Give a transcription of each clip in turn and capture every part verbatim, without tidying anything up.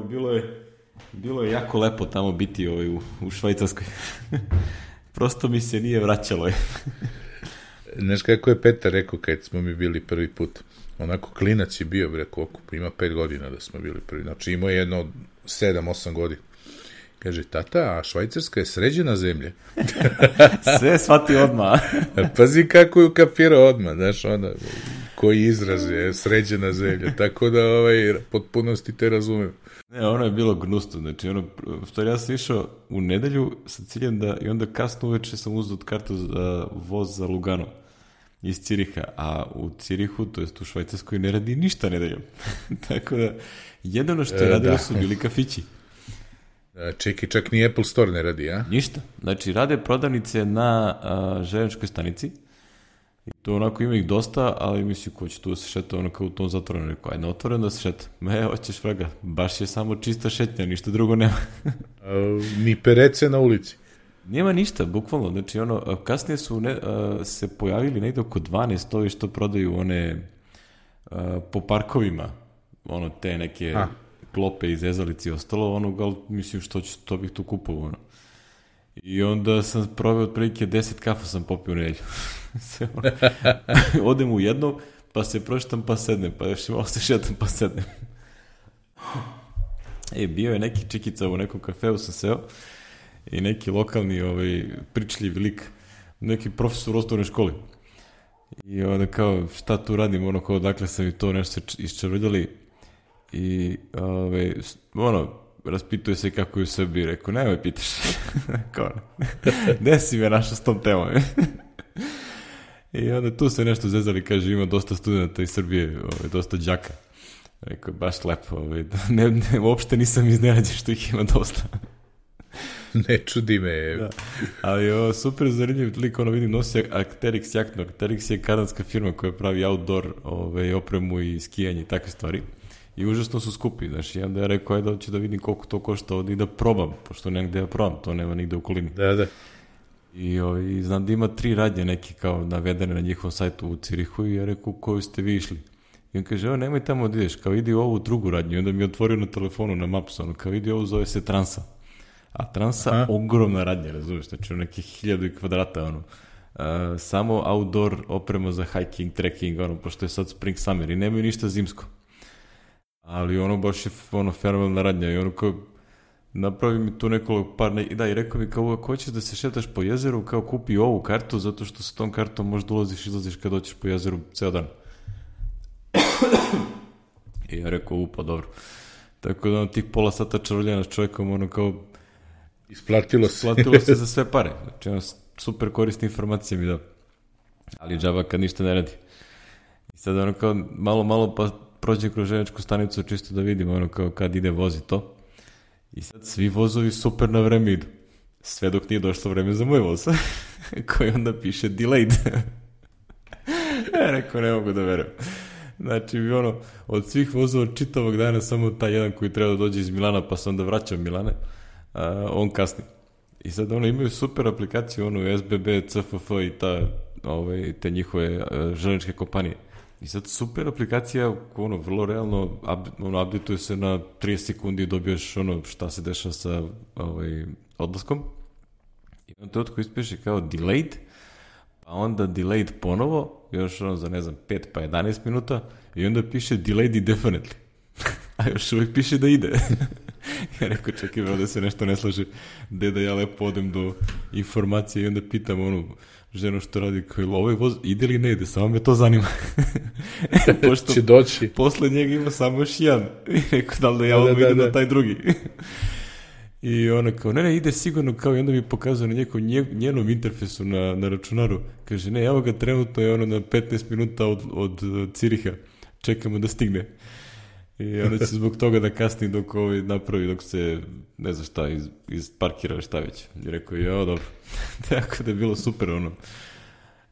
bilo je, bilo je jako lepo tamo biti ovaj, u, u Švajcarskoj. Prosto mi se nije vraćalo. Znaš kako je Petar rekao kad smo mi bili prvi put? Onako klinac je bio, bre, koliko? Ima pet godina da smo bili prvi. Znači imao je jedno sedam, osam godina. Kaže, tata, a Švajcarska je sređena zemlja. Sve shvati odmah. Pazi kako je ukapirao odmah, znaš, onda, koji izraz je sređena zemlja. Tako da, ovaj, potpunosti te razumem. Ne, ono je bilo gnusno, znači, ono, što ja sam išao u nedelju sa ciljem da, i onda kasno uveče sam uzeo kartu za voz za Lugano iz Ciriha, a u Cirihu, to jest u Švajcarskoj, ne radi ništa nedeljom. Tako da, jedino što je radilo e, su bili kafići. Čekaj, čak ni Apple Store ne radi, a? Ništa. Znači, rade prodavnice na a, željezničkoj stanici. I to onako ima ih dosta, ali mislim, ko će tu se šeta, ono kao u tom zatvorenom. Rekao, ajde, otvoreno da se šeta. Me, hoćeš vraga. Baš je samo čista šetnja, ništa drugo nema. a, ni perece na ulici. Nema ništa, bukvalno. Znači, ono, kasnije su ne, a, se pojavili negde oko dvanaest ovi što prodaju one a, po parkovima. Ono, te neke... A. klope i zezalice i ostalo, ono, gal, mislim, što ću, to bih tu kupovao, ono. I onda sam proveo otprilike deset kafa sam popio u nedelju. Odem u jedno, pa se proštam, pa sednem, pa još malo se šetam, pa sednem. E, bio je neki čikica u nekom kafeu, sam seo, i neki lokalni, ovaj, pričljiv lik, neki profesor u osnovnoj školi. I onda kao, šta tu radim, ono, kao, dakle sam i to nešto se iščavrljali. I, ove, ono, raspituje se kako je u Srbiji, rekao, nemoj pitaš. Kao, gde si me našao s tom temom? I onda tu se nešto zezali, kaže, ima dosta studenta iz Srbije, ove, dosta đaka. Rekao, baš lepo, ove, ne, ne, uopšte nisam iznenađen što ih ima dosta. Ne čudi me. Da. Ali o, super zanimljiv lik, ono vidim, nosi Arc'teryx jaknu. Arc'teryx je kanadska firma koja pravi outdoor ove, opremu i skijanje i takve stvari. I užasno su skupi, znaš, i onda ja rekao, ajde da ću da vidim koliko to košta ovdje i da probam, pošto nema gde da probam, to nema nigde u okolini. Da, da. I, o, i znam da ima tri radnje neke kao navedene na njihovom sajtu u Cirihu i ja rekao, koju ste vi išli? I on kaže, evo, nemoj tamo da ideš, kao idi u ovu drugu radnju. I onda mi je otvorio na telefonu, na Mapsu, ono, kao idi ovu, zove se Transa. A Transa, aha, ogromna radnja, razumiješ, znači u nekih hiljadu kvadrata, ono. Uh, samo outdoor oprema za hiking, trekking, ono, pošto je sad spring summer i nemaju ništa zimsko. Ali ono baš je ono fenomenalna radnja i ono kao napravi mi tu nekoliko par ne... da i rekao mi kao ako hoćeš da se šetaš po jezeru kao kupi ovu kartu zato što sa tom kartom možda ulaziš i izlaziš kad hoćeš po jezeru ceo dan. I ja rekao upa dobro. Tako da ono tih pola sata čaroljenja s čovjekom ono kao isplatilo se. Isplatilo se za sve pare. Znači ono super korisne informacije mi da. Ali džaba kad ništa ne radi. I sad ono kao malo malo pa prođem kroz željezničku stanicu čisto da vidim ono kao kad ide vozi to. I sad svi vozovi super na vreme idu. Sve dok nije došlo vreme za moj voz. Koji onda piše delayed. Ja rekao ne mogu da verujem. Znači bi ono od svih vozova čitavog dana samo taj jedan koji treba da dođe iz Milana pa se onda vraća u Milane. A, on kasni. I sad ono imaju super aplikaciju ono S B B, C F F i ta, ove, te njihove željezničke kompanije. I sad super aplikacija, ono, vrlo realno, up, ono, updateuje se na trideset sekundi i dobiješ ono šta se dešava sa ovaj, odlaskom. I on to otko ispiše kao delayed, pa onda delayed ponovo, još ono za ne znam pet pa jedanaest minuta i onda piše delayed indefinitely. A još uvijek piše da ide. Ja rekao, čekaj, da se nešto ne slaže, gde da ja lepo odem do informacije i onda pitam onu ženu što radi, kao ovaj voz ide li ne ide, samo me to zanima. Pošto će doći. Posle njega ima samo još jedan. I rekao, da li da ja odmah idem na taj drugi. I ona kao, ne, ne, ide sigurno, kao i onda mi pokazuje na njeko, njenom interfejsu na, na računaru. Kaže, ne, evo ga trenutno je ono na petnaest minuta od, od Ciriha. Čekamo da stigne. I onda će zbog toga da kasni dok ovaj napravi, dok se, ne znam šta, iz, iz parkira šta već. I rekao, jao, dobro. Tako da je bilo super, ono.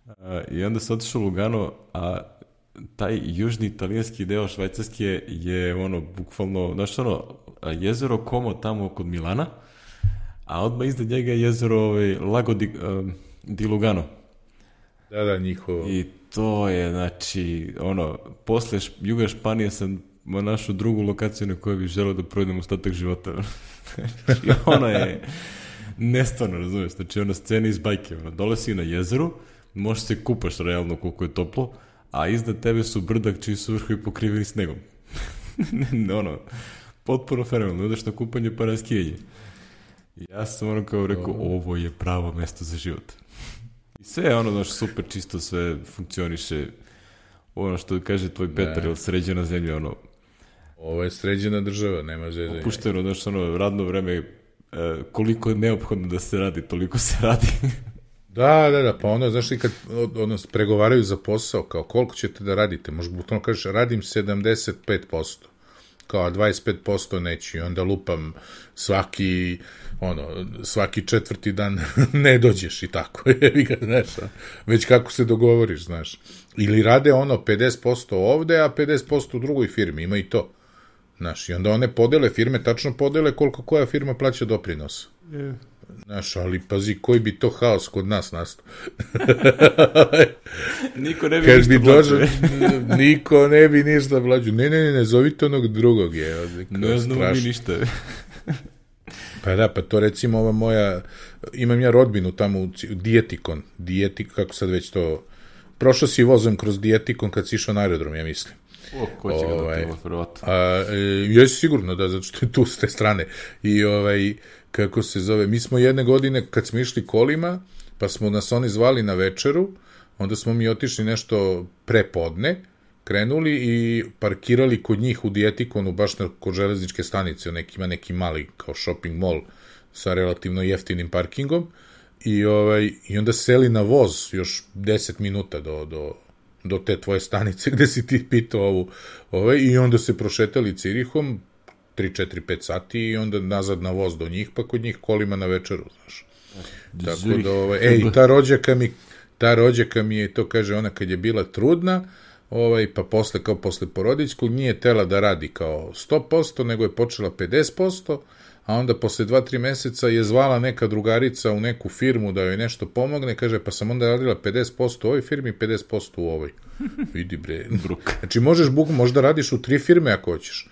A, I onda se otišao u Lugano, a taj južni italijanski deo Švajcarske je, ono, bukvalno, znaš, ono, jezero Como tamo kod Milana, a odmah iznad njega je jezero ovaj, Lago di, um, di Lugano. Da, da, njihovo. I to je, znači, ono, posle Juga Španije sam našu drugu lokaciju na kojoj bih želeo da provedem ostatak života. Znači, ono je nestvarno, razumiješ, znači ona scena iz bajke, ono, dole si na jezeru, možeš se kupaš realno koliko je toplo, a iznad tebe su brdak čiji su vrhovi pokriveni snegom. ono, potpuno fenomenalno, ideš na kupanje pa na skijanje. Ja sam ono kao rekao, ovo je pravo mesto za život. I sve je ono, znaš, super čisto, sve funkcioniše, ono što kaže tvoj Petar, je sređena zemlja, ono... Ovo je sređena država, nema zezanja. Opušteno, znaš, ono, radno vreme, koliko je neophodno da se radi, toliko se radi. Da, da, da, pa ono, znaš li kad ono, pregovaraju za posao, kao koliko ćete da radite, možda bukvalno kažeš, radim sedamdeset pet posto, kao dvadeset pet posto neću i onda lupam svaki, ono, svaki četvrti dan ne dođeš i tako, znaš, već kako se dogovoriš, znaš. Ili rade ono pedeset posto ovde, a pedeset posto u drugoj firmi, ima i to. Znaš, i onda one podele, firme tačno podele koliko koja firma plaća doprinos. Yeah. Znaš, ali pazi, koji bi to haos kod nas nastao. Niko ne bi Kad ništa bi dođe, niko ne bi ništa plaćao. Ne, ne, ne, ne, zovite onog drugog je. Ne znamo mi ništa. Pa da, pa to recimo ova moja, imam ja rodbinu tamo u Dijetikon, Dijetik, kako sad već to, prošao si vozom kroz Dijetikon kad si išao na aerodrom, ja mislim. O, ko će ga ovaj, da prvo, jesi sigurno, da, zato što je tu s te strane. I ovaj, kako se zove, mi smo jedne godine, kad smo išli kolima, pa smo nas oni zvali na večeru, onda smo mi otišli nešto prepodne, krenuli i parkirali kod njih u Dijetikonu, baš na, kod železničke stanice, neki, ima neki mali kao shopping mall sa relativno jeftinim parkingom, i, ovaj, i onda seli na voz još deset minuta do, do, do te tvoje stanice gde si ti pitao ovu, ovaj, i onda se prošetali Cirihom, tri, četiri, pet sati i onda nazad na voz do njih, pa kod njih kolima na večeru, znaš. Tako da, ovaj, ej, ta rođaka mi, ta rođaka mi je, to kaže ona kad je bila trudna, ovaj, pa posle, kao posle porodiljskog, nije tela da radi kao sto posto, nego je počela pedeset posto, a onda posle dva, tri meseca je zvala neka drugarica u neku firmu da joj nešto pomogne, kaže, pa sam onda radila pedeset posto u ovoj firmi, pedeset posto u ovoj. Vidi bre. Znači, možeš buk, možda radiš u tri firme ako hoćeš.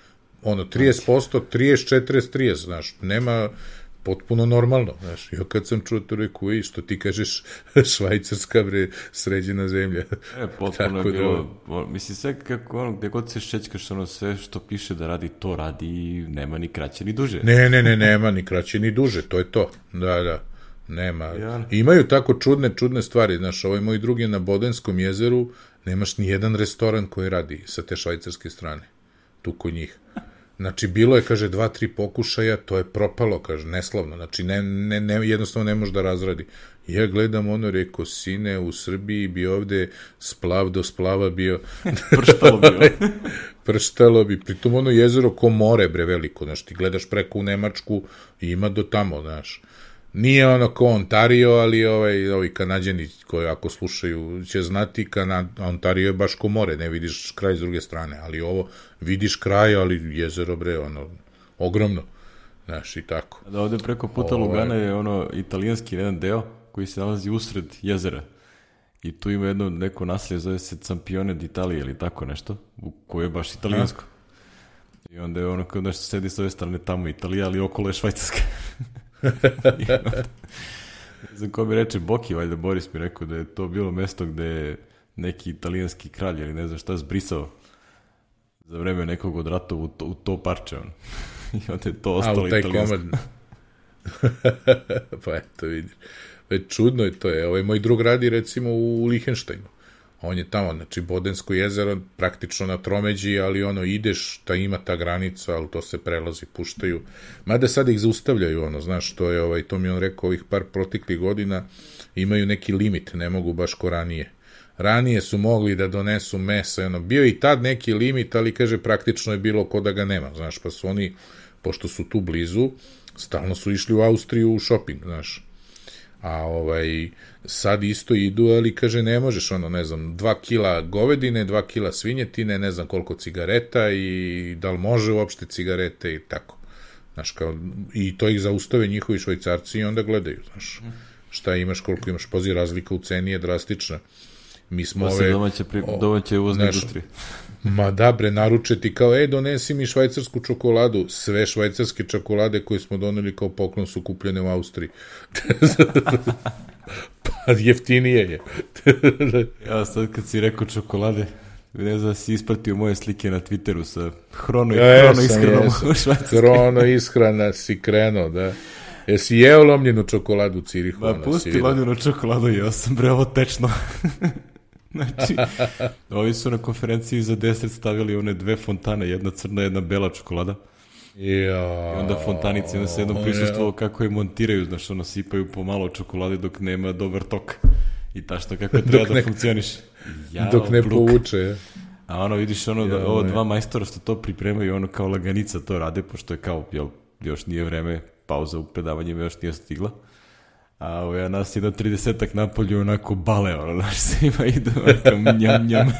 Ono, trideset posto, trideset, četrdeset, trideset, znaš, nema, potpuno normalno, znaš, ja kad sam čuo to reku, i što ti kažeš, Švajcarska, bre, sređena zemlja. E, potpuno je bilo, da, mislim, sve kako, ono, gde god se šećkaš, ono, sve što piše da radi, to radi i nema ni kraće ni duže. Ne, ne, ne, nema ni kraće ni duže, to je to, da, da, nema. Ja. Imaju tako čudne, čudne stvari, znaš, ovaj moj drugi na Bodenskom jezeru, nemaš ni jedan restoran koji radi sa te švajcarske strane, tu kod njih. Znači, bilo je, kaže, dva, tri pokušaja, to je propalo, kaže, neslavno, znači, ne, ne, ne, jednostavno ne može da razradi. Ja gledam ono, reko, sine, u Srbiji bi ovde splav do splava bio. Prštalo bi. Prštalo bi, pritom ono jezero ko more, bre, veliko, znači, ti gledaš preko u Nemačku i ima do tamo, znaš. Nije ono ko Ontario, ali ovaj, ovi Kanadjani koji ako slušaju će znati, Kanad, Ontario je baš ko more, ne vidiš kraj s druge strane, ali ovo vidiš kraj, ali jezero, bre, ono, ogromno, znaš, i tako. Da, ovde preko puta ovo... Lugana je ono italijanski jedan deo koji se nalazi usred jezera i tu ima jedno neko naselje, zove se Campione d'Italia ili tako nešto, koje je baš italijansko. I onda je ono kao nešto sedi s ove strane tamo Italija, ali okolo je Švajcarska. Ne znam ko mi reče, Boki, valjda Boris mi rekao da je to bilo mesto gde je neki italijanski kralj ili ne znam šta zbrisao za vreme nekog od ratova u to, u to parče on. I onda je to ostalo italijansko. Pa eto vidiš, već čudno je to je, ovaj moj drug radi recimo u Lihenštajnu, on je tamo, znači Bodensko jezero praktično na tromeđi, ali ono ideš, ta ima ta granica, ali to se prelazi, puštaju, mada sad ih zaustavljaju, ono, znaš, to je, ovaj, to mi on rekao, ovih par proteklih godina imaju neki limit, ne mogu baš ko ranije. Ranije su mogli da donesu mesa, ono, bio i tad neki limit, ali kaže, praktično je bilo ko da ga nema, znaš, pa su oni, pošto su tu blizu, stalno su išli u Austriju u shopping, znaš. A ovaj, sad isto idu, ali kaže, ne možeš, ono, ne znam, dva kila govedine, dva kila svinjetine, ne znam koliko cigareta i da li može uopšte cigarete i tako. Znaš, kao, i to ih zaustave njihovi Švajcarci i onda gledaju, znaš, šta imaš, koliko imaš, pazi, razlika u ceni je drastična. Mi smo Posle ove... domaće, pri... domaće uvozne naš, industrije. Ma da bre, naruče ti kao, ej, donesi mi švajcarsku čokoladu. Sve švajcarske čokolade koje smo doneli kao poklon su kupljene u Austriji. Pa jeftinije je. Ja sad kad si rekao čokolade, ne znam da si ispratio moje slike na Twitteru sa hrono, ja, hrono jesam, ishranom jesam. u Švajcarskoj. Hrono ishrana si krenuo, da. Jesi jeo lomljenu čokoladu u Cirihu? Ma pusti lomljenu čokoladu, jeo sam bre ovo tečno. Znači, ovi su na konferenciji za deset stavili one dve fontane, jedna crna, jedna bela čokolada. Ja, I onda fontanici, onda se jednom prisustvovao kako je montiraju, znaš, ono, sipaju pomalo čokolade dok nema dobar tok. I tašto kako treba da ne, funkcioniš. Jao, dok ne bluk. Povuče. A ono, vidiš, ono, da, ovo dva majstora što to pripremaju, ono, kao laganica to rade, pošto je kao, jel, još nije vreme, pauza u predavanjima još nije stigla. A ovo ja nas jedan tridesetak napolju onako bale, ono, znaš, svima idu, onako, njam, njam.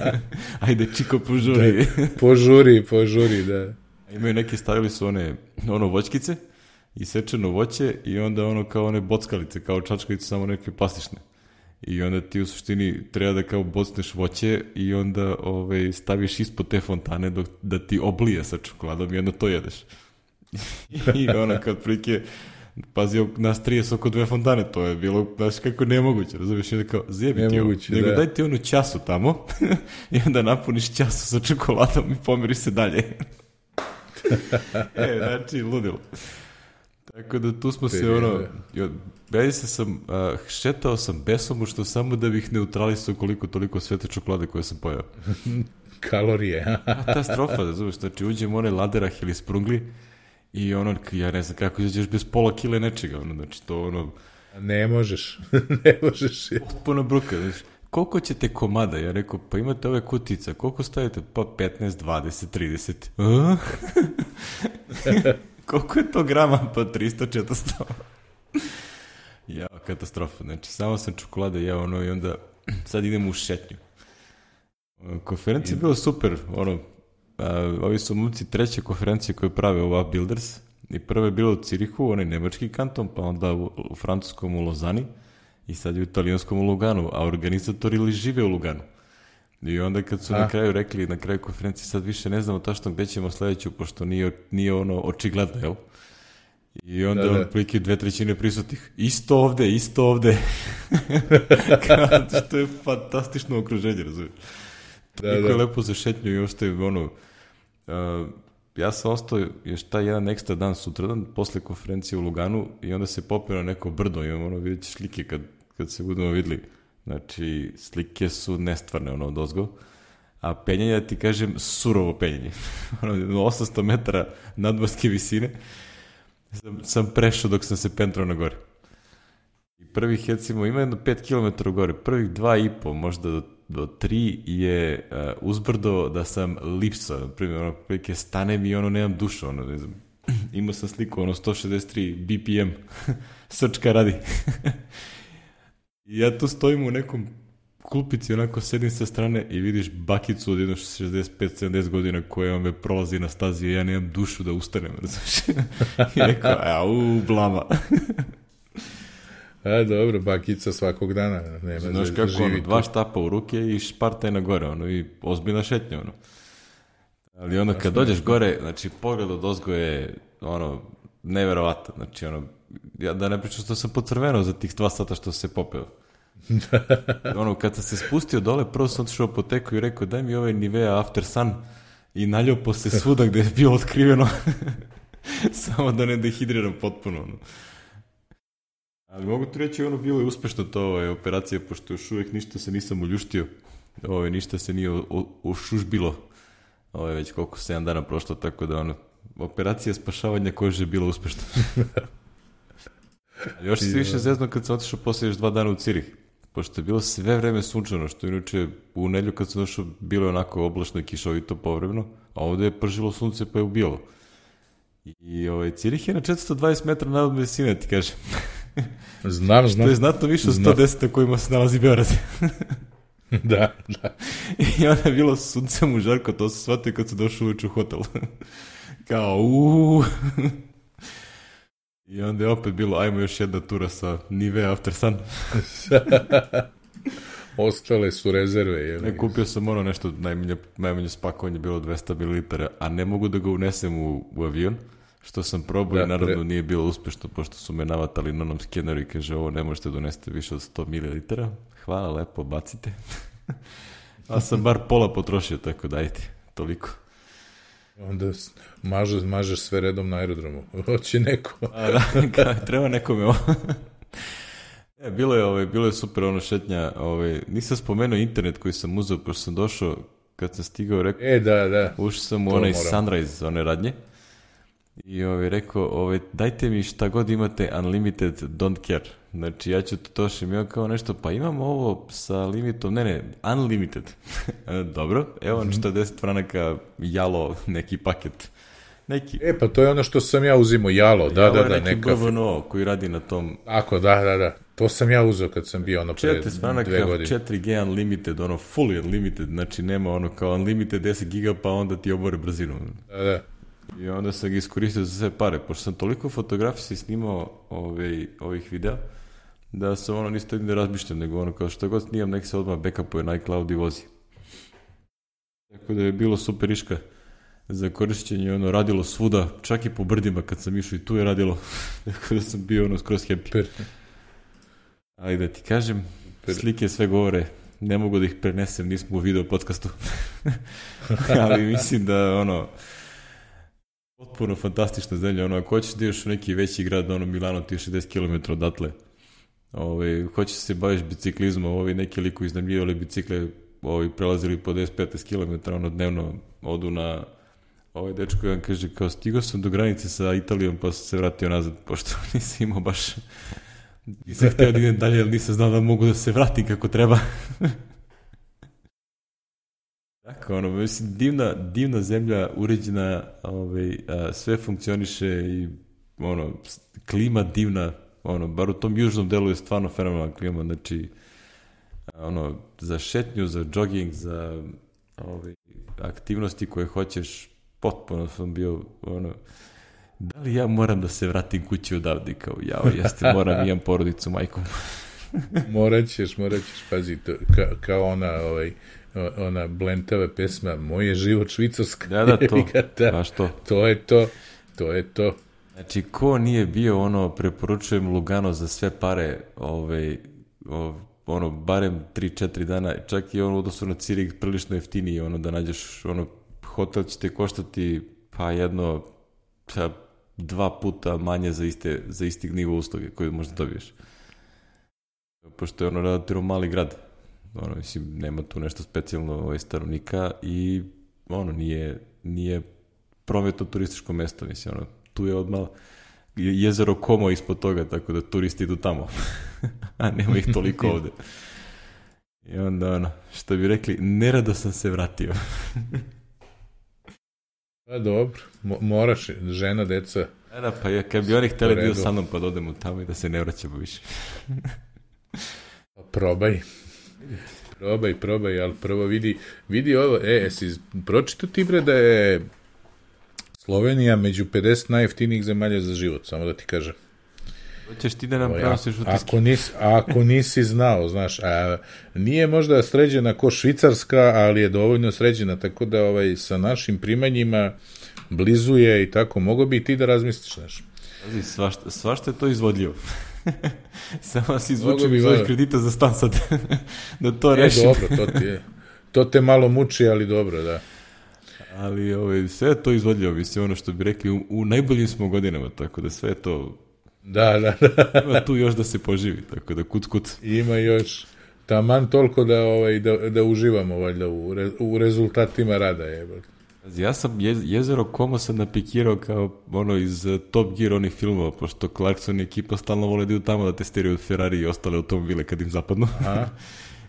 Ajde, čiko, požuri. Da, požuri, požuri, da. Imaju neki, stavili su one, ono, voćkice, isečeno voće i onda ono kao one bockalice, kao čačkalice, samo neke plastične. I onda ti u suštini treba da kao bocneš voće i onda ovaj, staviš ispod te fontane dok, da ti oblije sa čokoladom i onda to jedeš. I ono kad prike, pazi, nas trideset oko dve fontane, to je bilo, znaš kako nemoguće, razumiješ, i onda kao zjebi ti ovo, nego da. Daj ti onu času tamo i onda napuniš času sa čokoladom i pomiriš se dalje. E, znači, ludilo. Tako da tu smo se, ono, ja se sam, uh, šetao sam besomučno samo da bih neutralisao koliko toliko svete čokolade koje sam pojao. Kalorije. Katastrofa, da zoveš, znači uđem u onaj laderah ili sprungli i ono, ja ne znam kako izađeš bez pola kile nečega, ono, znači to ono... Ne možeš, ne možeš. Potpuno bruka, znači, koliko ćete komada? Ja rekao, pa imate ove kutice, koliko stavite? Pa petnaest, dvadeset, trideset. A? Koliko je to grama? Pa tristo, četiristo. Ja, katastrofa. Znači, samo sam čokolade jeo ono i onda sad idemo u šetnju. Konferencija je bila super. Ono, a, ovi su momci treće konferencije koje prave ova Builders. I prva je bila u Cirihu, onaj nemački kanton, pa onda u, u francuskom u Lozani i sad je u italijanskom u Luganu, a organizatori li žive u Luganu. I onda kad su a? na kraju rekli, na kraju konferencije, sad više ne znamo tačno gde ćemo sledeću, pošto nije, nije ono očigledno, jel? I onda da, da. Prilike dve trećine prisutnih. Isto ovde, isto ovde. Kao, što je fantastično okruženje, razumiješ? Da, Niko da. je lepo za šetnju i ostaje, ono... Uh, ja sam ostao još taj jedan ekstra dan sutradan, posle konferencije u Luganu, i onda se popeo na neko brdo, imam ono, vidjet ćeš slike kad, kad se budemo videli. Znači, slike su nestvarne, ono, od ozgo. A penjanje, da ti kažem, surovo penjanje. Ono, osamsto metara nadmorske visine sam, sam prešao dok sam se pentrao na gore. I prvih, recimo, ima jedno pet kilometara u gore, prvih dva i po, možda do, do tri je uh, uzbrdo da sam lipsa, na primjer, ono, prilike stanem i ono, nemam dušu, ono, ne znam, imao sam sliku, ono, sto šezdeset tri B P M, srčka radi. I ja tu stojim u nekom klupici, onako sedim sa strane i vidiš bakicu od jedno šezdeset pet sedamdeset godina koja me prolazi na stazi i ja nemam dušu da ustanem, znaš. I rekao, au, blama. A, dobro, bakica svakog dana. Nema znaš da kako, ono, dva štapa u ruke i špartaj na gore, ono, i ozbiljna šetnja, ono. Ali ono, kad dođeš gore, znači, pogled od ozgo je, ono, neverovatan, znači, ono, ja da ne pričam što sam pocrvenao za tih dva sata što se popeo. Ono, kad sam se spustio dole, prvo sam otišao u apoteku i rekao, daj mi ovaj Nivea After Sun, i naljupo se svuda gde je bilo otkriveno. Samo da ne dehidriram potpuno, ono. Ali mogu ti reći, ono, bilo je uspešno to, ovaj, operacija, pošto još uvijek ništa se nisam uljuštio, ovaj, ništa se nije ušužbilo, ovaj, već koliko sedam dana prošlo, tako da, ono, operacija spašavanja kože je bila uspešna. Još se više zezno kad sam otišao posle još dva dana u Cirih, pošto je bilo sve vreme sunčano, što inače u nedjelju kad sam došao bilo je onako oblačno i kišovito povremeno, a ovde je pržilo sunce pa je ubijalo. I, i ovaj, Cirih je na četiristo dvadeset metara nadmorske visine, ti kažem. Znam, znam. To je znatno više od sto deset na kojima se nalazi Beograd. Da, da. I onda je bilo sunce mu žarko, to se shvatio kad se došao uveč u hotel. Kao, uuuu. I onda je opet bilo, ajmo još jedna tura sa Nivea After Sun. Ostale su rezerve. Je ne, kupio sam ono nešto, najmanje, najmanje spakovanje bilo dvesta mililitara, a ne mogu da ga unesem u, u avion, što sam probao da, i naravno pre... nije bilo uspešno, pošto su me navatali na onom skeneru i kaže, ovo ne možete donesti više od sto mililitara, hvala, lepo, bacite. A sam bar pola potrošio, tako dajte, toliko. Onda mažeš, mažeš sve redom na aerodromu. Hoće neko. A, da, treba nekome ovo. E, bilo je, ovaj, bilo je super ono šetnja. Ovaj, nisam spomenuo internet koji sam uzeo, pošto sam došao, kad sam stigao, rekao, e, da, da. ušao sam u onaj moram. Sunrise, one radnje. I ovaj, rekao, ovaj, dajte mi šta god imate unlimited, don't care. Znači, ja ću to tošim, ja kao nešto, pa imamo ovo sa limitom, ne, ne, unlimited. Dobro, evo četrdeset franaka jalo, neki paket. Neki. E, pa to je ono što sam ja uzimo, jalo, da, jalo da, da. Neki B V N O koji radi na tom. Ako, da, da, da. To sam ja uzeo kad sam bio ono pre dve godine. četiri G unlimited, ono fully unlimited, znači nema ono kao unlimited deset giga pa onda ti obore brzinu. Da, da. I onda sam ga iskoristio za sve pare, pošto sam toliko fotografija snimao ove, ovih videa, da sam ono nisto jedin da razmišljam, nego ono kao što god snimam, nek se odmah backupuje na iCloud i vozi. Tako da je bilo super iška za korišćenje, ono radilo svuda, čak i po brdima kad sam išao i tu je radilo, tako da sam bio ono skroz happy. Per. Ali da ti kažem, per. Slike sve govore, ne mogu da ih prenesem, nismo u video podcastu. Ali mislim da ono, potpuno fantastična zemlja, ono, ako hoćeš da ideš u neki veći grad, ono, Milano ti je šezdeset kilometara odatle, Ove, hoće se baviš biciklizmom, ovi neki liku iznajmljivali bicikle, ovi prelazili po deset do petnaest kilometara, ono dnevno odu na, ovaj dečko jedan kaže kao stigao sam do granice sa Italijom pa sam se vratio nazad, pošto nisam imao baš, nisam htio da idem dalje, ali nisam znao da mogu da se vratim kako treba. Tako, ono, mislim, divna, divna zemlja, uređena, ovaj, a, sve funkcioniše i, ono, klima divna, ono, bar u tom južnom delu je stvarno fenomenalna klima, znači, ono, za šetnju, za jogging, za ove, aktivnosti koje hoćeš, potpuno sam bio, ono, da li ja moram da se vratim kući odavde, kao, jao, jeste, moram, imam porodicu, majkom. morat ćeš, morat ćeš, pazi, to, ka, kao ona, ovaj, ona blentava pesma, moj je život Švicarska. Da, da, to, baš to. To je to, to je to. Znači, ko nije bio, ono, preporučujem Lugano za sve pare, ovaj, ov, ono, barem tri četiri dana, čak i ono, odnosno na Cirik, prilično jeftiniji, ono, da nađeš, ono, hotel će te koštati, pa jedno, pa, dva puta manje za, iste, za istih nivo usluge koje možda dobiješ. Pošto je ono relativno mali grad, ono, mislim, nema tu nešto specijalno ovaj, stanovnika i, ono, nije, nije prometno turističko mesto, mislim, ono, tu je odmah jezero Como ispod toga, tako da turisti idu tamo. A nema ih toliko ovde. I onda, ono, što bi rekli, nerado sam se vratio. Pa dobro, Mo- moraš, žena, deca. Da, da, pa je, kad bi oni hteli bio sa mnom, pa da odemo tamo i da se ne vraćamo više. Pa probaj. Probaj, probaj, ali prvo vidi, vidi ovo, e, jesi pročitao ti bre da je Slovenija među pedeset najjeftinijih zemalja za život, samo da ti kažem. Hoćeš ti da nam prenosiš utiske? Ako nisi, ako nisi znao, znaš, a nije možda sređena ko Švicarska, ali je dovoljno sređena, tako da ovaj, sa našim primanjima blizuje i tako, mogo bi i ti da razmisliš, znaš. Svašta, svašta je to izvodljivo. Samo si izvučio iz ovih kredita za stan sad, da to rešim. E, dobro, to ti je. To te malo muči, ali dobro, da. Ali ovaj, sve je to izvodljivo, mislim, ono što bi rekli, u, u najboljim smo godinama, tako da sve je to... Da, da, da. Ima tu još da se poživi, tako da kuc, kuc. Ima još taman toliko da, ovaj, da, da uživamo valjda u, re, u rezultatima rada. Je. Ja sam je, jezero Como sam napikirao kao ono iz uh, Top Gear onih filmova, pošto Clarkson i ekipa stalno vole da idu tamo da testiraju Ferrari i ostale automobile kad im zapadnu.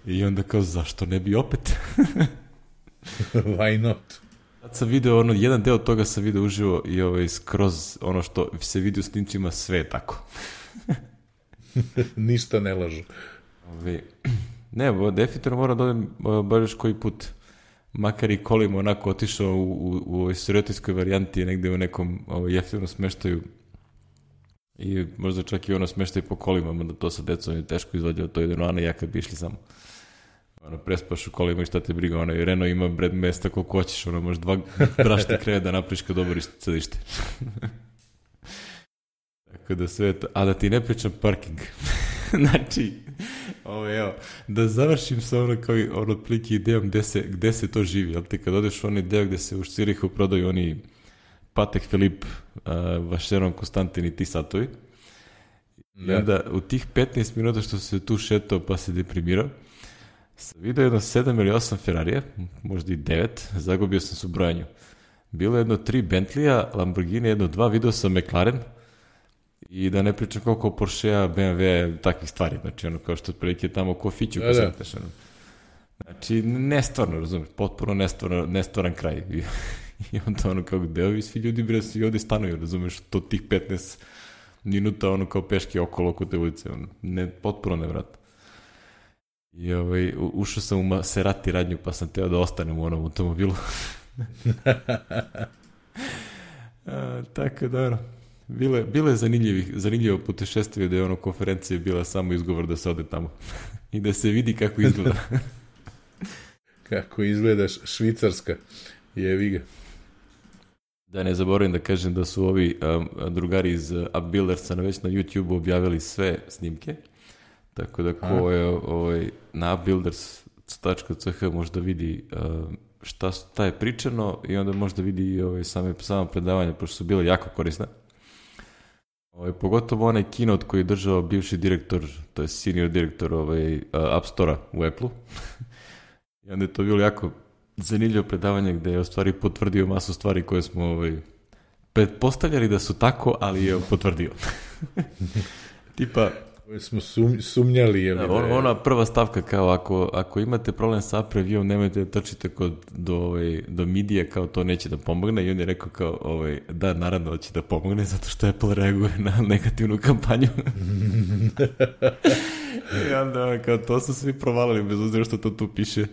I onda kao, zašto ne bi opet? Why not? Sad sam video, ono, jedan deo toga sam video uživo i ovaj, skroz ono što se vidi u snimcima, sve je tako. Ništa ne lažu. Ove, ne, bo, definitivno moram da odem baš još koji put. Makar i kolima onako otišao u, u, u ovoj sirotijskoj varijanti, negde u nekom ovaj, jeftinom smeštaju. I možda čak i ono smeštaju po kolima, da to sa decom je teško izvađao, to je jedno Ana i ja kad bi išli samo. ono, prespaš u kolima i šta te briga, ono, i Renault ima bred mesta koliko hoćeš, ono, možeš dva brašne kreve da napriš kad oboriš sedište. Tako da sve to, a da ti ne pričam parking. Znači, ovo, evo, da završim sa ono kao i ono otprilike idejom gde se, gde se to živi, jel ti kad odeš u onaj deo gde se u Šcirihu prodaju oni Patek Filip, uh, Vacheron, Konstantin i ti satovi. I onda u tih petnaest minuta što se tu šetao pa se deprimirao, sam vidio jedno sedam ili osam Ferrarija, možda i devet, zagubio sam se u brojanju. Bilo jedno tri Bentleya, Lamborghini, jedno dva, video sam McLaren i da ne pričam koliko Porschea, B M W, takvih stvari, znači ono kao što prilike tamo ko fiću ko se teš, ono. Znači, nestvarno, razumiješ, potpuno nestvarno, nestvaran kraj. I, i onda ono kao gde ovi svi ljudi bre svi ovde stanuju, razumiješ, to tih petnaest minuta ono kao peške okolo oko te ulice, ono, ne, potpuno nevratno. I ovaj, ušao sam u Maserati radnju pa sam teo da ostanem u onom automobilu. A, tako da ono, bilo je, bilo je zanimljivo putešestvije da je ono konferencija bila samo izgovor da se ode tamo i da se vidi kako izgleda. Kako izgledaš Švicarska, jevi ga. Da ne zaboravim da kažem da su ovi um, drugari iz Upbuildersa već na YouTube objavili sve snimke, tako da ko je ovaj, na upbuilders tačka c h možda vidi um, šta, šta je pričano i onda možda vidi ovaj, same, same predavanja, pošto su bile jako korisne. Ovaj, pogotovo onaj keynote koji je držao bivši direktor, to je senior direktor ovaj, uh, App Store-a u Apple-u. I onda je to bilo jako zanimljivo predavanje gde je u stvari potvrdio masu stvari koje smo ovaj, pretpostavljali da su tako, ali je potvrdio. Tipa... Koje smo sum, sumnjali. Je da, on, ona prva stavka kao ako, ako imate problem sa app review, nemojte da trčite kod, do, ovaj, do midije, kao to neće da pomogne. I on je rekao kao, ovaj, da, naravno hoće da pomogne, zato što Apple reaguje na negativnu kampanju. I onda kao, to su svi provalili, bez uzira što to tu piše.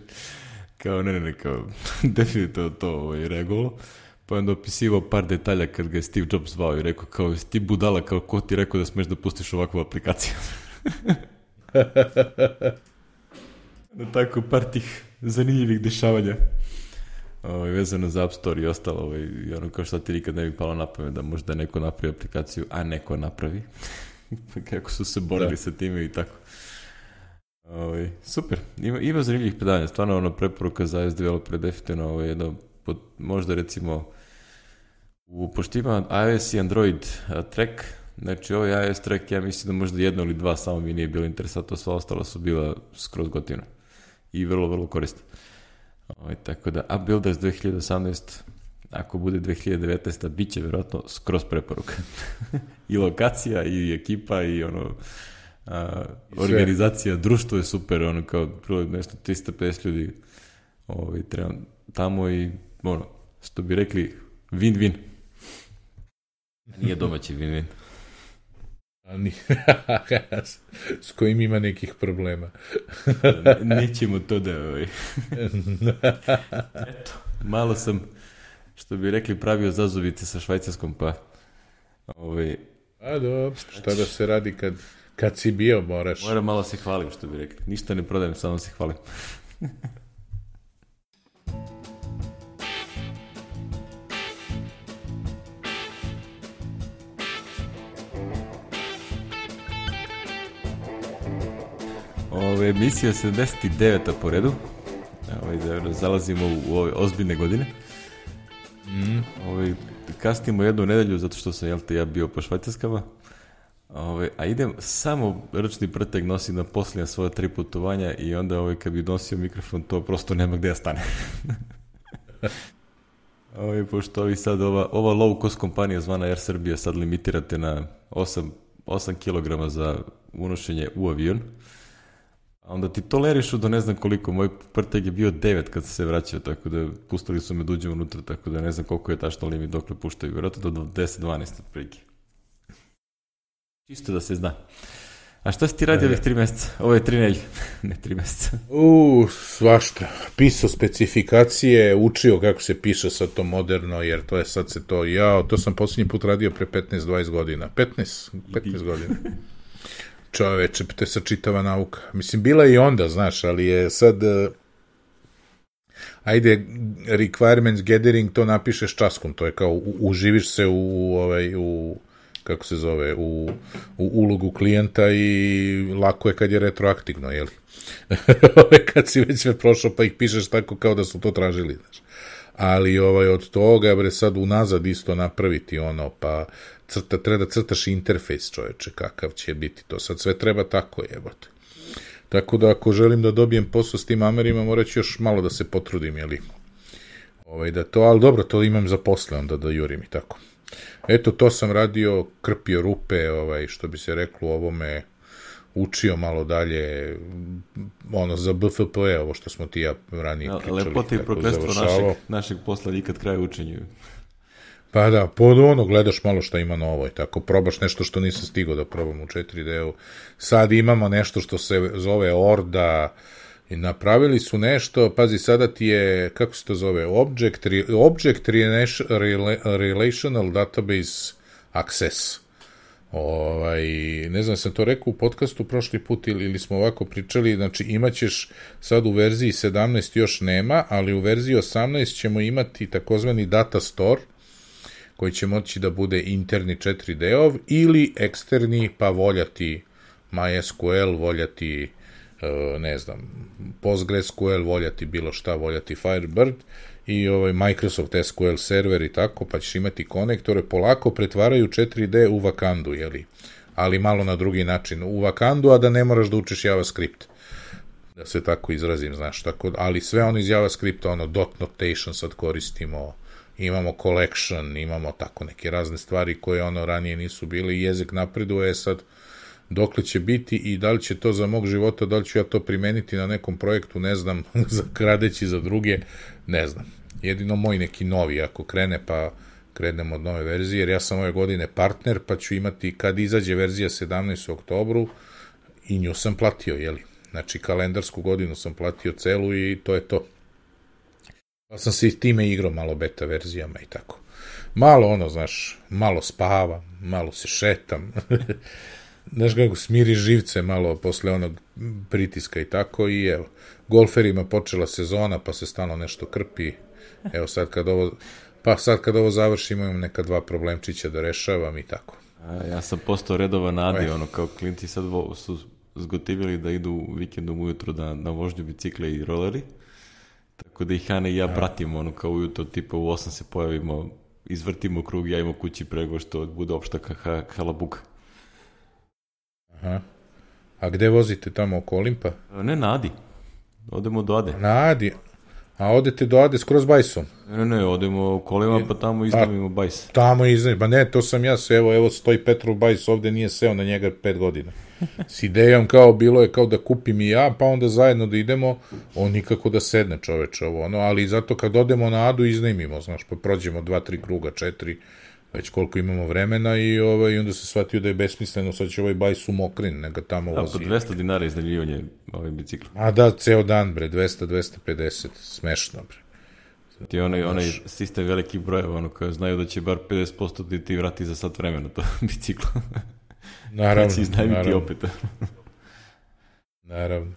Kao, ne, ne, ne, kao, definitivno to ovaj, reagovalo. Pa onda opisivao par detalja kad ga je Steve Jobs zvao i rekao kao, ti budala, kao ko ti rekao da smeš da pustiš ovakvu aplikaciju. Na tako par tih zanimljivih dešavanja ovaj, vezano za App Store i ostalo. Ovaj, i ono kao šta ti nikad ne bi palo na pamet da možda neko napravi aplikaciju, a neko napravi. Kako su se borili da. Sa time i tako. Ovaj, super, ima, ima zanimljivih predavanja, stvarno ono preporuka za iOS developer definitivno ovaj, jedno, pod, možda recimo u, pošto ima iOS i Android a, track, znači ovaj iOS track ja mislim da možda jedno ili dva samo mi nije bilo interesantno, sva ostala su bila skroz gotivna i vrlo, vrlo korisna. Ovaj, tako da Upbuilders dve hiljade osamnaeste ako bude dve hiljade devetnaeste bit će vjerojatno skroz preporuka. I lokacija i ekipa i ono A, organizacija, društvo je super, ono kao nešto tristo pedeset ljudi ovaj, treba tamo i ono, što bi rekli win-win. Nije domaći win-win. A ni, s kojim ima nekih problema. Ne, nećemo to da ovaj. Eto, malo sam, što bi rekli, pravio zazubice sa Švajcarskom, pa ovaj, a dobro, šta da se radi kad Kad si bio, moraš. Moram malo se hvalim, što bi rekli. Ništa ne prodajem, samo se hvalim. Ove, emisija sedamdeset deveta po redu. Ove, zalazimo u ove ozbiljne godine. Mm. Ove, kasnimo jednu nedelju, zato što sam, jel te, ja bio po Švajcarskama. Ove, a idem samo ručni prteg nosim na posljednja svoja tri putovanja i onda ovaj, kad bi nosio mikrofon to prosto nema gde da stane. Ove, pošto ovi sad ova, ova low cost kompanija zvana Air Serbia sad limitirate na osam kilograma za unošenje u avion, a onda ti tolerišu do ne znam koliko, moj prteg je bio devet kad se vraćao, tako da pustili su me da uđem unutra, tako da ne znam koliko je tačno limit dokle puštaju, vjerojatno do deset dvanaest otprilike. Čisto da se zna. A šta si ti radio ovih tri mjeseca? Ovo je tri nelje, ne tri mjeseca. U, svašta. Pisao specifikacije, učio kako se piše sad to moderno, jer to je sad se to, ja, to sam posljednji put radio pre petnaest dvadeset godina. petnaest, petnaest godina. čoveče, to je sačitava nauka. Mislim, bila je i onda, znaš, ali je sad... Uh, ajde, requirements gathering, to napišeš časkom, to je kao, u, uživiš se u, ovaj, u, kako se zove, u, u ulogu klijenta i lako je kad je retroaktivno, jeli? Kad si već sve prošao, pa ih pišeš tako kao da su to tražili, znaš. Ali ovaj, od toga, bre, sad unazad isto napraviti ono, pa crta, treba da crtaš interfejs, čoveče, kakav će biti to, sad sve treba tako, jebote. Tako da ako želim da dobijem posao s tim Amerima, morat ću još malo da se potrudim, jeli? Ovaj, da to, ali dobro, to imam za posle, onda da jurim i tako. Eto, to sam radio, krpio rupe, ovaj, što bi se reklo u ovome, učio malo dalje, ono, za B F P, ovo što smo ti ja ranije pričali. Lepota i prokletstvo našeg, našeg posla nikad kraj učenju. Pa da, pod ono gledaš malo šta ima novo i tako, probaš nešto što nisam stigao da probam u četiri D-u. Sad imamo nešto što se zove Orda, i napravili su nešto, pazi, sada ti je, kako se to zove, Object, Object Relational Database Access. Ovaj, ne znam, sam to rekao u podcastu prošli put ili, ili smo ovako pričali, znači imaćeš sad u verziji sedamnaest još nema, ali u verziji osamnaest ćemo imati takozvani Data Store, koji će moći da bude interni četiri D-ov ili eksterni, pa voljati MySQL, voljati, ne znam, PostgreSQL, voljati bilo šta, voljati Firebird i ovaj Microsoft S Q L server i tako, pa ćeš imati konektore, polako pretvaraju četiri D u Wakandu, jeli? Ali malo na drugi način. U Wakandu, a da ne moraš da učiš JavaScript. Da se tako izrazim, znaš, tako, ali sve ono iz JavaScripta, ono, dot notation sad koristimo, imamo collection, imamo tako neke razne stvari koje ono ranije nisu bile i jezik napreduje, sad dokle će biti i da li će to za mog života, da li ću ja to primeniti na nekom projektu, ne znam, kradeći za druge, ne znam. Jedino moj neki novi, ako krene, pa krenemo od nove verzije, jer ja sam ove godine partner, pa ću imati, kad izađe verzija sedamnaest u oktobru, i nju sam platio, jeli? Znači, kalendarsku godinu sam platio celu i to je to. Pa sam se i time igrao malo beta verzijama i tako. Malo ono, znaš, malo spavam, malo se šetam, znaš kako smiri živce malo posle onog pritiska i tako i evo, golferima počela sezona pa se stalno nešto krpi, evo sad kad ovo, pa sad kad ovo završimo imam neka dva problemčića da rešavam i tako. A, ja sam postao redovan Adi, ono kao klinci sad vo, su zgotivili da idu vikendom ujutru da, na vožnju bicikle i roleri, tako da ih Ana i ja pratimo, ono kao ujutro, tipa u osam se pojavimo, izvrtimo krug, ja imam kući prego što bude opšta ha, halabuka. Aha. A gde vozite tamo oko Olimpa? Ne, na Adi. Odemo do Ade. Na Adi? A odete do Ade skroz bajsom? Ne, ne, odemo kolima pa tamo iznamimo bajs. Tamo iznamimo, ba ne, to sam ja se, evo, evo stoji Petrov bajs, ovde nije seo na njega pet godina. S idejom kao, bilo je kao da kupim i ja, pa onda zajedno da idemo, on nikako da sedne čoveče ovo, ono, ali zato kad odemo na Adu iznajmimo, znaš, pa prođemo dva, tri kruga, četiri, već koliko imamo vremena i ovaj, onda se shvatio da je besmisleno, sad će ovaj bajs u Mokrin, nega tamo vozi. A po dvesta dinara iznajmljivanje ovaj bicikla. A da, ceo dan, bre, dvesta, dvesta pedeset, smešno, bre. Ti onaj, onaj sistem velikih brojeva, ono koje znaju da će bar pedeset posto ti, ti vrati za sat vremena to biciklo. Naravno, naravno. Opet. Naravno.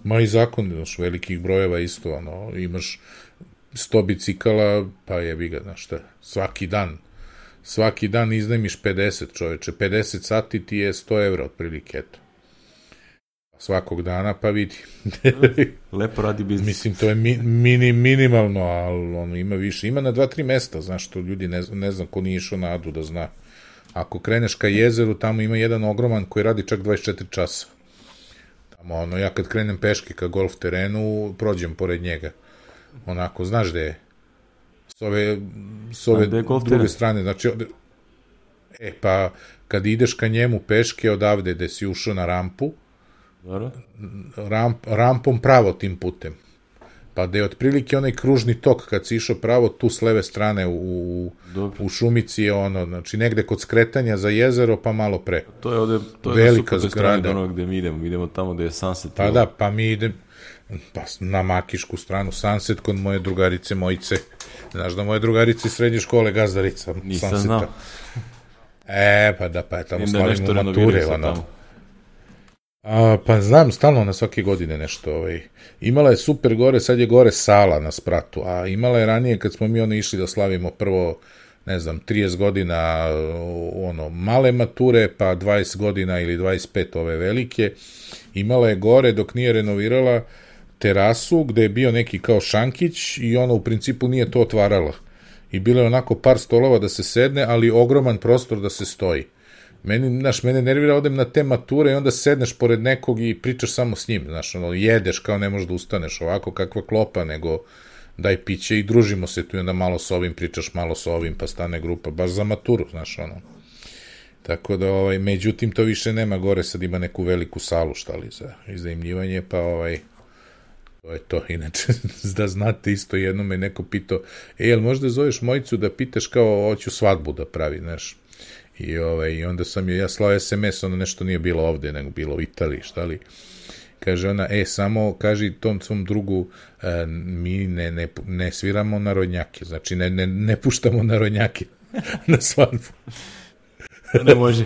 Ma i zakon, znaš, velikih brojeva isto, ono, imaš sto bicikala, pa jebi ga, znaš šta, svaki dan, svaki dan iznajmiš pedeset, čoveče, pedeset sati ti je sto evra otprilike, eto. Svakog dana, pa vidi. Lepo radi biznis. Mislim, to je mi, mini, minimalno, ali ono, ima više. Ima na dva, tri mesta, znaš, što ljudi ne, ne znam ko nije išao na Adu da zna. Ako kreneš ka jezeru, tamo ima jedan ogroman koji radi čak dvadeset četiri časa. Tamo, ono, ja kad krenem peške ka golf terenu, prođem pored njega. Onako, znaš gde je? S ove, s ove druge teren? Strane, znači, od... e, pa, kad ideš ka njemu peške odavde gde si ušao na rampu, Ramp, rampom pravo tim putem. Pa da je otprilike onaj kružni tok kad si išao pravo tu s leve strane u, u šumici je ono, znači negde kod skretanja za jezero pa malo pre. To je ovde, to je velika zgrada. Ono gde mi idemo, mi idemo tamo gde je Sunset. Pa da, pa mi idemo pa na makišku stranu Sunset kod moje drugarice Mojice. Znaš da moje drugarice iz srednje škole gazdarica Nisam Sunseta. Znao. E, pa da, pa je tamo slavimo mature, ono. A, pa znam, stalno na svake godine nešto. Ovaj. Imala je super gore, sad je gore Sala na spratu, a imala je ranije kad smo mi ono išli da slavimo prvo, ne znam, trideset godina ono, male mature, pa dvadeset godina ili dvadeset pet ove velike. Imala je gore, dok nije renovirala, terasu gde je bio neki kao šankić i ona u principu nije to otvarala. I bilo je onako par stolova da se sedne, ali ogroman prostor da se stoji. Meni, znaš, mene nervira, odem na te mature i onda sedneš pored nekog i pričaš samo s njim, znaš, ono, jedeš kao ne možeš da ustaneš, ovako kakva klopa, nego daj piće i družimo se tu i onda malo s ovim, pričaš malo s ovim, pa stane grupa, baš za maturu, znaš, ono. Tako da, ovaj, međutim, to više nema gore, sad ima neku veliku salu, šta li, za iznajmljivanje, pa, ovaj, to je to, inače, da znate isto, jedno me neko pitao, e, jel možda zoveš Mojicu da pitaš kao, hoću svadbu da pravi, znaš, i, ovaj, i onda sam joj ja slao es em es, ono nešto nije bilo ovde, nego bilo u Italiji, šta li, kaže ona, e, samo kaži tom svom drugu, e, mi ne, ne, ne sviramo narodnjake, znači ne, ne, ne puštamo narodnjake na svadbu. To ne može.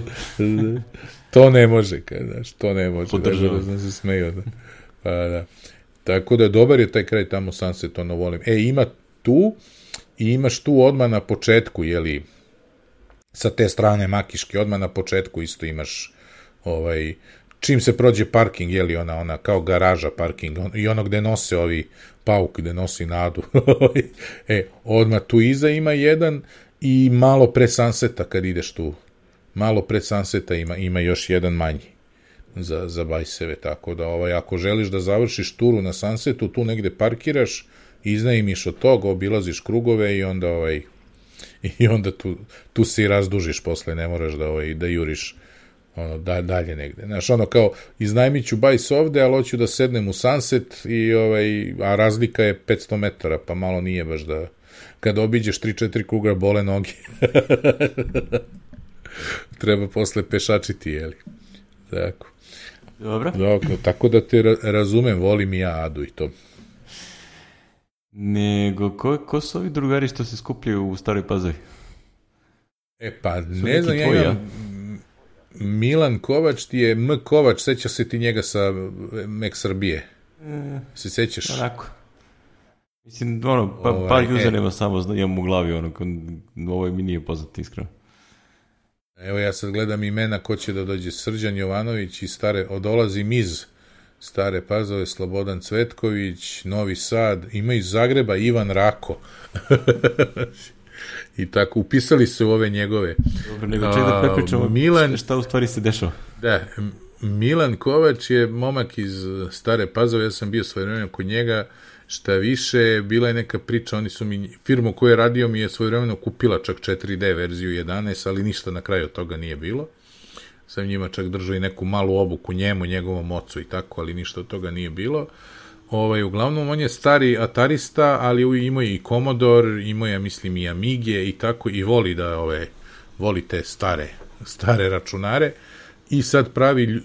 To ne može, kada, znaš, to ne može. Podržava. Da, da se smeju. Da. Pa, da. Tako da, dobar je taj kraj tamo, Sunset, ono volim. E, ima tu, i imaš tu odmah na početku, jeli, sa te strane Makiške, odmah na početku isto imaš, ovaj, čim se prođe parking, jeli, ona, ona, kao garaža parking, on, i ono gde nose ovi pauk, gde nosi Nadu. E, odmah tu iza ima jedan i malo pre Sunseta kad ideš tu. Malo pred Sunseta ima, ima još jedan manji za, za bajseve, tako da ovaj, ako želiš da završiš turu na Sunsetu, tu negde parkiraš, iznajmiš od toga, obilaziš krugove i onda ovaj, i onda tu, tu se i razdužiš posle, ne moraš da, ovaj, da juriš ono, da, dalje negde. Znaš, ono kao, iznajmit ću bajs ovde, ali hoću da sednem u Sunset, i, ovaj, a razlika je petsto metara, pa malo nije baš da, kada obiđeš tri četiri kruga bole noge. Treba posle pešačiti, jeli. Tako. Dobro. Dobro. Tako da te ra- razumem, volim i ja Adu i to. Nego, ko, ko su ovi drugari što se skupljaju u Staroj Pazovi? E pa, su ne znam, ja imam... Milan Kovač ti je M. Kovač, seća se ti njega sa Mek Srbije. E, se sećaš? Onako. Mislim, ono, pa, ovaj, par usernama e, samo imam u glavi, ono, ovo mi nije poznato, iskreno. Evo ja sad gledam imena ko će da dođe. Srđan Jovanović iz Stare, odolazim iz Stare Pazove, Slobodan Cvetković, Novi Sad, ima iz Zagreba Ivan Rako. I tako, upisali su ove njegove. Dobro, nego ček da prepričamo Milan, šta u stvari se dešava. Da, Milan Kovač je momak iz Stare Pazove, ja sam bio svoje vremena kod njega, šta više, bila je neka priča, oni su mi, firmu koju je radio mi je svojevremeno kupila čak četiri D verziju jedanaest, ali ništa na kraju od toga nije bilo. Sam njima čak držao i neku malu obuku njemu, njegovom ocu i tako, ali ništa od toga nije bilo. Ovaj, uglavnom, on je stari atarista, ali imao je i Commodore, imao je, mislim, i Amige i tako, i voli da, ove, voli te stare, stare računare. I sad pravi uh,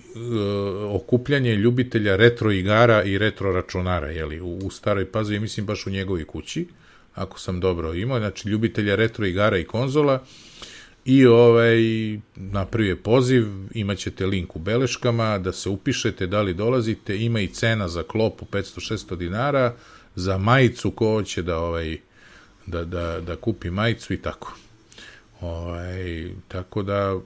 okupljanje ljubitelja retro igara i retro računara, jeli, u, u Staroj Pazovi, mislim baš u njegovoj kući, ako sam dobro imao, znači ljubitelja retro igara i konzola, i ovaj, napravio je poziv, imaćete link u beleškama, da se upišete, da li dolazite, ima i cena za klopu petsto šesto dinara, za majicu ko hoće da, ovaj, da, da, da kupi majicu i tako. Ovaj, tako da,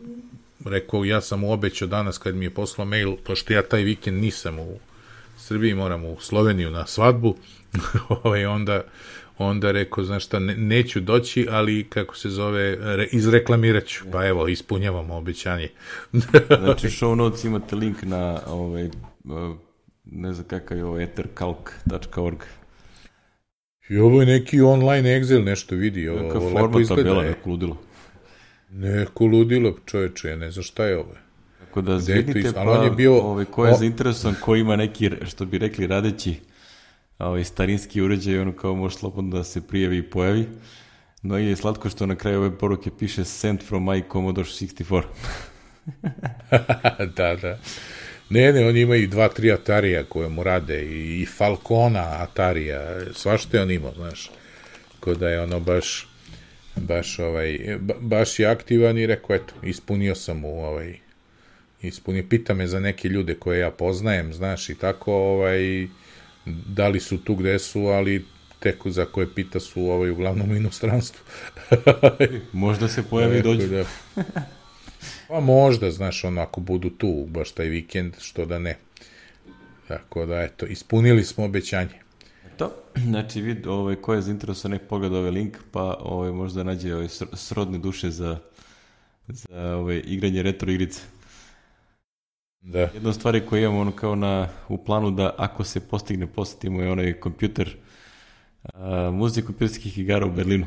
rekao, ja sam mu obećao danas kad mi je poslao mail, pošto ja taj vikend nisam u Srbiji, moram u Sloveniju na svadbu, ovaj, onda, onda rekao, znaš šta, ne, neću doći, ali kako se zove, re, izreklamirat ću, pa evo, ispunjavamo obećanje. Znači, show notes imate link na, ovaj, ne znam kakav je ovo, ethercalc tačka org. I ovo je neki online Excel, nešto vidi, ovo, neka ovo lepo izgleda. Tabela, neko ludilo. Neko ludilo, čoveče, ja ne znam šta je ovo. Tako da zvidite, pa, on je bio, ovaj, ko je o... zainteresovan, ko ima neki, što bi rekli, radeći ovaj, starinski uređaj, ono kao može slobodno da se prijavi i pojavi. No i je slatko što na kraju ove poruke piše sent from my Commodore šezdeset četiri. Da, da. Ne, ne, on ima i dva, tri Atarija koje mu rade, i, i Falcona Atarija, svašto je on imao, znaš. Ko da je ono baš... baš ovaj, ba, baš je aktivan i rekao, eto, ispunio sam mu ovaj, ispunio. Pita me za neke ljude koje ja poznajem, znaš, i tako, ovaj, da li su tu gde su, ali tek za koje pita su ovaj, uglavnom u inostranstvu. Možda se pojavi i dođu. Da. Pa možda, znaš, ono, ako budu tu baš taj vikend, što da ne. Tako da, eto, ispunili smo obećanje. To, znači, vid, ovaj, ko je zainteresovan, nek pogleda ovaj link, pa ovaj, možda nađe ovaj, srodne duše za, za ovaj, igranje retro igrice. Da. Jedna od stvari koje imamo ono kao na, u planu da ako se postigne, posjetimo je onaj kompjuter, a, muzej kompjuterskih igara u Berlinu.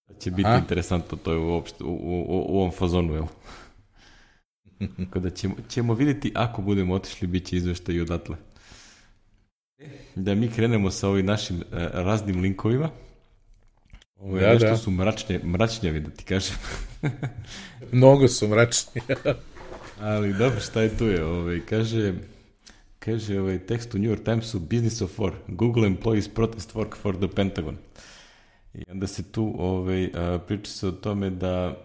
Da će biti Aha. interesantno, to je uopšte, u, u, u, u ovom fazonu, jel? Kada ćemo, ćemo vidjeti, ako budemo otišli, bit će izveštaj i odatle. Da mi krenemo sa ovim našim uh, raznim linkovima. Ovo je da, nešto da. su mračnje, mračnjavi, da ti kažem. Mnogo su mračnje. Ali dobro, šta je tu je? Ovaj, kaže, kaže ovaj tekst u New York Timesu, Business of War, Google employees protest work for the Pentagon. I onda se tu ovaj, a, priča se o tome da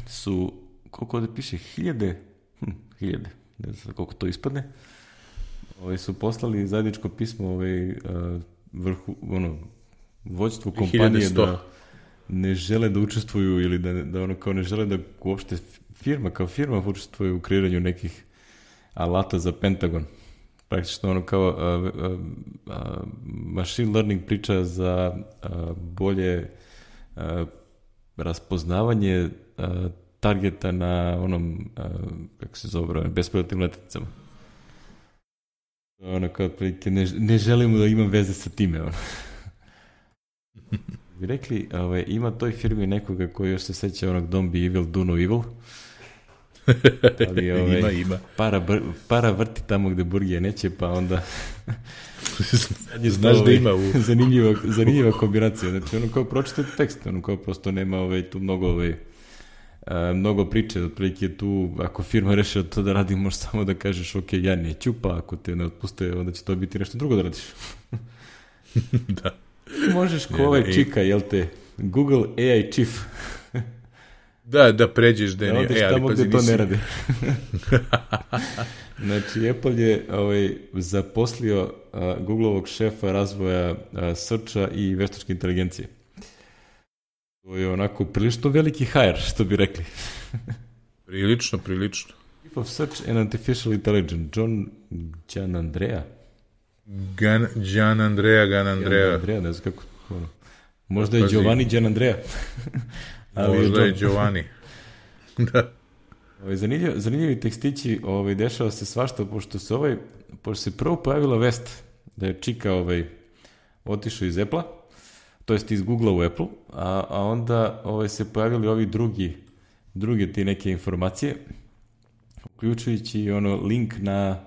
su, koliko ovdje piše, hiljade, hm, hiljade, ne znam koliko to ispadne, ovaj, su poslali zajedničko pismo ovaj, a, vrhu, ono, vođstvu kompanije da ne žele da učestvuju ili da, da ono kao ne žele da uopšte firma kao firma učestvuje u kreiranju nekih alata za Pentagon. Praktično ono kao uh, uh, uh, machine learning priča za uh, bolje uh, raspoznavanje uh, targeta na onom, uh, kako se zove, bespilotnim letjelicama. Ono kao otprilike ne, ne želimo da imam veze sa time. Ono. Vi rekli, ovaj, ima toj firmi nekoga koji još se seća onog Don't be evil, do no evil. Ali, ovaj, ima, ima. Para, br, para vrti tamo gde burgije neće, pa onda... Znaš da ima u... zanimljiva, zanimljiva kombinacija. Znači, ono kao pročitajte tekst, ono kao prosto nema ovaj, tu mnogo, ovaj, a, mnogo priče. Otprilike tu, ako firma reši to da radi, možeš samo da kažeš, ok, ja neću, pa ako te ne otpuste, onda će to biti nešto drugo da radiš. Da. Možeš ko ovaj čika, jel te, Google A I Chief. Da, da pređeš da je... Da odeš tamo gde to ne radi. Znači, Apple je ovaj, zaposlio uh, Googleovog šefa razvoja uh, searcha i veštačke inteligencije. To je onako prilično veliki hire, što bi rekli. Prilično, prilično. Chief of Search and Artificial Intelligence, John Gianandrea. Gan, Gianandrea, Gianandrea. Gianandrea, ne znam kako. Ono. Možda je Giovanni Gianandrea. Ali možda je Giovanni. Da. Ovaj, zanimljiv, zanimljivi tekstići, ovaj, dešava se svašta, pošto se, ovaj, pošto se prvo pojavila vest da je čika ovaj, otišao iz Apple-a, to jest iz Google-a u Apple, a, a onda ovaj, se pojavili ovi drugi, druge ti neke informacije, uključujući ono link na,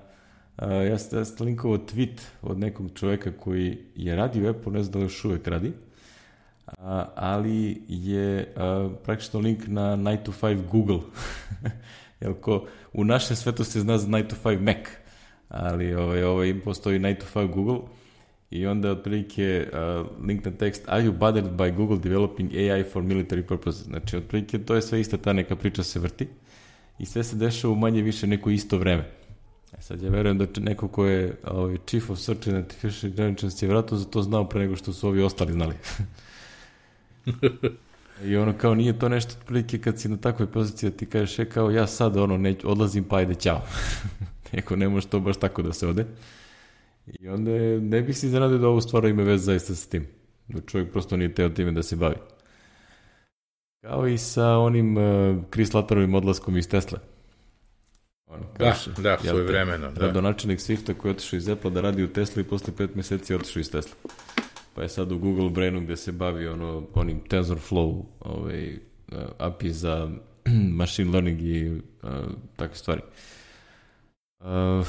a, ja sam linkovao tweet od nekog čoveka koji je radio u Apple, ne znam da li još uvek radi, A, ali je a, praktično link na nine to five Google. Jel ko, u našem svetu se zna za nine to five Mac, ali ovaj, ovaj, postoji nine to five Google i onda otprilike uh, link na tekst Are you bothered by Google developing A I for military purposes? Znači, otprilike to je sve ista ta neka priča se vrti i sve se dešava u manje više neko isto vreme. E sad ja verujem da neko ko je ovaj, Chief of Search and Artificial Intelligence je vratno za to znao pre nego što su ovi ostali znali. I ono kao nije to nešto otprilike kad si na takvoj poziciji da ti kažeš e kao ja sad ono ne, odlazim pa ajde ćao. Neko ne može to baš tako da se ode. I onda je, ne bih si iznenadio da ovo stvar ima veze zaista sa tim. Da čovjek prosto nije teo time da se bavi. Kao i sa onim uh, Chris Latterovim odlaskom iz Tesla. Ono, da, da, svoje vremeno. Da. Gradonačelnik Swifta koji je otišao iz Apple da radi u Tesla i posle pet meseci je otišao iz Tesla. Pa je sad u Google Brainu gde se bavi ono, onim TensorFlow ovaj, uh, A P I za machine learning i uh, takve stvari. Uh,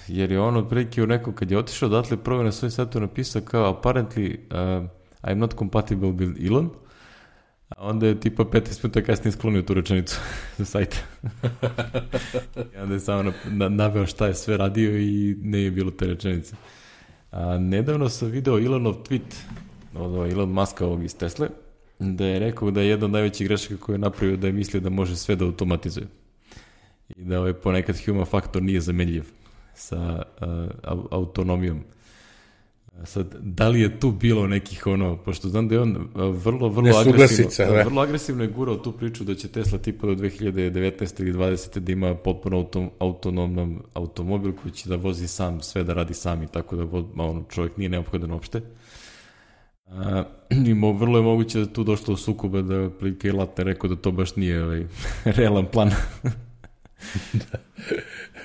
jer je on otprilike u neko, kad je otišao odatle, prvo na svoj sajtu napisao kao apparently uh, I'm not compatible with Elon, a onda je tipa petnaest minuta kasnije sklonio tu rečenicu sa sajta. I onda je samo na, na, naveo šta je sve radio i ne je bilo te rečenice. A nedavno sam video Elonov tweet od Elon Muska ovog iz Tesle, da je rekao da je jedna od najvećih grešaka koju je napravio da je mislio da može sve da automatizuje. i da ovaj, ponekad human faktor nije zamenljiv sa uh, autonomijom. Sad, da li je tu bilo nekih ono, pošto znam da je on vrlo, vrlo agresivno, da, vrlo agresivno je gurao tu priču da će Tesla tipa do dve hiljade devetnaeste ili dvadesete da ima potpuno autom, autonomnom automobil koji će da vozi sam, sve da radi sam i tako da ono, čovjek nije neophodan uopšte. A, i mo, vrlo je moguće da tu došlo u sukoba da prilike i Latner rekao da to baš nije ovaj, realan plan.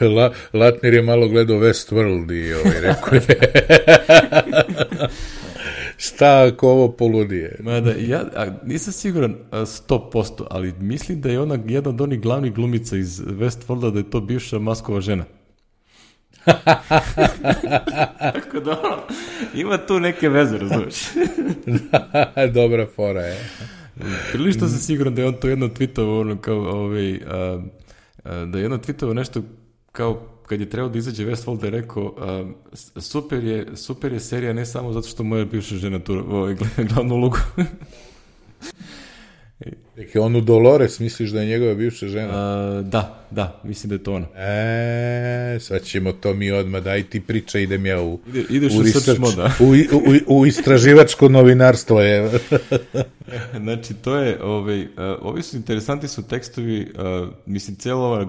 La, Latner je malo gledao Westworld i ovaj, rekao je šta ako ovo poludije. Mada, ja a, nisam siguran sto posto, ali mislim da je ona jedna od onih glavnih glumica iz Westworlda da je to bivša Maskova žena. Tako da ono, ima tu neke veze, razumiješ? Dobra fora je. Prilično sam siguran da je on to jedno tweetovao ono kao ovaj, a, a, da je jedno tweetovao nešto kao kad je trebao da izađe Westworld je rekao uh, super, je, super je serija ne samo zato što moja bivša žena tu ovaj, glavnu ulogu. Dakle, onu Dolores misliš da je njegova bivša žena? Uh, da, da, mislim da je to ona. E, sad ćemo to mi odmah, daj ti priča, idem ja u, Ide, ideš u, u, research, moda. u, u, u istraživačko novinarstvo. Je. Znači, to je, ovaj, uh, ovi su interesanti su tekstovi, uh, mislim, cijela ova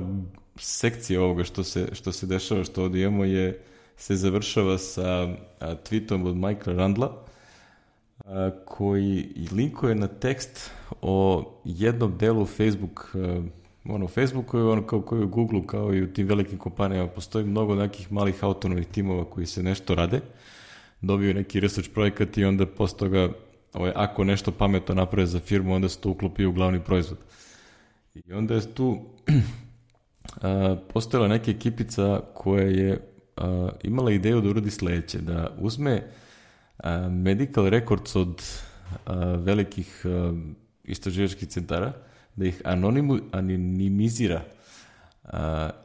sekcija ovoga što se, što se dešava, što ovdje imamo je, se završava sa a, tweetom od Michaela Randla a, koji linkuje na tekst o jednom delu Facebook, a, ono u Facebooku, ono kao koji u Googleu, kao i u tim velikim kompanijama postoji mnogo nekih malih autonomnih timova koji se nešto rade, dobiju neki research projekat i onda posle toga, ovaj, ako nešto pametno naprave za firmu, onda se to uklopi u glavni proizvod. I onda je tu Uh, postojala neka ekipica koja je uh, imala ideju da uradi sledeće, da uzme uh, medical records od uh, velikih uh, istraživačkih centara, da ih anonimu, anonimizira uh,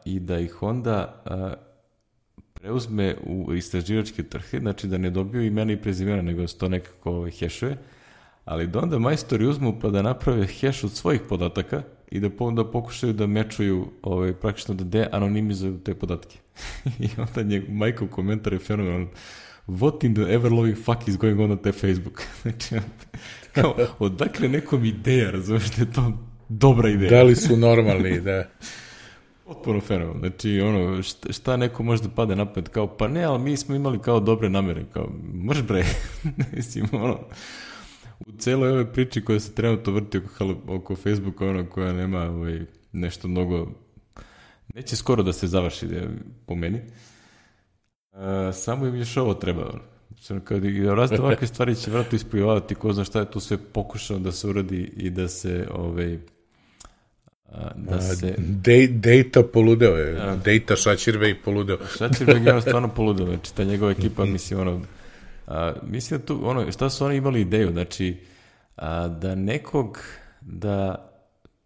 i da ih onda uh, preuzme u istraživačke trhe, znači da ne dobiju imena i prezimena, nego se to nekako hešuje, ali da onda majstori uzmu pa da naprave heš od svojih podataka i da, po, da pokušaju da mečuju, ovaj, praktično da de-anonimizuju te podatke. I onda njeg, Michael komentar je fenomenal. What in the ever-loving fuck is going on na te Facebook? Znači, kao, odakle nekom ideja, razumiješ da je to dobra ideja. Da li su normalni, da. Potpuno fenomenal. Znači, ono, šta, šta neko može da pade napad, kao, pa ne, ali mi smo imali kao dobre namere, kao, mrš bre, mislim, ono, u celoj ove priči koja se trenutno vrti oko, oko Facebooka, ono koja nema ovaj, nešto mnogo, neće skoro da se završi da, po meni. Uh, samo im još ovo treba. Ono. Kad razne ovakve stvari će vratno ispojavati, ko zna šta je tu sve pokušao da se uradi i da se ovaj, da se... Data poludeo je. A, Data Šačirvej poludeo. Šačirvej je stvarno poludeo. Znači, ta njegova ekipa, mislim, ono... A, mislim da tu, ono, šta su oni imali ideju, znači, a, da nekog, da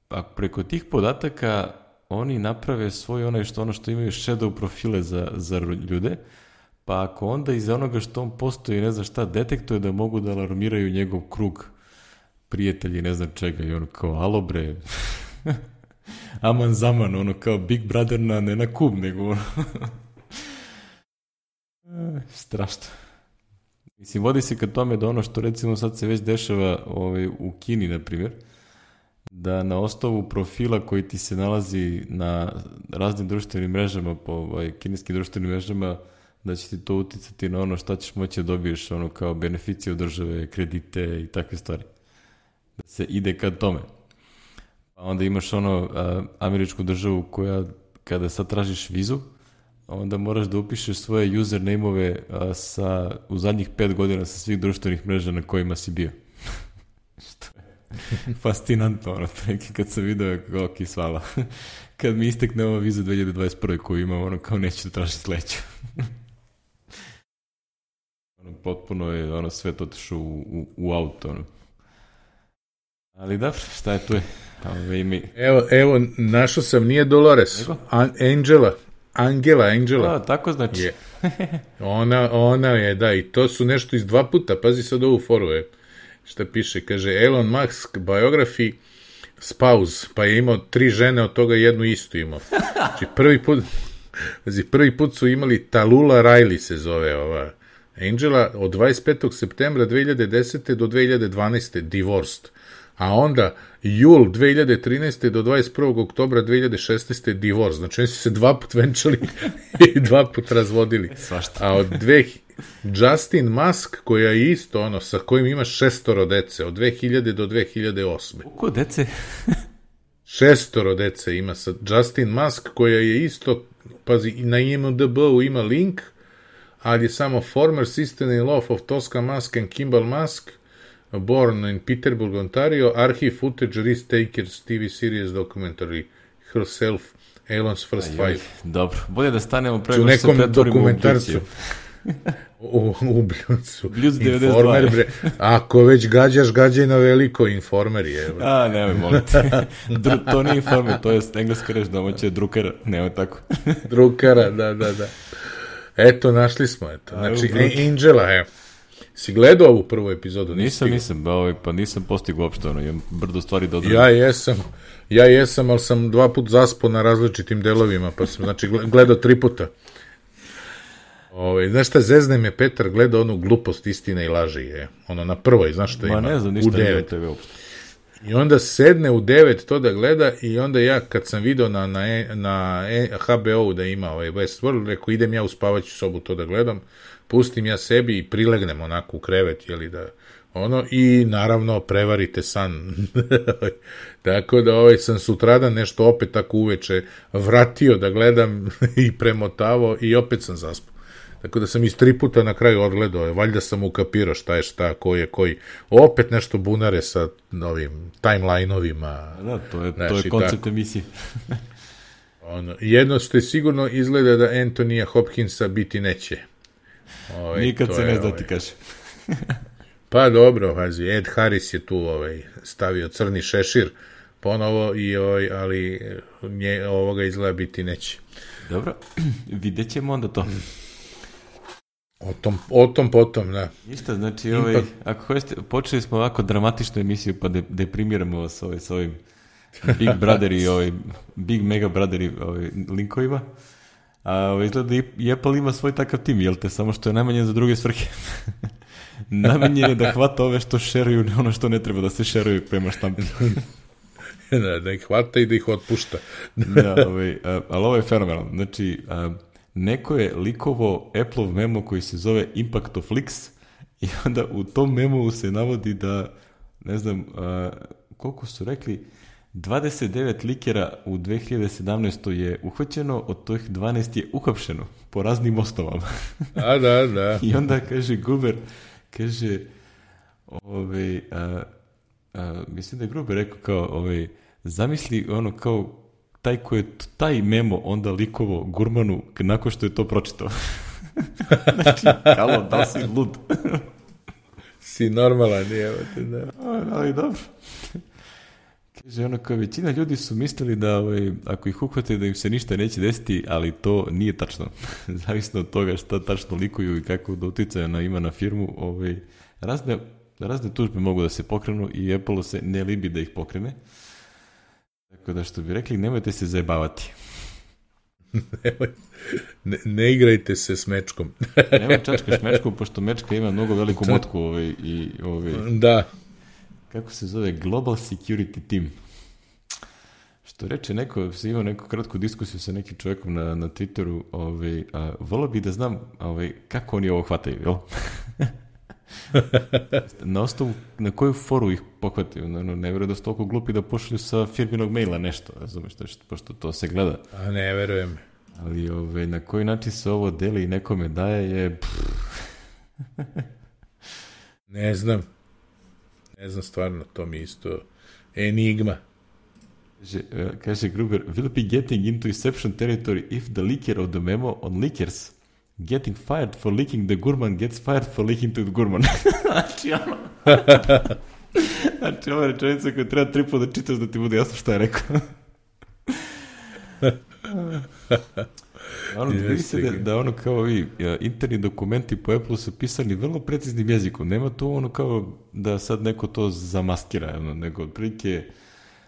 a preko tih podataka oni naprave svoj onaj što ono što imaju shadow profile za, za ljude, pa ako onda iz onoga što on postoji, ne znam šta, detektuje da mogu da alarmiraju njegov krug prijatelji, ne znam čega, i ono kao, alo bre, aman zaman, ono kao Big Brother na, ne na kub, nego ono, strašno. Mislim, vodi se ka tome da ono što recimo sad se već dešava ovaj, u Kini, na primjer, da na osnovu profila koji ti se nalazi na raznim društvenim mrežama, po ovaj, kineskim društvenim mrežama, da će ti to uticati na ono šta ćeš moći da dobiješ, ono kao beneficije od države, kredite i takve stvari. Da se ide ka tome. Pa onda imaš ono a, američku državu koja, kada sad tražiš vizu, onda moraš da upišeš svoje username-ove a, sa, u zadnjih pet godina sa svih društvenih mreža na kojima si bio. Što je fascinantno, ono, neki kad sam video kako kisvala. Kad mi istekne ova viza dve hiljade dvadeset prve koju imam, ono, kao neću da tražiti sledeću. Ono, potpuno je, ono, sve to otišao u, u, u auto, ono. Ali dobro, šta je tu je? Ove, mi... Evo, evo, našao sam, nije Dolores, An- Angela. Angela, Angela. A, tako znači. Je. Ona, ona je, da, i to su nešto iz dva puta, pazi sad ovu foru, je. Šta piše, kaže, Elon Musk biography, spouse, pa je imao tri žene, od toga jednu istu imao. Znači, prvi put, znači, prvi put su imali Tallulah Riley se zove ova Angela, od dvadeset petog septembra dve hiljade desete do dve hiljade dvanaeste divorced. A onda jul dve hiljade trinaeste do dvadeset prvog oktobra dve hiljade šesnaeste divorce. Znači, oni su se dva put venčali i dva put razvodili. Svašta. A od dve... Justin Musk, koja je isto, ono, sa kojim ima šestoro dece, od dve hiljade do dve hiljade osme. Koliko dece? Šestoro dece ima sa Justin Musk, koja je isto, pazi, na I M D B-u ima link, ali je samo former sister-in-law of Tosca Musk and Kimball Musk, born in Peterborough, Ontario, archive footage, risk takers, T V series, documentary, herself, Elon's first Aj, five. Dobro, bolje da stanemo pre U nego što se nekom pretvorimo u dokumentarcu. Bljuziju. U, u Bljucu. Bljuz devedeset dva. Informer, bre. Ako već gađaš, gađaj na veliko, Informer je. Bre. A, nemoj, molim te. Dru, to nije Informer, to je engleska reč domaća drukara. Nemoj tako. Drukara, da, da, da. Eto, našli smo, eto. Znači, A, evo, Angela, evo. Si gledao ovu prvu epizodu? Nisam, nisam, ovaj, pa nisam postigao uopšte, ono, imam brdo stvari da odredim. Ja jesam, ja jesam, ali sam dva put zaspao na različitim delovima, pa sam, znači, gledao tri puta. Ove, znaš šta, zezne me Petar, gleda onu glupost, istina i laži, je. Ono, na prvoj, znaš šta ima? Ma ne znam, ništa u devet. T V uopšte. I onda sedne u devet to da gleda i onda ja, kad sam video na, na, na H B O-u da ima ovaj Westworld, rekao, idem ja u spavaću sobu to da gledam, pustim ja sebi i prilegnem onako u krevet, jeli da, ono, i naravno prevarite san. Tako da ovaj sam sutradan nešto opet tako uveče vratio da gledam i premotavo i opet sam zaspao. Tako da sam iz tri puta na kraju odgledao, valjda sam ukapirao šta je šta, ko je koji. Opet nešto bunare sa novim timeline-ovima. Da, to je, znaš, to je koncept tako. Emisije. Ono, jedno što je sigurno izgleda da Antonija Hopkinsa biti neće. Ovaj, Nikad se ne zna ovaj. ti kaže. Pa dobro, vazi, Ed Harris je tu ovaj, stavio crni šešir ponovo, i, ovaj, ali nje, ovoga izgleda biti neće. Dobro, vidjet ćemo onda to. O tom, o tom potom, da. Ništa, znači, ovaj, Ipak... ako hoćete, počeli smo ovako dramatičnu emisiju, pa de, deprimiramo vas ovaj, s ovim Big Brother i ovaj, Big Mega Brother i ovaj, linkovima. A ovaj, izgleda i Apple ima svoj takav tim, jel te, samo što je najmanje za druge svrhe. Najmanje je da hvata ove što šeruju, ne ono što ne treba da se šeruju prema štampi. da, da ih hvata i da ih otpušta. da, ovaj, a, ali ovo je fenomenalno. Znači, a, neko je likovo Apple-ov memo koji se zove Impact of Leaks i onda u tom memu se navodi da, ne znam, a, koliko su rekli, dvadeset devet likera u dve hiljade sedamnaestoj je uhvaćeno, od tih dvanaest je uhapšeno po raznim osnovama. da, da, da. I onda kaže Gruber, kaže, ovaj, a, a, mislim da je Gruber rekao kao, ovaj, zamisli ono kao taj ko je taj memo onda likovo Gurmanu nakon što je to pročitao. Znači, kalo, da si lud. si normalan, nije, da. Ali dobro. Kaže, ono, kao većina ljudi su mislili da ovaj, ako ih uhvate da im se ništa neće desiti, ali to nije tačno. Zavisno od toga šta tačno likuju i kako da uticaja na, ima na firmu, ovaj, razne, razne tužbe mogu da se pokrenu i Apple se ne libi da ih pokrene. Tako da što bi rekli, nemojte se zajebavati. ne, ne igrajte se s mečkom. Nemoj čačkaš mečku, pošto mečka ima mnogo veliku motku. Ovaj, i, ovaj, da. Kako se zove? Global Security Team. Što reče neko, se imao neku kratku diskusiju sa nekim čovjekom na, na Twitteru, ovaj, a, volio bih da znam ovaj, kako oni ovo hvataju, jel? Na osnovu, na koju foru ih pohvataju, no, ne verujem da su toliko glupi da pošalju sa firminog maila nešto, razumeš, pošto to se gleda. A ne verujem. Ali ove, na koji način se ovo deli i nekome daje je... ne znam. Ne znam stvarno, to mi isto enigma. Kaže, kaže Gruber, will be getting into exception territory if the leaker of the memo on leakers getting fired for leaking the Gurman gets fired for leaking to the Gurman. Znači, ono... znači, ova rečenica koju treba tri puta da čitaš da ti bude jasno šta je rekao. ono, vidi se da, da ono kao ovi interni dokumenti po Apple su pisani vrlo preciznim jezikom. Nema tu ono kao da sad neko to zamaskira, ono, nego otprilike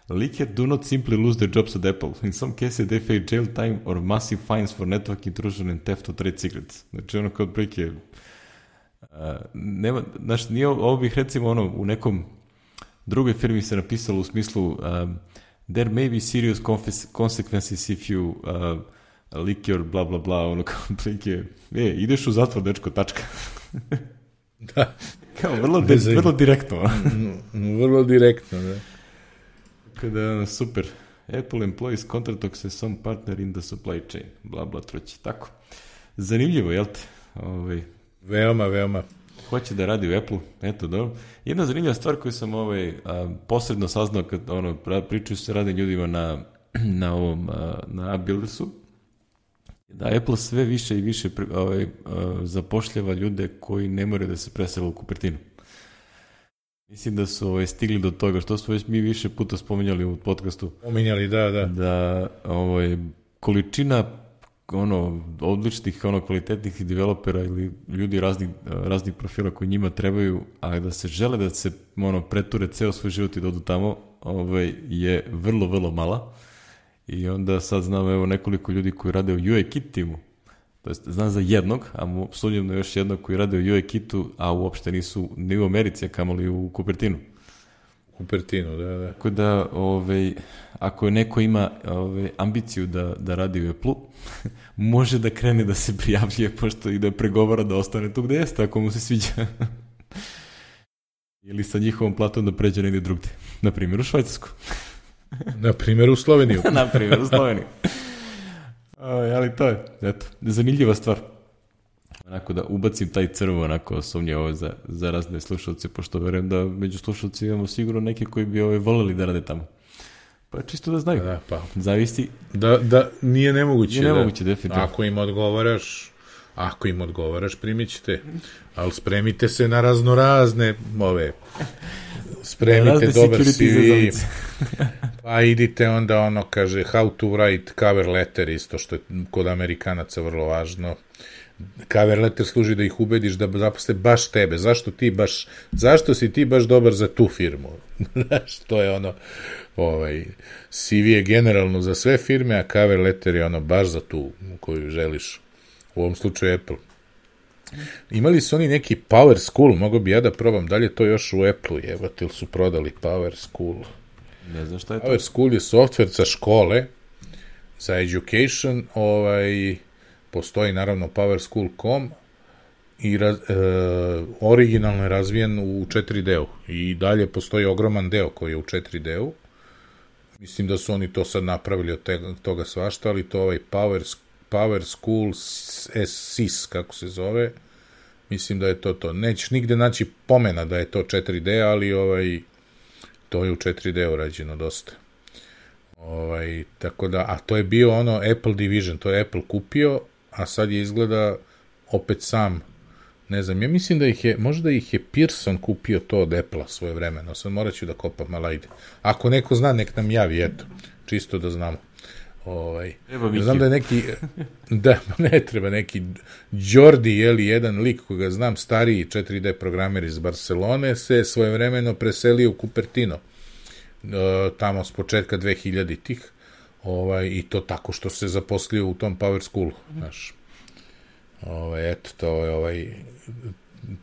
Leaker do not simply lose their jobs at Apple. In some cases they face jail time or massive fines for network intrusion and theft of trade secrets. Znači ono kao otprilike uh, nema, znači nije ovo bih recimo ono u nekom drugoj firmi se napisalo u smislu um, there may be serious consequences if you uh, leak your bla bla bla, ono kao otprilike, e, ideš u zatvor, dečko, tačka. Da. Kao vrlo, de, vrlo direktno. Vrlo direktno, da. Kada, super. Apple employs contracts as some partner in the supply chain. Bla, bla, troći. Tako. Zanimljivo, jel te? Ovaj, veoma, veoma. Hoće da radi u Apple, eto, dobro. Jedna zanimljiva stvar koju sam ovaj, a, posredno saznao kad ono, pričaju se radi ljudima na, na ovom, a, na Buildersu, da Apple sve više i više ovaj, a, zapošljava ljude koji ne moraju da se presele u Cupertinu. Mislim da su ovaj, stigli do toga, što smo već mi više puta spominjali u podcastu. Spominjali, da, da. Da ovaj, količina ono, odličnih, ono, kvalitetnih developera ili ljudi raznih, raznih profila koji njima trebaju, a da se žele da se ono, preture ceo svoj život i da odu tamo, ovaj, je vrlo, vrlo mala. I onda sad znam evo nekoliko ljudi koji rade u U I Kit timu. To jest, znam za jednog, a sumnjam na još jednog koji rade u U I Kitu, a uopšte nisu ni u Americi, a kamoli u Cupertinu. Cupertinu, da, da. Tako da, ovaj, ako neko ima ovaj, ambiciju da, da radi u Apple-u, može da krene da se prijavljuje, pošto i da pregovara da ostane tu gde jeste, ako mu se sviđa. Ili sa njihovom platom da pređe negdje drugdje. Na primjer u Švajcarsku. Na primjer u Sloveniju. Na primjer u Sloveniju. Aj, ali to je, eto, zanimljiva stvar. Onako da ubacim taj crvo, onako sumnje ovo za, za razne slušalce, pošto verujem da među slušalci imamo sigurno neke koji bi ovaj voljeli da rade tamo. Pa čisto da znaju. Da, pa. Zavisi. Da, da, nije nemoguće. Nije nemoguće, da, definitivno. Ako im odgovaraš, ako im odgovaraš, primit ćete. Ali spremite se na raznorazne ove... Spremite dobar C V. Pa idite onda ono, kaže, how to write cover letter, isto što je kod Amerikanaca vrlo važno. Cover letter služi da ih ubediš da zaposle baš tebe. Zašto ti baš, zašto si ti baš dobar za tu firmu? Znaš, to je ono, ovaj, C V je generalno za sve firme, a cover letter je ono baš za tu koju želiš. U ovom slučaju Apple. Imali su oni neki Power School, mogo bi ja da probam, da li je to još u Apple-u, jebate, ili su prodali Power School? Ne znam šta je to. Power School je software za škole, za education, ovaj, postoji naravno power school dot com i raz, e, originalno je razvijen u četiri D-u i dalje postoji ogroman deo koji je u četiri D-u. Mislim da su oni to sad napravili od te, toga svašta, ali to ovaj Power, Power School S I S, kako se zove, mislim da je to to. Nećeš nigde naći pomena da je to četiri D, ali ovaj, to je u četiri D urađeno dosta. Ovaj, tako da, a to je bio ono Apple Division, to je Apple kupio, a sad je izgleda opet sam, ne znam, ja mislim da ih je, možda ih je Pearson kupio to od Apple-a svoje vremeno, sad morat ću da kopam, ali ajde. Ako neko zna, nek nam javi, eto, čisto da znamo. Ovaj, ja znam da je neki, da, ne treba, neki Jordi, jeli, jedan lik koga znam, stariji četiri D programer iz Barcelone, se svojevremeno preselio u Cupertino, tamo s početka dve hiljaditih, ovaj, i to tako što se zaposlio u tom Power Schoolu, znaš. Ovaj, eto, to je ovaj,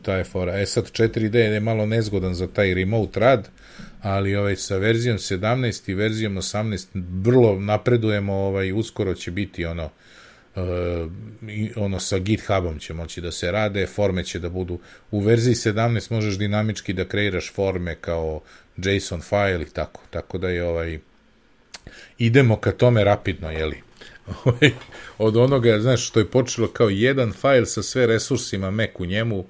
ta je fora. E sad, četiri D je malo nezgodan za taj remote rad, ali ovaj, sa verzijom sedamnaest i verzijom osamnaest vrlo napredujemo, ovaj, uskoro će biti ono, uh, ono sa GitHubom će moći da se rade, forme će da budu, u verziji sedamnaest možeš dinamički da kreiraš forme kao JSON file i tako, tako da je ovaj, idemo ka tome rapidno, jeli. Od onoga, znaš, što je počelo kao jedan file sa sve resursima Mac u njemu,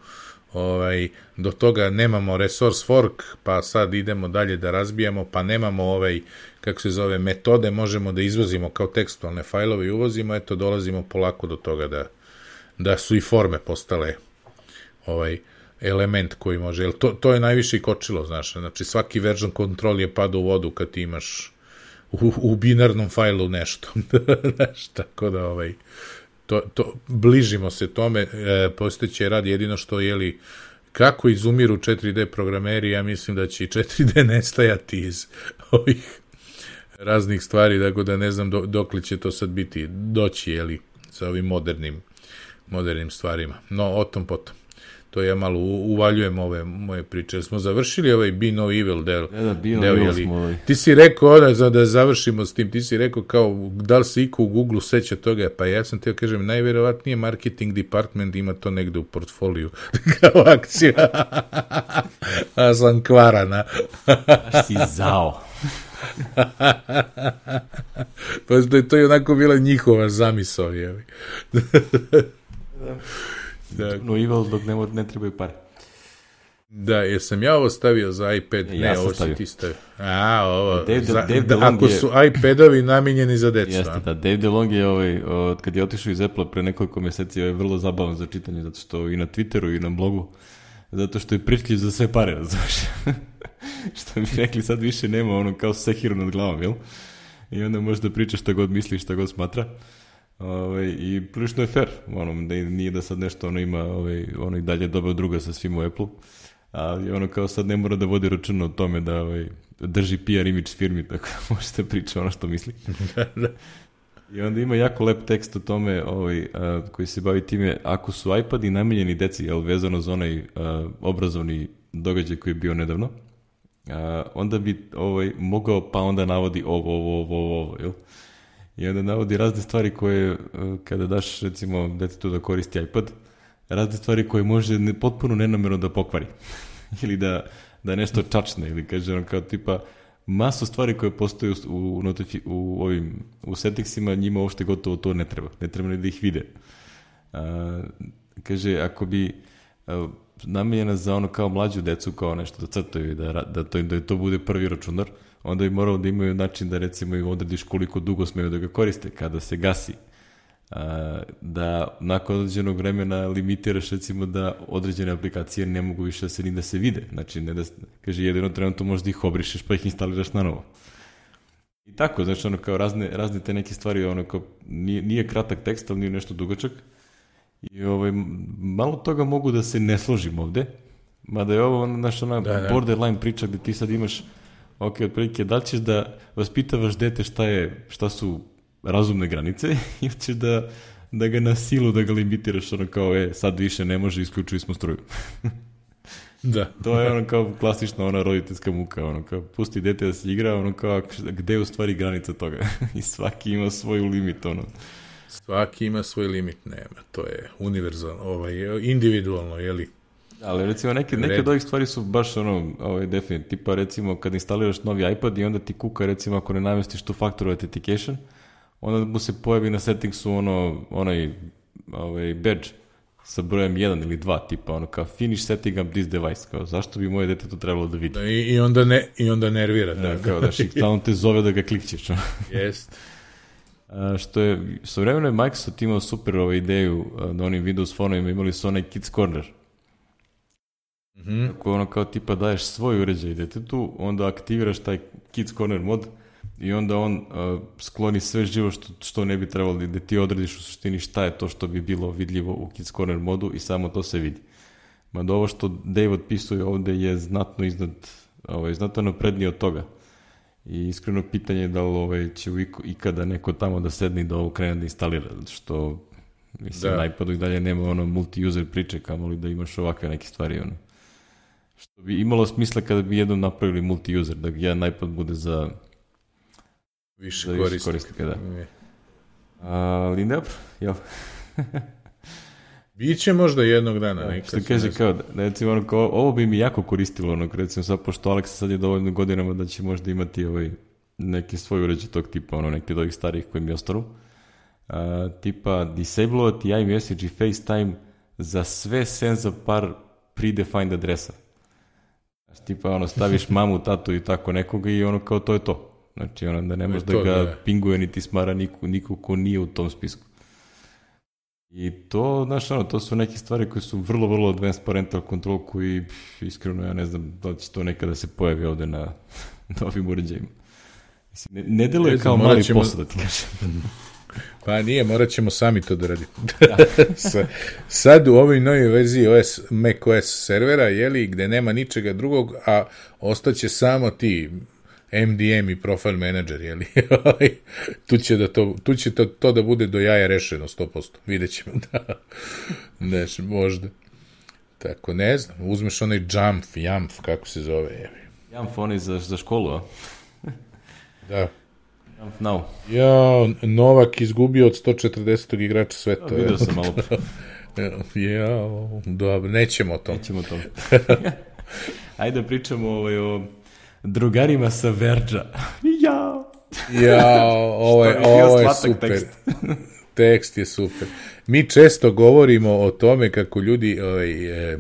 ovaj, do toga nemamo resource fork, pa sad idemo dalje da razbijamo, pa nemamo ovaj, kako se zove, metode, možemo da izvozimo kao tekstualne fajlove i uvozimo, eto, dolazimo polako do toga da, da su i forme postale ovaj, element koji može, jer to, to je najviše i kočilo, znaš, znači svaki version control je pada u vodu kad ti imaš u, u binarnom fajlu nešto, znaš, tako da ovaj, to, to, bližimo se tome, e, postojeće rad jedino što, jeli, kako izumiru četiri D programeri, ja mislim da će i četiri D nestajati iz ovih raznih stvari, tako da ne znam do, dokle će to sad biti, doći, jeli, sa ovim modernim, modernim stvarima. No, o tom potom. To ja malo uvaljujem ove moje priče. Smo završili ovaj Be No Evil del. Ja, da, Be No Evil smo ovaj. Ti si rekao, ona, za da završimo s tim, ti si rekao kao, da li se iko u Google seća toga, pa ja sam teo kažem, najverovatnije marketing department ima to negde u portfoliju, kao akcija. A sam kvarana. Aš si zao. Pa da je to i onako bila njihova zamisao, jevi. Da. No Evil dok ne, ne trebaju pare. Da, jesam ja ovo stavio za iPad? E, ne, ja ovo si ti stavio. A, ovo, Dave, za, Dave da, ako je, su iPadovi namijenjeni za decu. Jeste, da, Dave DeLong je ovaj, od, kad je otišao iz Apple pre nekoliko meseci, je vrlo zabavan za čitanje, zato što i na Twitteru i na blogu, zato što je pričljiv za sve pare, razumiješ. Što bi rekli, sad više nema ono kao sekiru nad glavom, jel? I onda može da priča šta god misli, šta god smatra. Ove, i prilično je fair, ono, nije da sad nešto ono ima, ove, ono i dalje dobao druga sa svim u Apple, ali ono kao sad ne mora da vodi računa o tome da ove, drži P R imidž firmi, tako da možete pričati ono što misli. I onda ima jako lep tekst o tome ovaj, a, koji se bavi time, ako su iPadi namijenjeni deci, jel, vezano za onaj a, obrazovni događaj koji je bio nedavno, a, onda bi ovaj, mogao, pa onda navodi ovo, ovo, ovo, ovo, ovo, jel? I onda navodi razne stvari koje, kada daš, recimo, detetu da koristi iPad, razne stvari koje može ne, potpuno nenamerno da pokvari. Ili da, da nešto čačne, ili kaže on kao tipa, masu stvari koje postoje u, u, notifi, u, ovim, u settingsima, njima uopšte gotovo to ne treba. Ne treba ni da ih vide. A, kaže, ako bi a, namijenjena za ono kao mlađu decu, kao nešto da crtaju, da, da, to, da to bude prvi računar, onda bi moralo da imaju način da recimo im odrediš koliko dugo smeju da ga koriste, kada se gasi. A, da nakon određenog vremena limitiraš recimo da određene aplikacije ne mogu više da se ni da se vide. Znači, ne da, kaže, jedino trenutno možda ih obrišeš pa ih instaliraš na novo. I tako, znači ono kao razne, razne te neke stvari, ono kao, nije, nije kratak tekst, ali nije nešto dugačak. I ovaj, malo toga mogu da se ne složim ovde, mada je ovo naš ona da, da. borderline priča gde ti sad imaš, ok, otprilike, da li ćeš da vaspitavaš dete šta, je, šta su razumne granice ili ćeš da, da ga na silu da ga limitiraš, ono kao, e, sad više ne može, isključili smo struju. Da. To je ono kao klasična ona roditeljska muka, ono kao, pusti dete da se igra, ono kao, gde je u stvari granica toga? I svaki ima svoju limit, ono. Svaki ima svoj limit, nema, to je univerzalno, ovaj, individualno, jeli? Ali recimo neke, neke od ovih stvari su baš ono, ovaj, definitivno, tipa recimo kad instaliraš novi iPad i onda ti kuka recimo ako ne namestiš tu factor authentication, onda mu se pojavi na settingsu ono, onaj ovaj, badge sa brojem jedan ili dva, tipa ono kao finish setting up this device, kao zašto bi moje dete to trebalo da vidi? Da, i, i, onda ne, i onda nervira. Da, da kao da stalno te zove da ga klikćeš. Jest. A, što je, sa vremena je Microsoft imao super ovaj, ideju na onim Windows fonovima, imali su onaj Kids Corner. Mm-hmm. Ako ono kao tipa daješ svoj uređaj detetu, onda aktiviraš taj Kids Corner mod i onda on uh, skloni sve živo što, što ne bi trebalo, da ti odrediš u suštini šta je to što bi bilo vidljivo u Kids Corner modu i samo to se vidi. Mada ovo što Dave otpisuje ovde je znatno iznad, ovaj, znatno naprednije od toga. I iskreno pitanje je da li ovaj, će ikada neko tamo da sedne i da ovo krene da instalira, što mislim, da. Na iPadu i dalje nema ono multi-user priče, kamoli da imaš ovakve neke stvari, ono. Što bi imalo smisla kada bi jednom napravili multi-user, da jedan iPad bude za više, za više korisnika. Da. Ali dobro, jel? Biće možda jednog dana. Da, što kaže kao, da, recimo, ono, kao, ovo bi mi jako koristilo, ono, recimo sad, pošto Aleksa sad je dovoljno godinama da će možda imati ovaj, neki svoj uređaj tog tipa, ono, neki od ovih starih koji mi ostanu. A, tipa, disablovati iMessage i FaceTime za sve sem za par predefined adresa. Tipa, ono, staviš mamu, tatu i tako nekoga i ono kao to je to. Znači, ono, da ne možeš da ga da. pinguje niti smara niko, niko ko nije u tom spisku. I to, znaš, ono, to su neke stvari koje su vrlo, vrlo advanced parental control koji, pff, iskreno, ja ne znam da li će to nekada se pojavi ovde na novim uređajima. Mislim, ne, ne deluje ne kao mali ćemo... posao, da ti kažem. Pa nije, morat ćemo sami to da radimo. Sad u ovoj novoj verziji O S, macOS servera, jeli, gde nema ničega drugog, a ostaće samo ti M D M i Profile Manager, jeli? tu će, da to, tu će to, to da bude do jaja rešeno sto posto. Vidjet ćemo da neš, možda. Tako, ne znam, uzmeš onaj Jamf, Jamf, kako se zove, jevi. Jamf, onaj za, za školu, a? Da. Jamf now. Ja, Novak izgubio od sto četrdesetog igrača sveta. Ja, vidio sam malo. Ja, dobro, nećemo o tom. Nećemo o tom. Ajde da pričamo ovaj, o drugarima sa Verđa. Ja. Ja, ovo je, ovo je super. Tekst. Tekst je super. Mi često govorimo o tome kako ljudi ovaj, e,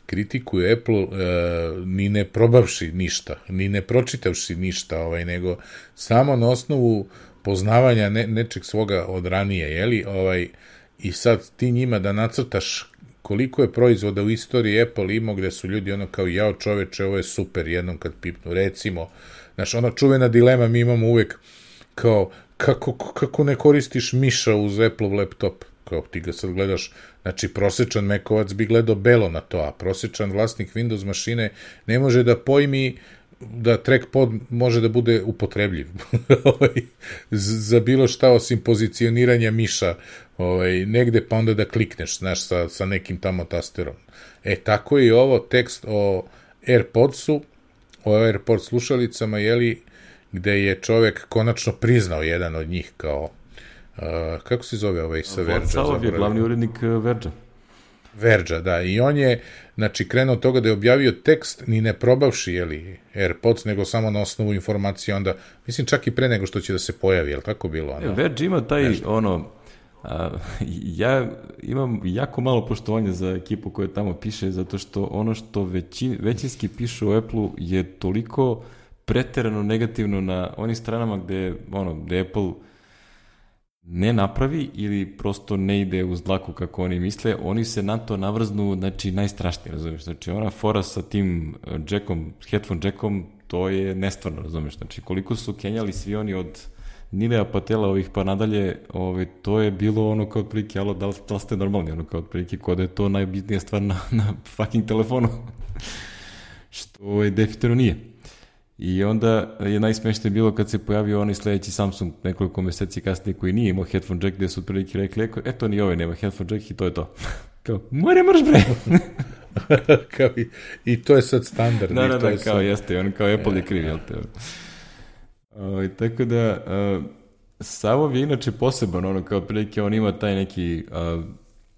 kritikuju Apple e, ni ne probavši ništa, ni ne pročitavši ništa, ovaj, nego samo na osnovu poznavanja ne, nečeg svoga od ranije, jeli? Ovaj, i sad ti njima da nacrtaš koliko je proizvoda u istoriji Apple imao gde su ljudi ono kao jao čoveče, ovo je super jednom kad pipnu, recimo, znaš, ona čuvena dilema mi imamo uvek kao kako, kako ne koristiš miša uz Apple laptop, kao ti ga sad gledaš, znači prosečan Macovac bi gledao belo na to, a prosečan vlasnik Windows mašine ne može da pojmi da trackpad može da bude upotrebljiv za bilo šta osim pozicioniranja miša ovaj, negde pa onda da klikneš, znaš, sa, sa nekim tamo tasterom. E, tako je i ovo tekst o AirPodsu, o AirPods slušalicama, jeli, gde je čovek konačno priznao jedan od njih kao, uh, kako se zove ovaj sa Verđa? Vlad je glavni urednik Verđa. Verđa, da, i on je, znači, krenuo od toga da je objavio tekst, ni ne probavši, jeli, AirPods, nego samo na osnovu informacije, onda, mislim, čak i pre nego što će da se pojavi, jel tako bilo? Ono? Verđa ima taj, nešto. ono, a, ja imam jako malo poštovanja za ekipu koja tamo piše, zato što ono što veći, većinski pišu o Apple-u je toliko preterano negativno na onim stranama gde, ono, gde Apple ne napravi ili prosto ne ide uz dlaku kako oni misle, oni se na to navrznu, znači, najstrašnije, razumiješ? Znači, ona fora sa tim jackom, headphone jackom, to je nestvarno, razumiješ? Znači, koliko su kenjali svi oni od Nilea Patela ovih pa nadalje, ove, to je bilo ono kao otprilike, alo, da li, da li ste normalni, ono kao otprilike, kod da je to najbitnija stvar na, na fucking telefonu. Što je definitivno nije. I onda je najsmešnije bilo kad se pojavio onaj sledeći Samsung nekoliko meseci kasnije koji nije imao headphone jack, gde su otprilike rekli, eto ni ovaj nema headphone jack i to je to. Kao, more mrš bre! kao i, I to je sad standard. Da, da, da, kao sad... jeste, on kao Apple je kriv, jel te? O, tako da, uh, Savov je inače poseban, ono kao otprilike on ima taj neki,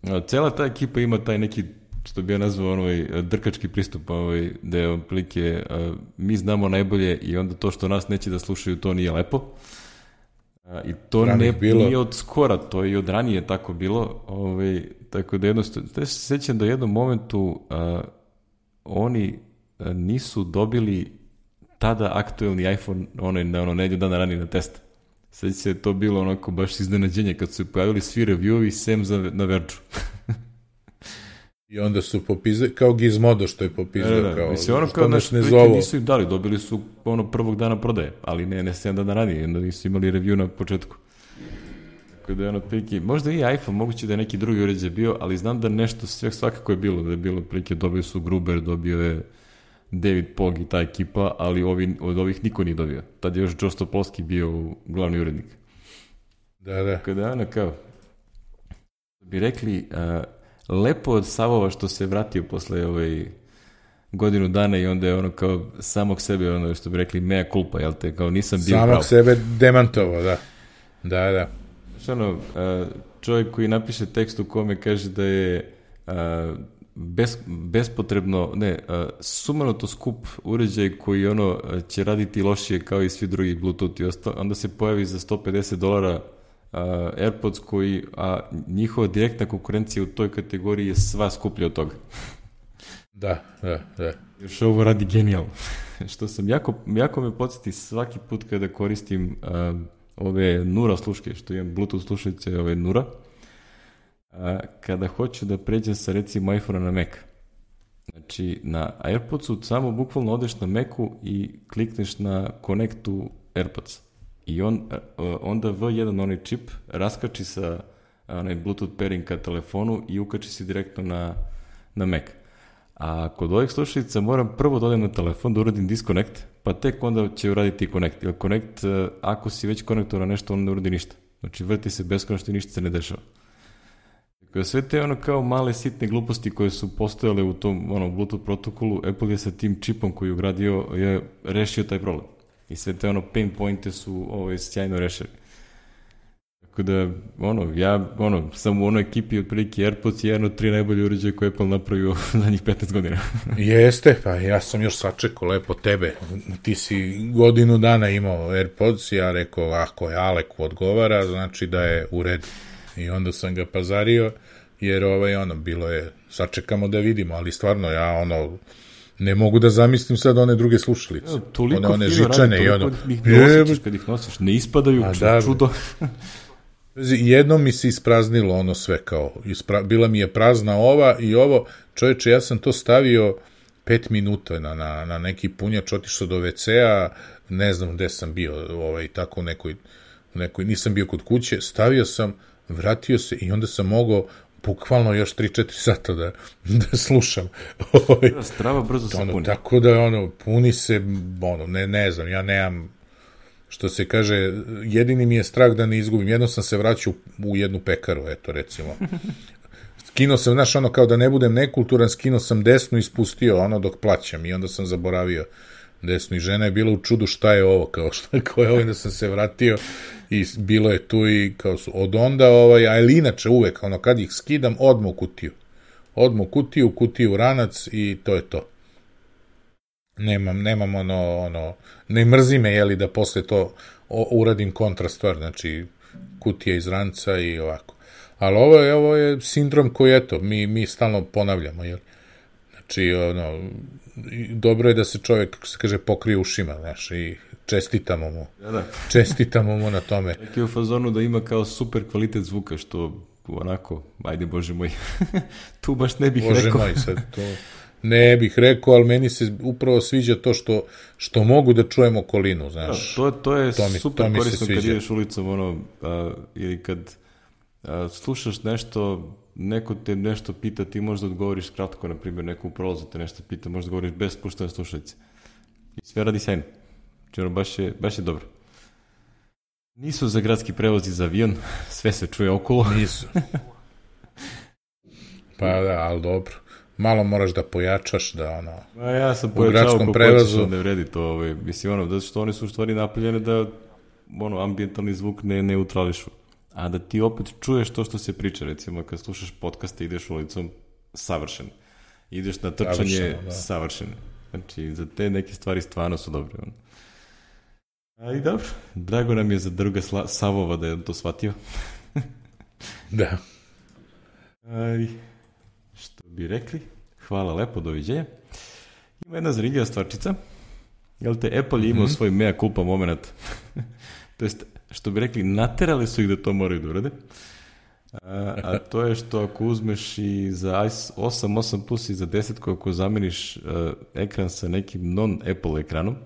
uh, cela ta ekipa ima taj neki, što bi ja nazvao onoj drkački pristup, ovaj, da je otprilike uh, mi znamo najbolje i onda to što nas neće da slušaju, to nije lepo. Uh, I to ne, nije od skora, to je i od ranije tako bilo. Ovaj, tako da jednostavno, da se sećam da u jednom momentu uh, oni uh, nisu dobili tada aktuelni iPhone, onaj na ono nedlju dana ranije na test. Sećam se to bilo onako baš iznenađenje kad su se pojavili svi review-ovi sem za, na Verđu. I onda su popizali, kao Gizmodo što je popizao, da, da, kao, mislim, ono kao naš prike nisu im dali, dobili su ono prvog dana prodaje, ali ne, ne sedam dana ranije, onda nisu imali review na početku. Tako da je ono prike, možda i iPhone, moguće da je neki drugi uređaj bio, ali znam da nešto sve svakako je bilo, da je bilo prike, dobio su Gruber, dobio je David Pog i ta ekipa, ali ovi, od ovih niko nije dobio. Tad je još Joe Stopolski bio glavni urednik. Da, da. Tako da ono kao, bi rekli, uh, lepo od Savova što se vratio posle ovaj godinu dana i onda je ono kao samog sebe, ono što bi rekli mea culpa, jel te, kao nisam bio samog pravo. Samog sebe demantovao, da. Da, da. Što ono, čovjek koji napiše tekst u kome kaže da je bez, bespotrebno, ne, sumanuto skup uređaj koji ono će raditi lošije kao i svi drugi Bluetooth i ostalo, onda se pojavi za sto pedeset dolara Uh, AirPods koji, a njihova direktna konkurencija u toj kategoriji je sva skuplja od toga. Da, da, da. Još ovo radi genijalno. Što sam jako, jako me podsjeti svaki put kada koristim uh, ove Nura sluške, što imam Bluetooth slušalice, ove Nura, uh, kada hoću da pređem sa recimo iPhone na Mac. Znači, na AirPodsu samo bukvalno odeš na Macu i klikneš na Connect to AirPods. I on, onda V jedan onaj čip raskači sa onaj Bluetooth pairing ka telefonu i ukači se direktno na, na Mac. A kod ovih slušalica moram prvo da odem na telefon, da uradim disconnect, pa tek onda će uraditi Connect. Jer Connect, ako si već konektoran na nešto, on ne uradi ništa. Znači, vrti se beskonačno i ništa se ne dešava. Dakle, sve te ono kao male sitne gluposti koje su postojale u tom ono, Bluetooth protokolu, Apple je sa tim čipom koji je ugradio je rešio taj problem. I sve te ono pain pointe su ovaj, sjajno rešili. Tako da, ono, ja ono, sam u onoj ekipi otprilike AirPods je jedan od tri najbolje uređaje koje Apple napravio za njih petnaest godina. Jeste, pa ja sam još sačekao lepo tebe. Ti si godinu dana imao AirPods, ja rekao, ako je Aleku odgovara, znači da je u redu. I onda sam ga pazario, jer ovaj, ono, bilo je, sačekamo da vidimo, ali stvarno, ja, ono, ne mogu da zamislim sad one druge slušalice. Ja, toliko one, one fino žičane radi, i ono... ih ne osjećaš kad ih nosiš, ne ispadaju, da, čudo. Jednom mi se ispraznilo ono sve kao, ispra, bila mi je prazna ova i ovo, čovječe, ja sam to stavio pet minuta na, na, na neki punjač, otišao do ve ce a, ne znam gde sam bio, ovaj, tako u nekoj, nekoj, nisam bio kod kuće, stavio sam, vratio se i onda sam mogao bukvalno još tri četiri sata da, da slušam. Strava brzo se ono, puni. Tako da, ono, puni se, ono, ne, ne znam, ja nemam, što se kaže, jedini mi je strah da ne izgubim. Jedno sam se vraćao u jednu pekaru, eto, recimo. Skinuo sam, znaš, ono, kao da ne budem nekulturan, skinuo sam desnu i spustio, ono, dok plaćam. I onda sam zaboravio desnu. I žena je bila u čudu šta je ovo, kao šta, kao je ovo, da sam se vratio i bilo je tu i kao su, od onda, ovaj, ali inače uvek, ono, kad ih skidam, odmah u kutiju. Odmah u kutiju, u kutiju ranac i to je to. Nemam, nemam ono, ono, ne mrzi me, jeli, da posle to o, uradim kontra stvar, znači, kutija iz ranca i ovako. Ali ovo je, ovo je sindrom koji, eto, mi, mi stalno ponavljamo, jel? Znači, ono, dobro je da se čovjek, kako se kaže, pokrije ušima, znaš, i čestitamo mu. Da, da. Čestitamo mu na tome. Tako je u fazonu da ima kao super kvalitet zvuka, što onako, ajde Bože moj, tu baš ne bih Bože rekao. Bože moj, sad to... Ne bih rekao, ali meni se upravo sviđa to što, što mogu da čujem okolinu, znaš. Da, to, to je to mi, super to korisno kad ideš ulicom, ono, a, ili kad a, slušaš nešto, neko te nešto pita, ti možda odgovoriš kratko, na primjer, neko u prolazu te nešto pita, možda odgovoriš bez spuštene slušalice. I sve radi sjajno. Znači, ono, baš je, baš je dobro. Nisu za gradski prevoz i za avion, sve se čuje okolo. Nisu. Pa da, ali dobro. Malo moraš da pojačaš, da ono... A ja sam pojačao kako prevozu... hoćeš, ne vredi to. Ovaj, mislim, ono, da što oni su u stvari napravljene da ono, ambijentalni zvuk ne neutrališu. A da ti opet čuješ to što se priča, recimo, kad slušaš podcaste, ideš ulicom, savršen. Ideš na trčanje, da. Savršen. Znači, za te neke stvari stvarno su dobre. Ono. Ali dobro, drago nam je za druga Sla- Savova da je to shvatio. Da. Aj... Što bi rekli, hvala lepo, doviđenja. Ima jedna zanimljiva stvarčica. Jel te, Apple je imao mm-hmm. svoj mea culpa moment. To jest, što bi rekli, naterali su ih da to moraju da urade. A, a to je što ako uzmeš i za osam, osam plus i za deset, ako zameniš uh, ekran sa nekim non-Apple ekranom,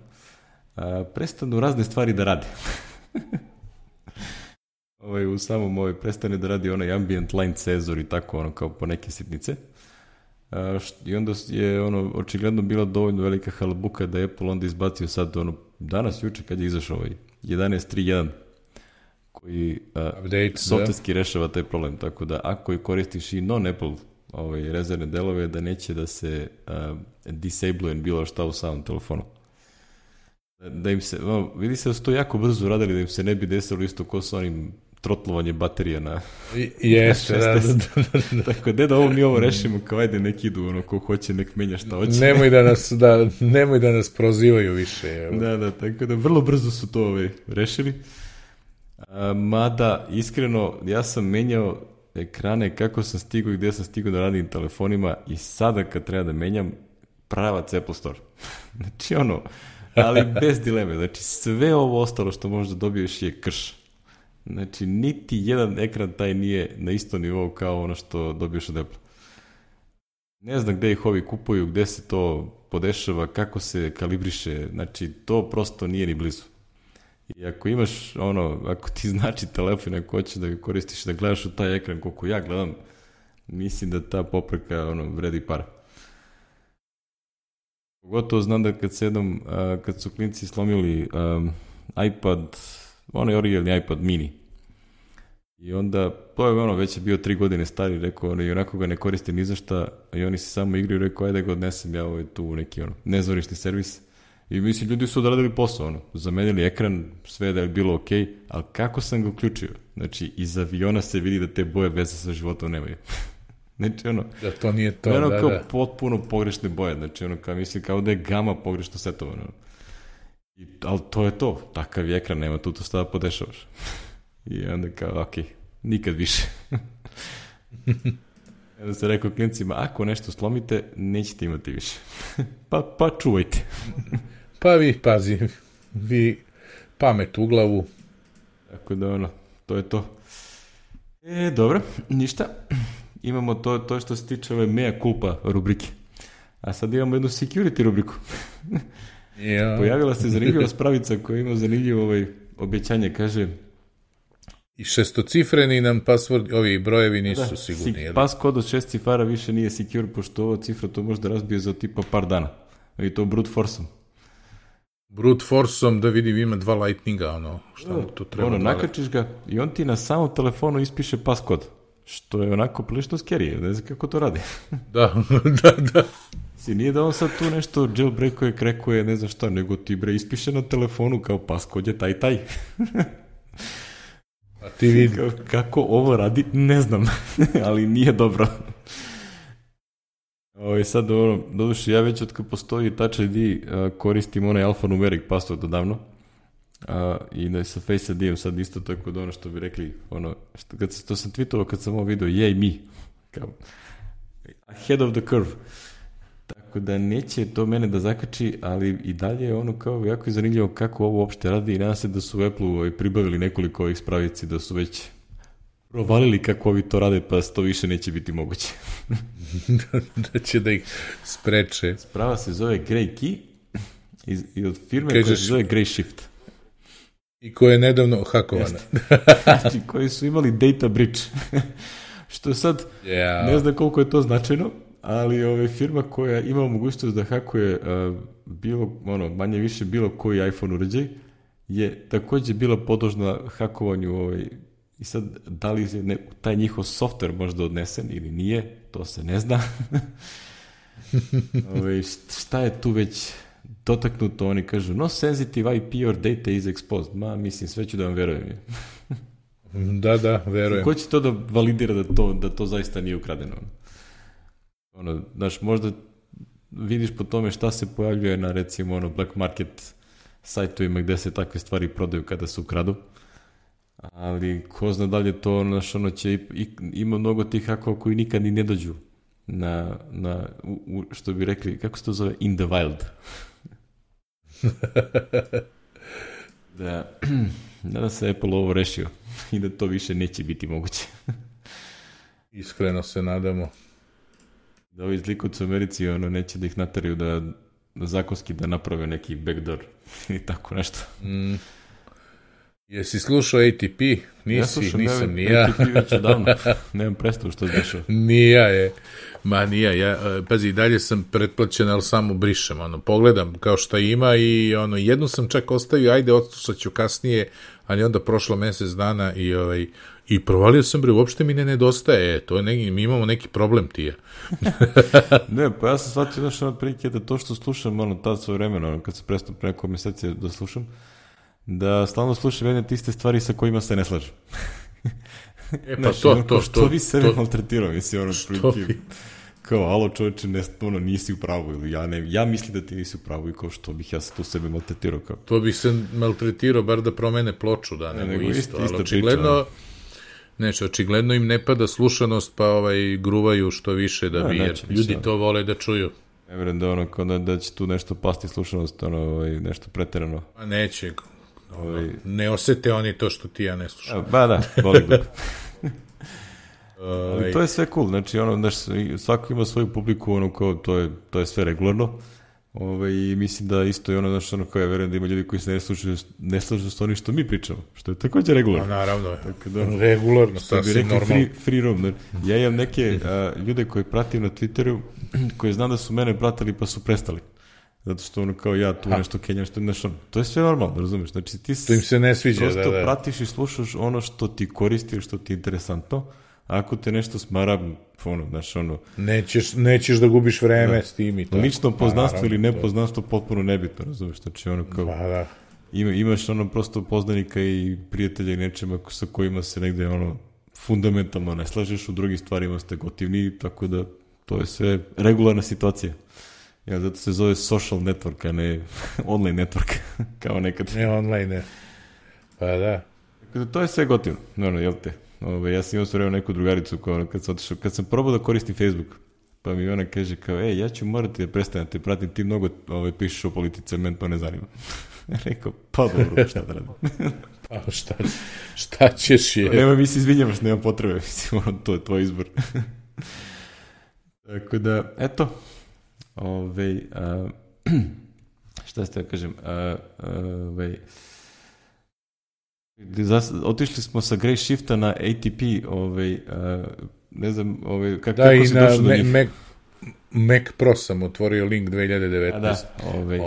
uh, prestanu razne stvari da rade. Ovaj, u samom ovaj, prestane da radi onaj ambient line senzor i tako, ono, kao po neke sitnice. A, št, I onda je, ono, očigledno bila dovoljno velika halabuka da je Apple onda izbacio sad, ono, danas, juče, kad je izašao ovaj jedanaest tri jedan, koji softverski rešava taj problem, tako da ako i koristiš i non-Apple ovaj, rezervne delove, da neće da se uh, disabluje bilo šta u samom telefonu. Da im se, no, vidi se da su to jako brzo radili, da im se ne bi desilo isto ko s onim trotlovanje baterija na, Jeste, na da, da, da, da. Tako da da ovo mi ovo rešimo, kao ajde nek idu, ono, ko hoće nek menja šta hoće. Nemoj da nas, da, nemoj da nas prozivaju više. Evo. Da, da, tako da vrlo brzo su to ovaj, rešili. A, mada, iskreno, ja sam menjao ekrane kako sam stigao i gde sam stigao da radim telefonima i sada kad treba da menjam, pravac Apple Store. Znači ono, ali bez dileme, znači sve ovo ostalo što možda dobiješ je krš. Znači, niti jedan ekran taj nije na isto nivou kao ono što dobiješ od Apple. Ne znam gde ih ovi kupuju, gde se to podešava, kako se kalibriše, znači to prosto nije ni blizu. I ako imaš ono, ako ti znači telefon, ako hoćeš da ga koristiš, da gledaš u taj ekran koliko ja gledam, mislim da ta popreka ono, vredi para. Pogotovo znam da kad se jednom, uh, kad su klinci slomili um, iPad, onaj originalni iPad mini, i onda, to je ono, već je bio tri godine stari, rekao, ono, i onako ga ne koriste ni za šta, i oni se samo igraju, rekao, ajde ga odnesem ja ovaj tu neki, ono, nezvorišni servis. I mislim, ljudi su odradili posao, ono, zamenili ekran, sve da je bilo okej, okay, ali kako sam ga uključio? Znači, iz aviona se vidi da te boje veze sa životom nemaju. Znači, ono, da to nije to, ono da, kao da. potpuno pogrešne boje, znači, ono, kao, mislim, kao da je gama pogrešno setovano. I, ali to je to, takav je ekran, nema tu to šta da podešavaš. I onda kao, okej, okay, nikad više. Onda se rekao klincima, ako nešto slomite, nećete imati više. pa, pa čuvajte. Pa vi, pazi, vi pamet u glavu. Tako da, ono, to je to. E, dobro, ništa. Imamo to, to što se tiče ove mea culpa rubrike. A sad imamo jednu security rubriku. Ja. Pojavila se zanimljiva spravica koja ima zanimljivo ovaj obećanje, kaže... I šestocifreni nam password, ovi brojevi nisu da, sigurni. Si, pas kod od šest cifara više nije secure, pošto ova cifra to može da razbije za tipa par dana. I to brute forceom. Brute forceom, da vidim, ima dva lightninga, ono, šta mu to treba. Ono, nakačiš ga i on ti na samom telefonu ispiše pas kod. Što je onako prilično scary, ne znam kako to radi. Da, da, da. Si nije da on sad tu nešto jailbreakuje, krekuje, ne znam šta, nego ti bre ispiše na telefonu kao pas kod je taj taj. A ti vidi. Kako ovo radi, ne znam, ali nije dobro. Ovo je sad, ono, doduše, ja već od kad postoji Touch I D uh, koristim onaj alfanumeric password odavno. Uh, I da sa Face I D-om sad isto tako da ono što bi rekli, ono, što, kad se, to sam tweetovao kad sam ovo vidio, jej mi, kao, ahead of the curve. Tako da neće to mene da zakači, ali i dalje je ono kao jako je zanimljivo kako ovo uopšte radi i nadam se da su u Apple-u pribavili nekoliko ovih spravici, da su već provalili kako ovi to rade, pa to više neće biti moguće. Da će da ih spreče. Sprava se zove Grey Key i, i od firme Kažeš, koja se zove Grey Shift. I koja je nedavno hakovana. Znači, koji su imali data breach. Što sad, yeah. ne znam koliko je to značajno, ali ove, firma koja ima mogućnost da hakuje uh, bilo, ono, manje više bilo koji iPhone uređaj, je također bila podložna hakovanju ovaj, i sad, da li je ne, taj njihov software možda odnesen ili nije, to se ne zna. Ove, šta je tu već dotaknuto, oni kažu, no sensitive I P or data is exposed. Ma, mislim, sve ću da vam verujem. Da, da, verujem. Ko će to da validira da to, da to zaista nije ukradeno? Ono, znaš, možda vidiš po tome šta se pojavljuje na, recimo, ono, black market sajtovima gde se takve stvari prodaju kada se ukradu. Ali ko zna da li je to, znaš, ono će, i, ima mnogo tih hakova koji nikad ni ne dođu na, na u, u, što bi rekli, kako se to zove, in the wild. Da, nadam se Apple ovo rešio i da to više neće biti moguće. Iskreno se nadamo. Da ovi zlikovci u Americi, ono, neće da ih nateraju da, da zakonski da naprave neki backdoor i tako nešto. Mm. Jesi slušao A T P? Nisi, ja slušam, nisam, ne, ni ja. A T P već odavno, nemam predstavu što se dešava. Nija je, ma nija, ja, pazi, dalje sam pretplaćen, ali samo brišem, ono, pogledam kao šta ima i ono, jednu sam čak ostavio, ajde, odslušat ću kasnije, ali onda prošlo mesec dana i ovaj, i provalio sam, bre, uopšte mi ne nedostaje, to je neki, mi imamo neki problem, tija. Ne, pa ja sam shvatio, znaš, ono, prilike da to što slušam, ono, tad svoje vremena, ono, kad se prestao pre nekog meseci da slušam, da stalno slušam jedne tiste stvari sa kojima se ne slažem. E, pa znaš, to, ono, to, što to. bi sebe to, maltretirao, mislim, ono, prilike, kao, alo čovječe, ne, ono, nisi u pravu, ili ja, ne, ja mislim da ti nisi u pravu i kao što bih ja se tu sebe maltretirao. Kao. To bih se maltretirao, bar da promene ploču, da, nego, nego isto, isto, ali očigledno, neće, očigledno im ne pada slušanost, pa ovaj, gruvaju što više da bi, jer ljudi sad to vole da čuju. Ne vjerujem da, ono, da, da će tu nešto pasti slušanost, ono, ovaj, nešto preterano. A neće, ovaj, ne osete oni to što ti ja ne slušam. Ba da, boli glup. Ali to je sve cool, znači ono, znaš, svako ima svoju publiku, ono, kao, to je, to je sve regularno, ove, i mislim da isto je ono, znaš, ono, kao ja verujem da ima ljudi koji se ne slušaju, ne slušaju s onim što mi pričamo, što je također regularno. A, naravno, tako da, regularno, sasvim normalno. Free, free roam, ne? Ja imam neke a, ljude koje pratim na Twitteru, koji znam da su mene pratili pa su prestali. zato što ono kao ja tu ha. nešto kenjam, što znaš, ono, to je sve normalno, razumeš, znači ti to im se ne sviđa, prosto da, da. pratiš i slušaš ono što ti koristi, što ti je interesantno, ako te nešto smara, ono, znaš, ono... Nećeš, nećeš da gubiš vreme da. s tim i to. Lično poznanstvo pa, ili nepoznanstvo potpuno nebitno, razumeš, znači ono kao... Pa, da. Ima, imaš ono prosto poznanika i prijatelja i nečema sa kojima se negde ono fundamentalno ne slažeš, u drugim stvarima ste gotivni, tako da to je sve regularna situacija. Ja, zato se zove social network, a ne online network, kao nekad. Ne online, ne. Pa da. Tako da to je sve gotivno, no, jel te? Ove, ja sam imao sve neku drugaricu kao, kad, sam otišao, kad sam probao da koristim Facebook, pa mi ona kaže kao, ej, ja ću morati da prestanem te pratim, ti mnogo ove, pišeš o politici, men to ne zanima. Rekao, pa dobro, šta da radim? Pa šta, šta ćeš je? Nema mi se izvinjavaš, nema potrebe, mislim, to je tvoj izbor. Tako da, eto, ove, a, šta ste da kažem, a, a, ove, otišli smo sa Grey Shifta na A T P, ovaj, a, ne znam, ovaj, kako, da, kako si došao do me, njih? Mac, Mac Pro sam otvorio link dve hiljade devetnaeste. A da, ovaj,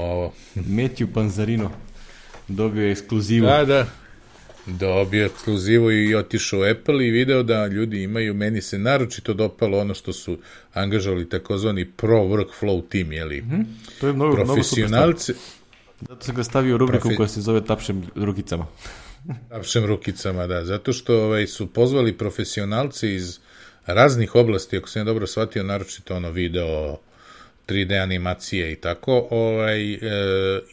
Matthew Panzarino dobio je ekskluzivu. Da, da, dobio je ekskluzivu i otišao u Apple i video da ljudi imaju, meni se naročito dopalo ono što su angažovali takozvani Pro Workflow team, jeli, mm-hmm. To je mnogo, profesionalci. Zato sam ga stavio u rubriku Profi... koja se zove Tapšem rukicama. Tapšem rukicama, da. Zato što ovaj, su pozvali profesionalci iz raznih oblasti, ako sam ja dobro shvatio, naročito ono video, tri D animacije i tako, ovaj, e,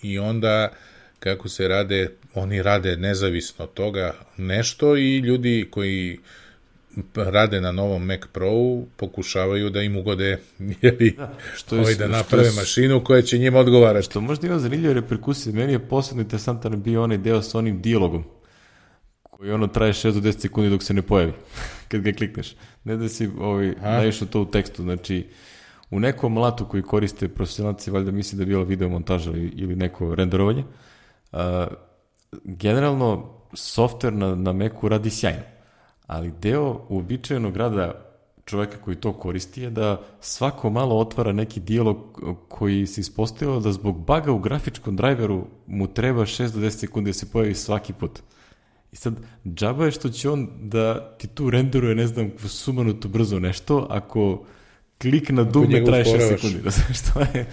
i onda kako se rade, oni rade nezavisno od toga nešto i ljudi koji rade na novom Mac Pro-u pokušavaju da im ugode jeli, da, što je, ovaj, da naprave što je, mašinu koja će njima odgovarati. Što možda ima zanimljive reperkusije. Meni je posebno interesantan bio onaj deo sa onim dijalogom koji ono traje šest do deset sekundi dok se ne pojavi kad ga klikneš. Ne da si ovaj, naišao to u tekstu. Znači, u nekom alatu koji koriste profesionalci, valjda misli da je bila video montaža ili neko renderovanje, a, generalno softver na, na Macu radi sjajno. Ali deo uobičajenog rada čoveka koji to koristi je da svako malo otvara neki dijalog koji se ispostavio da zbog baga u grafičkom drajveru mu treba šest do deset sekundi da se pojavi svaki put. I sad, džaba je što će on da ti tu renderuje, ne znam, sumanuto brzo nešto, ako klik na dugme traje šest sekundi. Da znaš što je...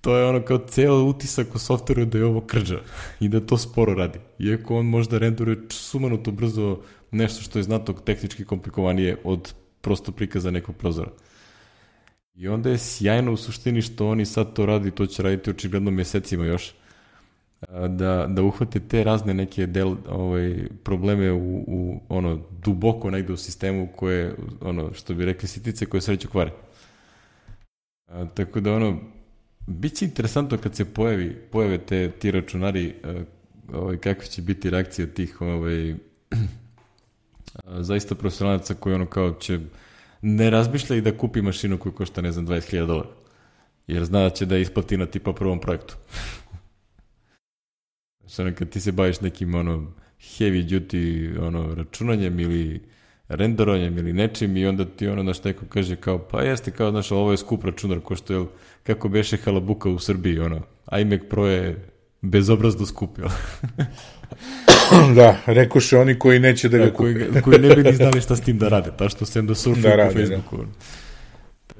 To je ono kao ceo utisak u softveru da je ovo krđa i da to sporo radi. Iako on možda renderuje sumanuto brzo nešto što je znatno tehnički komplikovanije od prosto prikaza nekog prozora. I onda je sjajno u suštini što oni sad to radi, to će raditi očigledno mesecima još, da, da uhvate te razne neke del, ovaj, probleme u, u ono duboko negde u sistemu koje, ono, što bi rekli sitice koje sreću kvare. A, tako da ono, bit će interesantno kad se pojavi, pojave te, ti računari, ovaj, kakve će biti reakcije tih ovaj, zaista profesionalaca koji ono kao će ne razmišlja i da kupi mašinu koju košta, ne znam, dvadeset hiljada dolara. Jer zna da će da isplati na tipa prvom projektu. Znači, ono, kad ti se baviš nekim ono heavy duty ono, računanjem ili renderovanjem ili nečim i onda ti ono naš neko kaže kao, pa jeste kao, znaš, ovo je skup računar, ko što je, kako beše halabuka u Srbiji, ono, iMac Pro je bezobrazno skup, jel? Da, rekoše oni koji neće da ga da, kupe. Koji, koji ne bi ni znali šta s tim da rade, ta što sem da surfaju da po Facebooku. Da.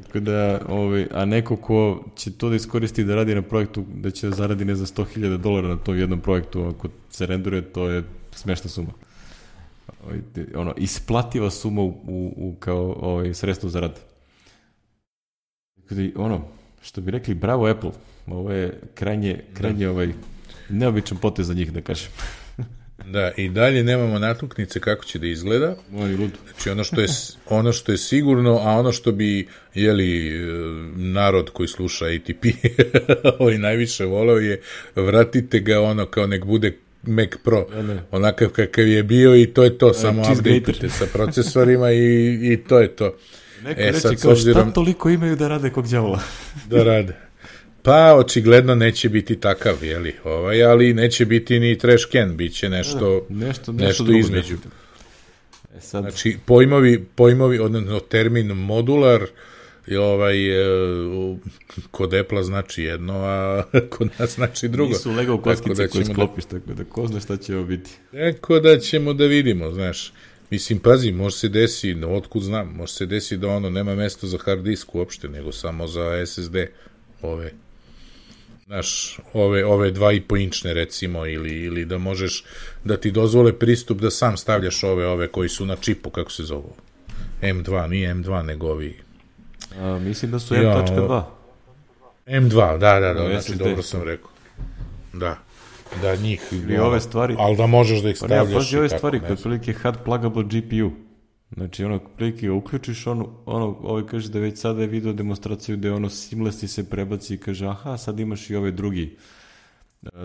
Tako da, ovaj, a neko ko će to da iskoristi da radi na projektu, da će zaradi ne za sto hiljada dolara na tom jednom projektu, ako se renduje, to je smešna suma. Ono, isplativa suma u, u, u kao ovaj, sredstvo za rad. Tako da, ono, što bi rekli, bravo Apple, ovo je krajnje, krajnje ovaj, neobičan potez za njih, da kažem. Da, i dalje nemamo natuknice kako će da izgleda. Moj lud. Znači, ono što je, ono što je sigurno, a ono što bi, jeli, narod koji sluša A T P ovaj najviše voleo je vratite ga ono kao nek bude Mac Pro, ne. Onakav kakav je bio i to je to, samo update-ujte sa procesorima i, i to je to. Neko e, reći kao obzirom, šta toliko imaju da rade kog đavola? Da rade. Pa, očigledno neće biti takav, jeli, ovaj, ali neće biti ni trash can, bit će nešto, da, nešto, nešto, nešto između. E sad... Znači, pojmovi, pojmovi, odnosno termin modular, i ovaj, e, kod Apple znači jedno, a kod nas znači drugo. Nisu Lego kockice koje sklopiš, da, tako da ko zna šta će ovo biti. Tako da ćemo da vidimo, znaš. Mislim, pazi, može se desi, otkud znam, može se desi da ono nema mesta za hard disk uopšte, nego samo za es es de, ove, znaš, ove, ove dva i po inčne recimo, ili, ili da možeš, da ti dozvole pristup da sam stavljaš ove, ove koji su na čipu, kako se zovu, em dva, nije em dva, nego ovi. A, mislim da su em dva. em dva, da, da, da, no, znači es es de. Dobro sam rekao. Da. Da, njih, i ove stvari, ali da možeš da ih stavljaš. Pa ne, pazi ove stvari, kad prilike hard pluggable G P U. Znači, ono, prilike ga uključiš, ono, ono, ovaj kaže da već sada je video demonstraciju gde ono seamlessly se prebaci i kaže, aha, sad imaš i ovaj drugi,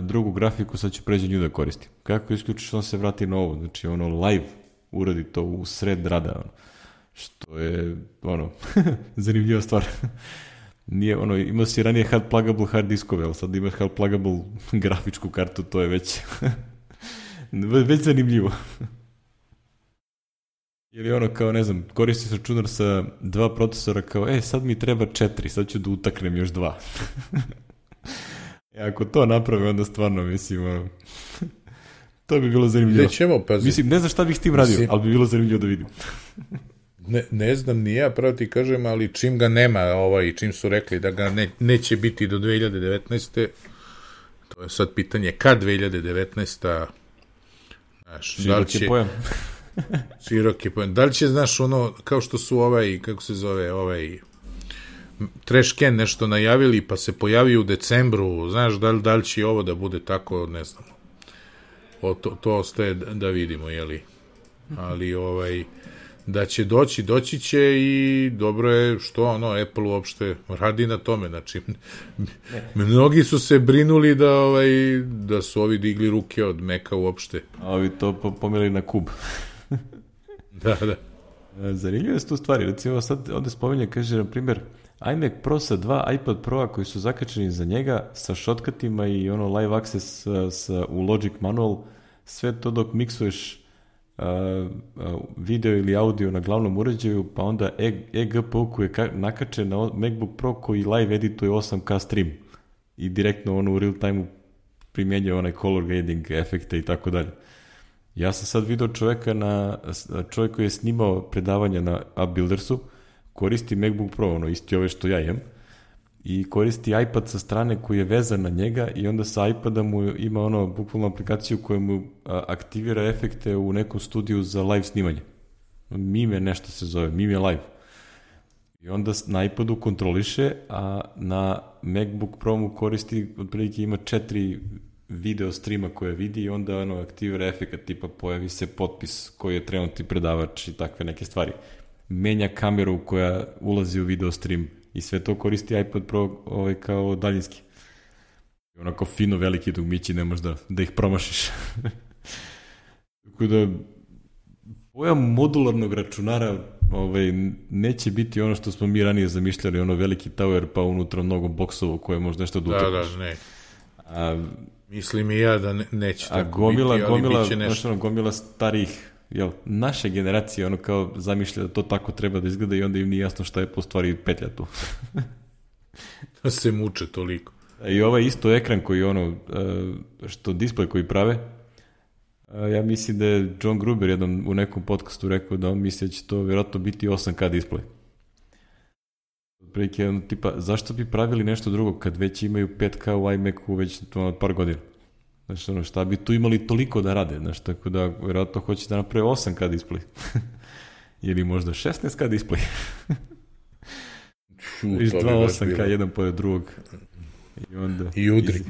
drugu grafiku, sad ću pređe nju da koristim. Kako isključiš, on se vrati na ovo. Znači, ono, live uradi to u sred rada, ono, što je, ono, zanimljiva stvar. Nije, ono, imao si ranije hard pluggable hard diskove, ali sad imaš hard pluggable grafičku kartu, to je već već zanimljivo. Ili ono kao, ne znam, koristiš računar sa dva procesora kao, e, sad mi treba četiri, sad ću da utaknem još dva. E, ako to naprave, onda stvarno, mislim, ono, to bi bilo zanimljivo. Nećemo, pazi. Mislim, ne znam šta bih s tim radio, mislim, ali bi bilo zanimljivo da vidim. Ne, ne znam ni ja, pravo ti kažem, ali čim ga nema, ovaj, čim su rekli da ga ne, neće biti do dve hiljade devetnaeste. To je sad pitanje kad dve hiljade devetnaesta. Znaš, da li će, pojam. širok je pojam. Da li će, znaš, ono, kao što su ovaj, kako se zove, ovaj Trash Can nešto najavili, pa se pojavi u decembru, znaš, da li, da li će ovo da bude tako, ne znam. O, to, to ostaje da vidimo, jeli. Ali, ovaj, da će doći, doći će i dobro je što ono, Apple uopšte radi na tome, znači mnogi su se brinuli da, ovaj, da su ovi digli ruke od Maca uopšte. A ovi to pomeli na kub. Da, da. Zanimljive su tu stvari, recimo sad ovde spominje, kaže, na primjer, iMac Pro sa dva iPad Pro-a koji su zakačeni za njega, sa shortcutima i ono live access sa, sa, u Logic Manual, sve to dok miksuješ Uh, uh, video ili audio na glavnom uređaju, pa onda eGPU koji je ka- nakačen na MacBook Pro koji live edituje osam K stream i direktno ono u real time primjenjuje onaj color grading efekte i tako dalje. Ja sam sad video čoveka na, čovjek koji je snimao predavanja na AppBuildersu, koristi MacBook Pro, ono isti ove što ja imam, i koristi iPad sa strane koji je vezan na njega i onda sa iPada mu ima ono bukvalno aplikaciju koja mu a, aktivira efekte u nekom studiju za live snimanje. Mime nešto se zove, Mime Live. I onda na iPadu kontroliše, a na MacBook Pro mu koristi, otprilike ima četiri video streama koje vidi i onda ono aktivira efekt tipa pojavi se potpis koji je trenutni predavač i takve neke stvari. Menja kameru koja ulazi u video stream i sve to koristi iPad Pro ovaj, kao daljinski. I onako fino veliki dugmići, ne možeš da, da ih promašiš. Tako da, pojam modularnog računara ovaj, neće biti ono što smo mi ranije zamišljali, ono veliki tower pa unutra mnogo boksova koje može nešto da utapiš. Da, da, ne. A, Mislim i ja da ne, neće a tako gomila, biti, ali gomila, biće nešto. Ono, gomila starih, jel, naše generacije, ono kao zamišlja da to tako treba da izgleda i onda im nije jasno šta je po stvari petlja tu. Da se muče toliko. I ovaj isto ekran koji ono, što display koji prave, ja mislim da je John Gruber jednom u nekom podcastu rekao da on misli da će to vjerojatno biti osam K display. Prilike, ono, tipa, zašto bi pravili nešto drugo kad već imaju pet K u iMacu već ono, par godina? Znači, ono, šta bi tu imali toliko da rade? Znači, tako da vjerojatno hoće da naprave osam K display. Ili možda šesnaest K display. Iš dva osam K, jedan pored drugog. I onda... I udri. Iz,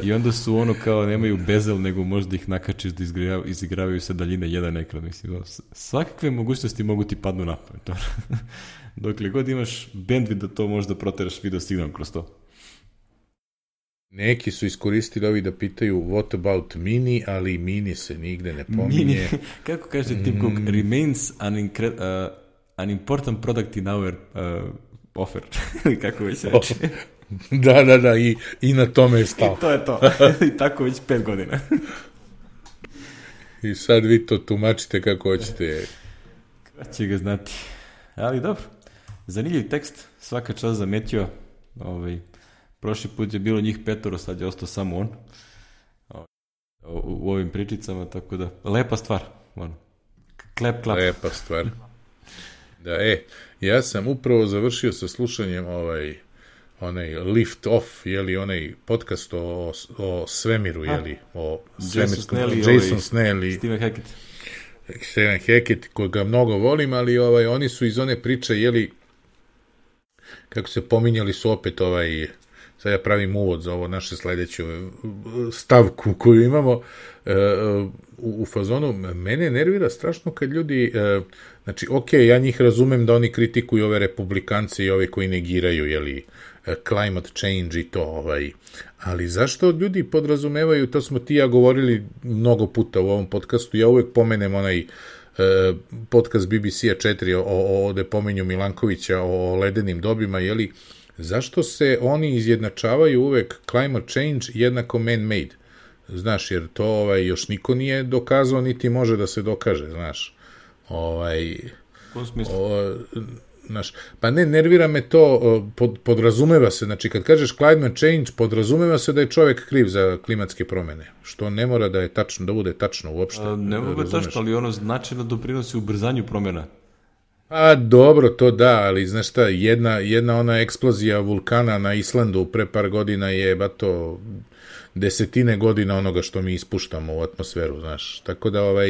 I onda su ono kao, nemaju bezel, nego možda ih nakačiš da izigravaju, izigravaju se daljine jedan ekran. Mislim, svakakve mogućnosti mogu ti padnu na pamet. Dokle god imaš bandwidth da to možda proteraš video signal kroz to. Neki su iskoristili ovi da pitaju what about mini, ali mini se nigde ne pominje. Mini, kako kaže Tim Cook, mm. remains an, incre- uh, an important product in our uh, offer. Kako već reče. Oh, da, da, da, i, i na tome je stao. I to je to. I tako već pet godina. I sad vi to tumačite kako hoćete. Kada će ga znati. Ali dobro. Zanimljiv tekst, svaka čast zametio. Ovaj, prošli put je bilo njih petoro, sad je ostao samo on. U, u ovim pričicama, tako da, lepa stvar. Ono. Klep, klap. Lepa stvar. Da, e, ja sam upravo završio sa slušanjem ovaj, onaj Lift Off, jeli, onaj podcast o, o svemiru, jeli, o svemirskom, Jason, Jason ovaj, Snell i Stephen Hackett. Stephen Hackett, koga mnogo volim, ali ovaj, oni su iz one priče, jeli, kako se pominjali su opet ovaj, sad ja pravim uvod za ovo naše sledeću stavku koju imamo uh, u, u fazonu, mene nervira strašno kad ljudi, uh, znači, ok, ja njih razumem da oni kritikuju ove republikance i ove koji negiraju, jeli, uh, climate change i to, ovaj, ali zašto ljudi podrazumevaju, to smo ti ja govorili mnogo puta u ovom podcastu, ja uvek pomenem onaj uh, podcast B B C-a četiri o, o, o, de pominju Milankovića o ledenim dobima, jeli, zašto se oni izjednačavaju uvek climate change jednako man-made? Znaš, jer to ovaj, još niko nije dokazao, niti može da se dokaže, znaš. Ovaj, U smislu? O, znaš, pa ne, nervira me to, pod, podrazumeva se, znači kad kažeš climate change, podrazumeva se da je čovjek kriv za klimatske promene, što ne mora da je tačno, da bude tačno uopšte. A, ne mogu da tačno, ali ono značajno doprinosi ubrzanju promjena. A dobro, to da, ali znaš šta, jedna, jedna ona eksplozija vulkana na Islandu pre par godina je bato desetine godina onoga što mi ispuštamo u atmosferu, znaš. Tako da ovaj,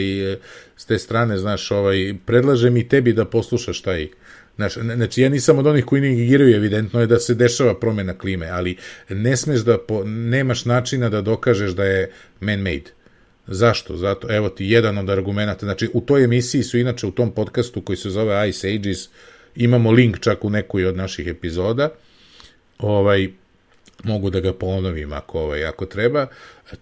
s te strane, znaš, ovaj, predlažem i tebi da poslušaš taj, znaš, znači ja nisam od onih koji negiraju, evidentno je da se dešava promjena klime, ali ne smeš da, po, nemaš načina da dokažeš da je man-made. Zašto? Zato, evo ti jedan od argumenta, znači u toj emisiji su inače u tom podcastu koji se zove Ice Ages, imamo link čak u nekoj od naših epizoda, ovaj, mogu da ga ponovim ako, ovaj, ako treba,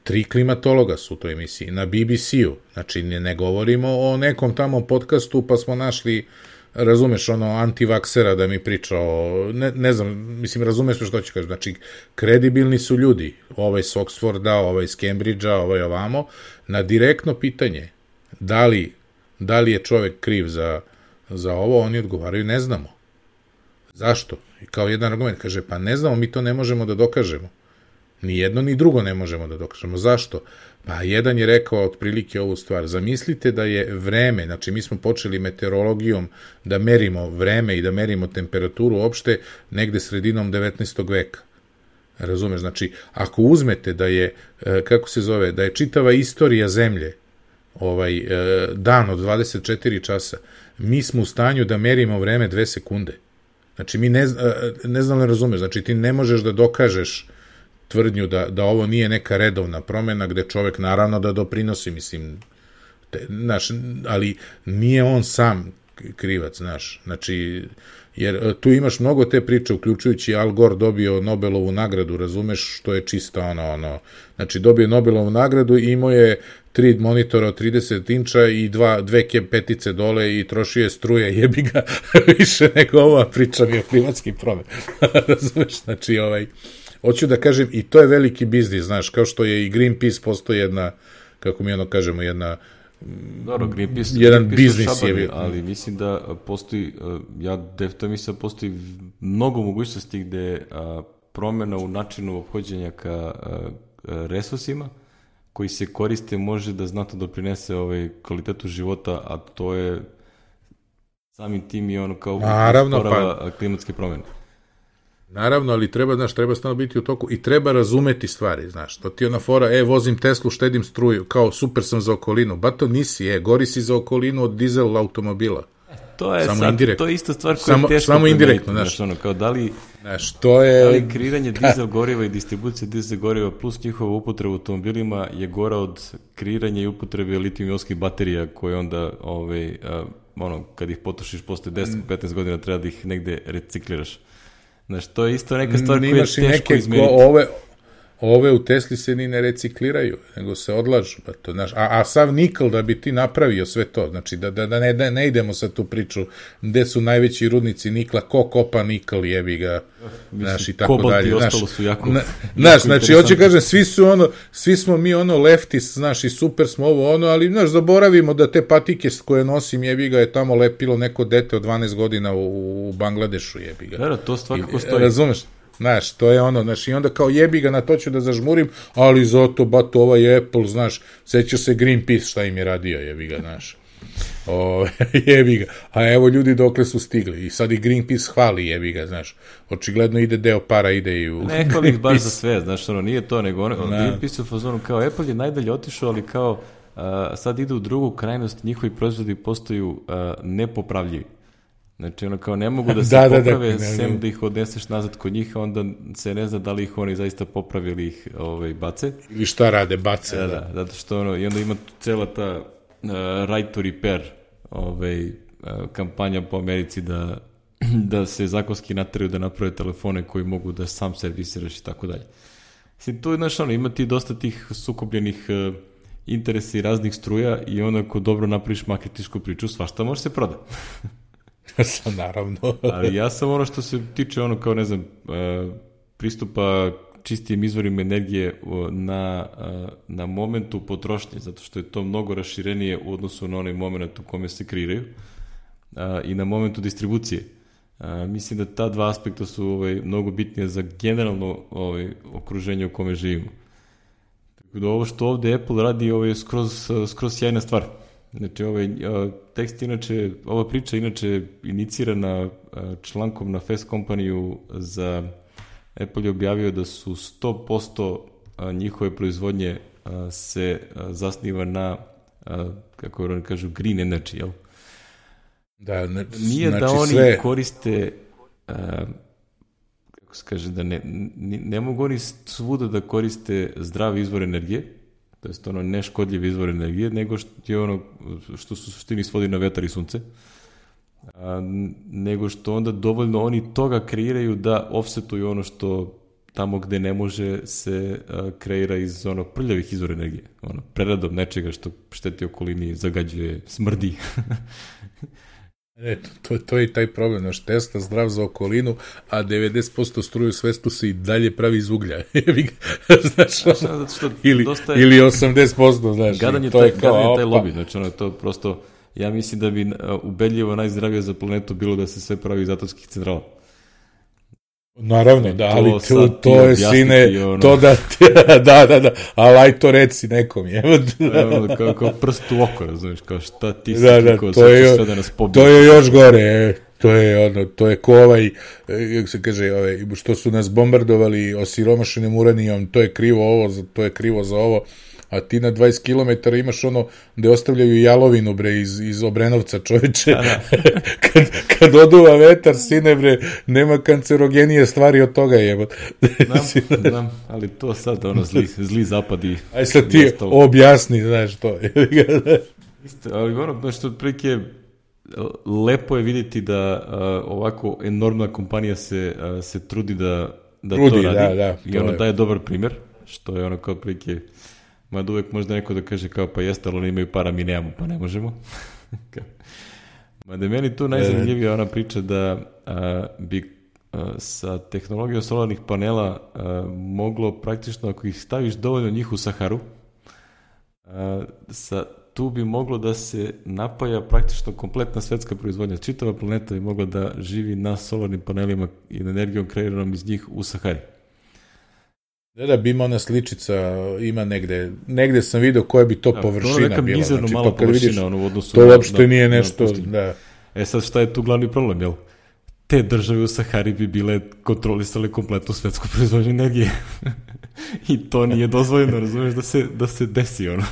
tri klimatologa su u toj emisiji, na B B C-u, znači ne, ne govorimo o nekom tamo podcastu pa smo našli, razumeš, ono, antivaksera da mi priča o, ne, ne znam, mislim, razumeš što ću kažem, znači, kredibilni su ljudi, ovaj s Oxforda, ovaj s Cambridgea, ovaj ovamo, na direktno pitanje, da li, da li je čovek kriv za, za ovo, oni odgovaraju, ne znamo. Zašto? I kao jedan argument, kaže, pa ne znamo, mi to ne možemo da dokažemo. Ni jedno, ni drugo ne možemo da dokažemo. Zašto? Pa jedan je rekao otprilike ovu stvar. Zamislite da je vreme, znači mi smo počeli meteorologijom da merimo vreme i da merimo temperaturu uopšte negde sredinom devetnaestog veka. Razumeš? Znači, ako uzmete da je, kako se zove, da je čitava istorija zemlje ovaj, dan od dvadeset četiri časa, mi smo u stanju da merimo vreme dve sekunde. Znači, mi ne, ne znam ne razumeš, znači ti ne možeš da dokažeš tvrdnju da, da ovo nije neka redovna promjena gde čovek naravno da doprinosi, mislim, te, znaš, ali nije on sam krivac, znaš, znači, jer tu imaš mnogo te priče, uključujući Al Gore dobio Nobelovu nagradu, razumeš, što je čista ono, ono, znači dobio Nobelovu nagradu i imao je tri monitora od trideset inča i dva, dve petice dole i trošio je struje, jebi ga više nego ova priča mi o klimatskim promjenama, razumeš, znači, ovaj, hoću da kažem, i to je veliki biznis, znaš, kao što je i Greenpeace postoji jedna, kako mi ono kažemo, jedna Dobro, Greenpeace, jedan Greenpeace biznis šabari, je, ali mislim da postoji, ja definitivno mislim da postoji mnogo mogućnosti gde a, promjena u načinu ophođenja ka a, resursima koji se koriste može da znatno doprinese ovaj kvalitetu života, a to je samim tim i ono kao naravno, pa klimatske promjene. Naravno, ali treba, znaš, treba stalno biti u toku i treba razumeti stvari, znaš, to ti je ona fora, e, vozim Teslu, štedim struju, kao super sam za okolinu, ba to nisi, e, gori si za okolinu od dizel automobila. To je samo sad, indirektno. to je isto stvar koja samo, je teško samo indirektno, znaš, znaš, ono, kao da li, znaš, to je, da li kreiranje dizel goriva i distribucija dizel goriva plus njihova upotreba u automobilima je gora od kreiranja i upotrebe litijum-ionskih baterija koje onda, ovaj, a, ono, kad ih potrošiš posle deset do petnaest godina treba da ih negde recikliraš. Znaš, to je isto neka stvar koja je teško izmeriti. Ove, ove u Tesli se ni ne recikliraju, nego se odlažu. Pa to, znaš, a, a sav nikl da bi ti napravio sve to, znači da, da, da, ne, da ne idemo sad tu priču gde su najveći rudnici nikla, ko kopa nikl, jebi ga, znaš, i tako dalje. Kobalt i ostalo su jako, na, jako znaš, znači, hoće kažem, svi su ono, svi smo mi ono leftis, znaš, i super smo ovo ono, ali, znaš, zaboravimo da te patike koje nosim, jebi ga, je tamo lepilo neko dete od dvanaest godina u, u Bangladešu, jebi ga. Da, to svakako stoji. Razumeš? Znaš, to je ono, znaš, i onda kao jebi ga, na to ću da zažmurim, ali zato, bato, ovaj Apple, znaš, sećaš se Greenpeace šta im je radio, jebi ga, znaš. O, jebi ga. A evo ljudi dokle su stigli. I sad i Greenpeace hvali, jebi ga, znaš. Očigledno ide deo para, ide i u... Ne hvali ih baš za sve, znaš, ono, nije to, nego ono, Greenpeace u fazonu kao Apple je najdalje otišao, ali kao uh, sad ide u drugu krajnost, njihovi proizvodi postaju uh, nepopravljivi. Znači, ono, kao ne mogu da se da, poprave, da, da, sem da, da ih odneseš nazad kod njih, onda se ne zna da li ih oni zaista popravili ih ovaj, bace. Ili šta rade, bace. Da, da, zato što ono, i onda ima cela ta uh, right to repair ovaj, uh, kampanja po Americi da, da se zakonski nateraju da naprave telefone koji mogu da sam servisiraš i tako dalje. Mislim, tu je, znaš, ono, ima ti dosta tih sukobljenih uh, interesa i raznih struja i onda ako dobro napraviš marketinšku priču, svašta može se proda. Naravno. Ali ja sam ono što se tiče ono kao, ne znam, pristupa čistijim izvorima energije na, na momentu potrošnje, zato što je to mnogo raširenije u odnosu na onaj moment u kome se kreiraju i na momentu distribucije. Mislim da ta dva aspekta su ovaj, mnogo bitnije za generalno ovaj, okruženje u kome živimo. Tako da ovo što ovde Apple radi ovaj, je skroz, skroz sjajna stvar. Znači, ovaj tekst, inače, ova priča inače inicirana člankom na Fast Company-u za Apple je objavio da su sto posto njihove proizvodnje se zasniva na, kako oni kažu, green energy, jel? Da, ne, Nije znači da oni sve... koriste, kako se kaže, da ne, ne mogu oni svuda da koriste zdrav izvor energije, to je ono neškodljiv izvor energije, nego što je ono što su suštini svodi na vetar i sunce, a, nego što onda dovoljno oni toga kreiraju da offsetuju ono što tamo gde ne može se a, kreira iz ono prljavih izvora energije. Ono, preradom nečega što šteti okolini, zagađuje, smrdi. Ne, to, to je taj problem, naš Tesla zdrav za okolinu, a devedeset posto struje u svetu se i dalje pravi iz uglja. Znaš, ono, što ili, je, ili osamdeset posto, znaš. Gadan je, to taj, je kao, gadan je taj lobby, znači ono, to prosto, ja mislim da bi ubedljivo najzdravije za planetu bilo da se sve pravi iz atomskih centrala. Naravno, da, ali to, to je sine, ono... to da, da, da, da, ali aj to reci nekom, je. Ono, kao, kao prst u oko, razumiješ, kao šta ti si da, da, niko, to je, sve da nas pobije. To je još gore, to je ono, to je ko ovaj, kako se kaže, ovaj, što su nas bombardovali osiromašenim uranijom, to je krivo ovo, to je krivo za ovo, a ti na dvadeset kilometara imaš ono gde ostavljaju jalovinu, bre, iz, iz Obrenovca, čoveče. Da, da. kad, kad oduva vetar, sine, bre, nema kancerogenije stvari od toga, jebot. Znam, znam, ali to sad, ono, zli, zli zapadi. Aj sad ti objasni, znaš, to. Isto, ali ono, što otprilike lepo je vidjeti da uh, ovako enormna kompanija se, uh, se trudi da, da trudi, to radi. Da, da, i ono je. Daje dobar primjer, što je ono kao otprilike... Mada uvek možda neko da kaže kao pa jeste, ali oni imaju para, mi nemamo, pa ne možemo. Mada je meni tu najzanimljivija ona priča da a, bi a, sa tehnologijom solarnih panela a, moglo praktično, ako ih staviš dovoljno njih u Saharu, a, sa, tu bi moglo da se napaja praktično kompletna svetska proizvodnja. Čitava planeta bi mogla da živi na solarnim panelima i na energijom kreiranom iz njih u Sahari. Da, da, bi ima ona sličica, ima negde, negde sam vidio koja bi to da, površina bila. To je neka bila. Mizerno znači, mala površina, vidiš, ono, u odnosu to uopšte na, nije nešto, da. E sad, šta je tu glavni problem, jel? Te države u Sahari bi bile kontrolisale kompletnu svetsku proizvodnju energije. I to nije dozvoljeno, razumiješ, da se, da se desi, ono.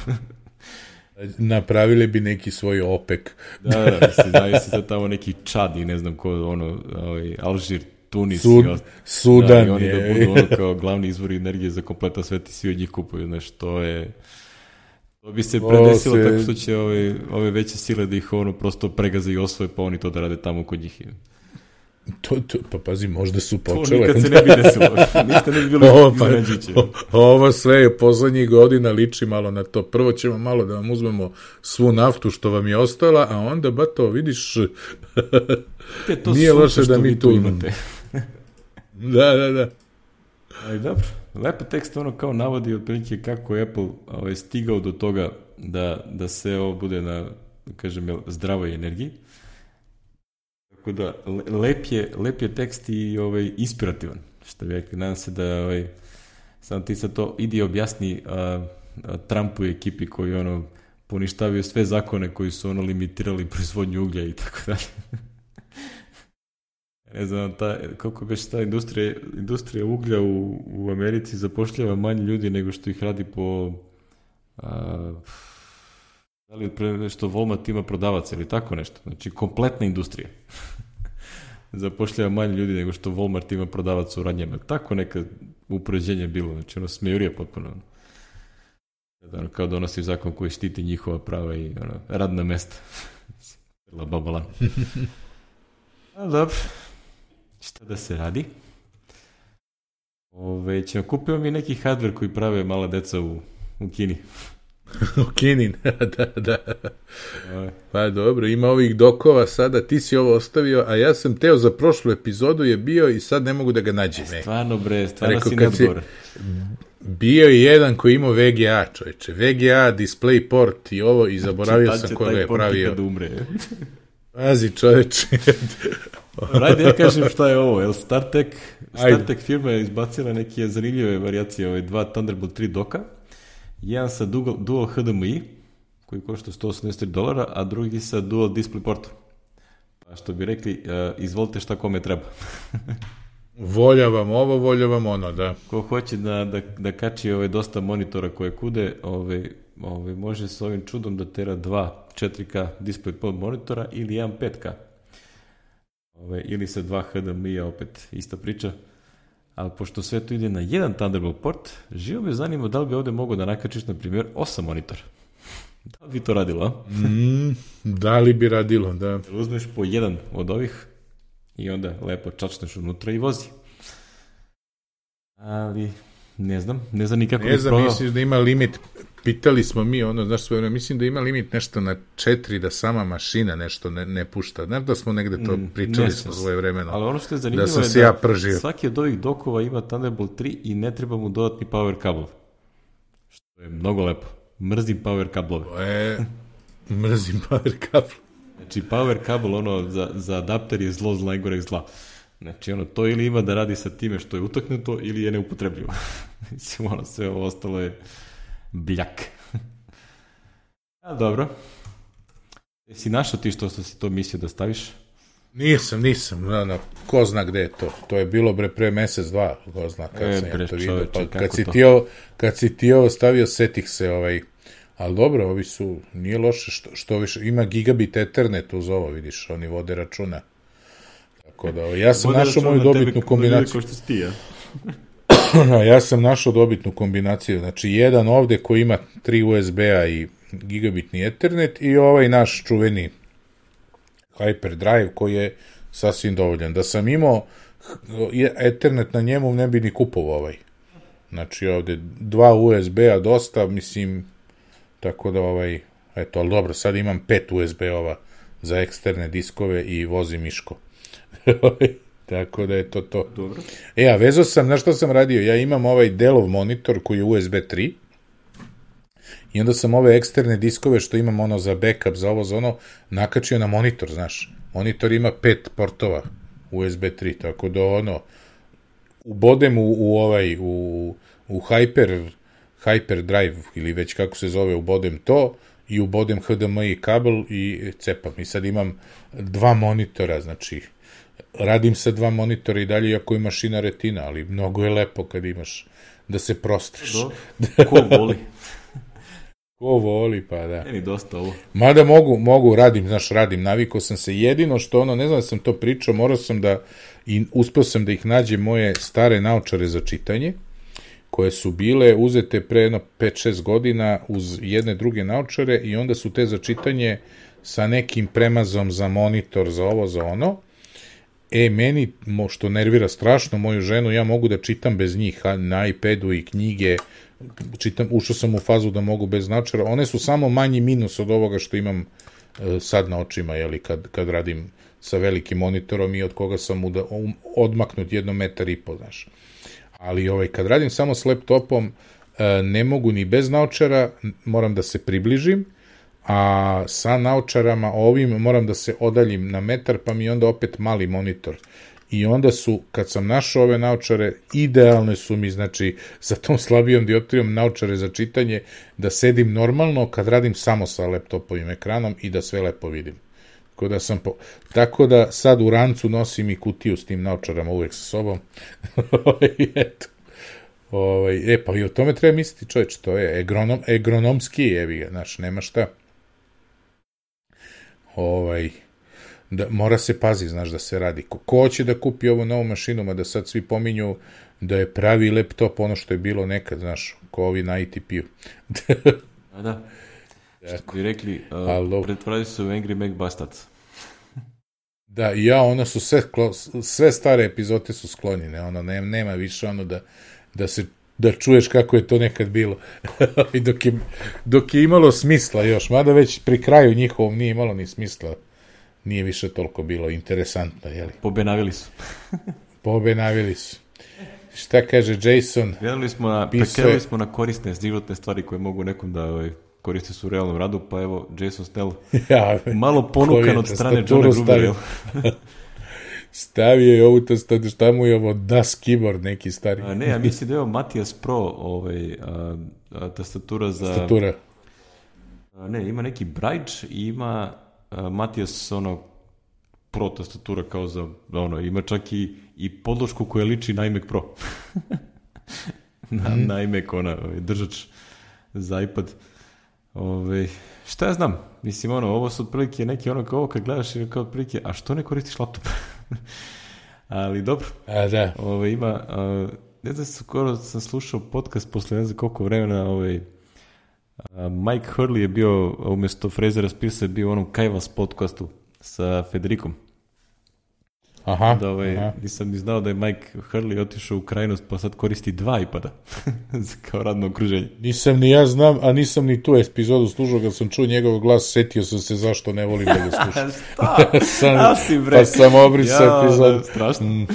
Napravili bi neki svoj OPEC. Da, da, mislim, znaju se sad tamo neki Čad i ne znam ko, ono, ovaj, Alžir, Tunis, Sud, i ost... Sudan da, i oni je. Da budu ono kao glavni izvori energije za kompletan svet i svi od njih kupuju, znaš, to je... To bi se predesilo se... tako što će ove, ove veće sile da ih ono prosto pregaze i osvoje, pa oni to da rade tamo kod njih. To, to, pa pazi, možda su počele. To nikad se ne bi desilo. Niste ne bi bili ovo, pa, iznenađiće. ovo sve je poslednjih godina liči malo na to. Prvo ćemo malo da vam uzmemo svu naftu što vam je ostala, a onda, ba to, vidiš, Te, to nije loše da mi tu imate. Da, da, da. Ali dobro, lepo tekst ono kao navodi otprilike kako je Apple ovaj, stigao do toga da, da se ovo bude na, da kažem, zdravoj energiji. Tako da, lep je, lep je tekst i ovaj, inspirativan. Što bih rekao, nadam se da ovaj, sam ti sad to idi objasni a, a Trumpu i ekipi koji ono poništavio sve zakone koji su ono limitirali proizvodnju uglja i tako dalje. Ne znam, ta, koliko već ta industrija, industrija uglja u, u Americi zapošljava manje ljudi nego što ih radi po a, da li pre što Walmart ima prodavaca ili tako nešto. Znači, kompletna industrija. Zapošljava manje ljudi nego što Walmart ima prodavaca u radnjama. Tako neka upoređenje bilo. Znači, ono, smejurija potpuno. Ono, kao donosi zakon koji štiti njihova prava i ono, radna mesta. La babalan. A, dobro. Šta da se radi? Ove, ćemo kupio mi neki hardware koji prave mala deca u, u Kini. U Kini, da, da. Pa dobro, ima ovih dokova sada, ti si ovo ostavio, a ja sam teo za prošlu epizodu je bio i sad ne mogu da ga nađem. E, stvarno bre, stvarno si neodgovor. Bio je jedan koji imao V G A, čovječe. V G A, DisplayPort i ovo, i zaboravio znači, sam ko ga je pravio. Kad umre. Pazi, čovječe. Rajde, ja kažem šta je ovo, jel StarTech, StarTech firma je izbacila neke zanimljive varijacije, ove dva Thunderbolt tri doka, jedan sa Dual, Dual H D M I, koji košta sto osamdeset tri dolara, a drugi sa Dual DisplayPortom. Pa što bi rekli, uh, izvolite šta kome treba. Voljavam ovo, voljavam ono, da. Ko hoće da, da, da kači ove dosta monitora koje kude, ove, ove, može s ovim čudom da tera dva četiri K DisplayPort monitora ili jedan pet K. Ove, ili sa dva H D M I-a, opet ista priča. Ali pošto sve to ide na jedan Thunderbolt port, živo me zanima da li bi ovde mogo da nakačiš, na primjer, osam monitora. Da li bi to radilo, a? Mm, da li bi radilo, da. Uzmeš po jedan od ovih i onda lepo čačneš unutra i vozi. Ali, ne znam, ne znam nikako. Ne znam, misliš da ima limit, pitali smo mi, ono, znaš, sve, mislim da ima limit nešto na četiri, da sama mašina nešto ne, ne pušta. Znaš da smo negde to pričali smo svoje vremeno. Ali ono što je zanimljivo da je da ja pržio. Svaki od ovih dokova ima Thunderbolt tri i ne treba mu dodatni power kabel. Što je mnogo lepo. Mrzim power kablove. E, mrzim power kabel. Znači, power kabel, ono, za, za adapter je zlo, zla, najgore zla. Znači, ono, to ili ima da radi sa time što je utaknuto, ili je neupotrebljivo. Mislim, ono, sve ovo ostalo je bljak. A, dobro. Jesi našao ti što si to mislio da staviš? Nisam, nisam, no, no, ko zna gde je to. To je bilo bre pre mesec, dva, ko zna kad e, sam bre, ja to vidio. Pa, kad, si ti ovo, kad si ti ovo stavio, setih se, ovaj, ali dobro, ovi su, nije loše, što, što više, ima gigabit Ethernet uz ovo, vidiš, oni vode računa. Tako da, ja sam vode našao moju dobitnu kombinaciju. Ko što si ti, ja? Ja sam našao dobitnu kombinaciju, znači jedan ovde koji ima tri U S B-a i gigabitni Ethernet i ovaj naš čuveni Hyperdrive koji je sasvim dovoljan. Da sam imao Ethernet na njemu, ne bi ni kupovao ovaj. Znači ovde dva U S B-a dosta, mislim, tako da ovaj, eto, ali dobro, sad imam pet U S B-ova za eksterne diskove i vozim miško. Tako da je to to. Dobro. E, a vezao sam, na što sam radio? Ja imam ovaj Dellov monitor koji je U S B tri i onda sam ove eksterne diskove što imam ono za backup, za ovo, za ono, nakačio na monitor, znaš. Monitor ima pet portova U S B tri, tako da ono, ubodem u, u ovaj, u, u Hyper, Hyperdrive, ili već kako se zove, ubodem to i ubodem H D M I kabel i cepam. I sad imam dva monitora, znači, radim sa dva monitora i dalje, iako je mašina retina, ali mnogo je lepo kad imaš da se prostriš. Do, ko voli. Ko voli, pa da. Meni dosta ovo. Mada mogu, mogu, radim, znaš, radim, navikao sam se, jedino što ono, ne znam da sam to pričao, morao sam da, i uspeo sam da ih nađem moje stare naočare za čitanje, koje su bile uzete pre jedno pet šest godina uz jedne druge naočare i onda su te za čitanje sa nekim premazom za monitor, za ovo, za ono, E, meni, mo, što nervira strašno moju ženu, ja mogu da čitam bez njih, a, na iPadu i knjige, čitam, ušao sam u fazu da mogu bez naočara, one su samo manji minus od ovoga što imam e, sad na očima, jeli, kad, kad radim sa velikim monitorom i od koga sam uda, um, odmaknut jedno metar i pol, znaš. Ali ovaj, kad radim samo s laptopom, e, ne mogu ni bez naočara, moram da se približim, a sa naočarama ovim moram da se odaljim na metar, pa mi onda opet mali monitor. I onda su, kad sam našao ove naočare, idealne su mi, znači, sa tom slabijom dioptrijom naočare za čitanje, da sedim normalno kad radim samo sa laptopovim ekranom i da sve lepo vidim. Tako da, sam po... Tako da sad u rancu nosim i kutiju s tim naočarama uvek sa sobom. Eto. Ovaj, e, pa i o tome treba misliti, čovječ, to je egronom, egronomski, jevi ga, znaš, nema šta. Ovaj, da, mora se pazi, znaš, da se radi. Ko, ko će da kupi ovu novu mašinu, ma da sad svi pominju da je pravi laptop ono što je bilo nekad, znaš, ko ovi na I T P-u. A da, što bi rekli, uh, pretvradi su Angry Mac Bastards. Da, ja, ono su sve, sve stare epizode su sklonjene, ono, ne, nema više ono da, da se da čuješ kako je to nekad bilo. I dok je, dok je imalo smisla još, mada već pri kraju njihovom nije imalo ni smisla, nije više toliko bilo interesantno, jeli? Pobenavili su. Pobenavili su. Šta kaže Jason? Gledali smo na, prekrenuli smo na korisne životne stvari koje mogu nekom da ovaj, koriste su u realnom radu, pa evo Jason Snell ja, malo ponukan od strane Johna Grubera. Stavio je ovu tastatu, šta mu je ovo Das Keyboard neki stari. A, ne, ja mislim da je ovo Matias Pro ovaj, a, a, tastatura za... Tastatura. A, ne, ima neki Braille i ima a, Matias ono Pro tastatura kao za ono, ima čak i, i podlošku koja liči na iMac Pro. na, mm. na iMac ona, ovaj, držač za iPad. Ove, šta ja znam, mislim ono, ovo su otprilike neki ono kao ovo kad gledaš i kao otprilike, a što ne koristiš laptop? Ali dobro. A da. Ove, ima, a, ne znam, skoro sam slušao podcast posle ne znam koliko vremena, ovaj, a, Mike Hurley je bio, umjesto Frasera Spearsa je bio u onom Kajvas podcastu sa Federikom. Aha, da, ovaj, aha. Nisam ni znao da je Mike Hurley otišao u krajnost pa sad koristi dva iPada kao radno okruženje. Nisam ni ja znam, a nisam ni tu epizodu slušao, kad sam čuo njegov glas, setio sam se zašto ne volim da ga slušam. Šta? sam, pa sam obrisao ja, epizodu. Strašno. Mm.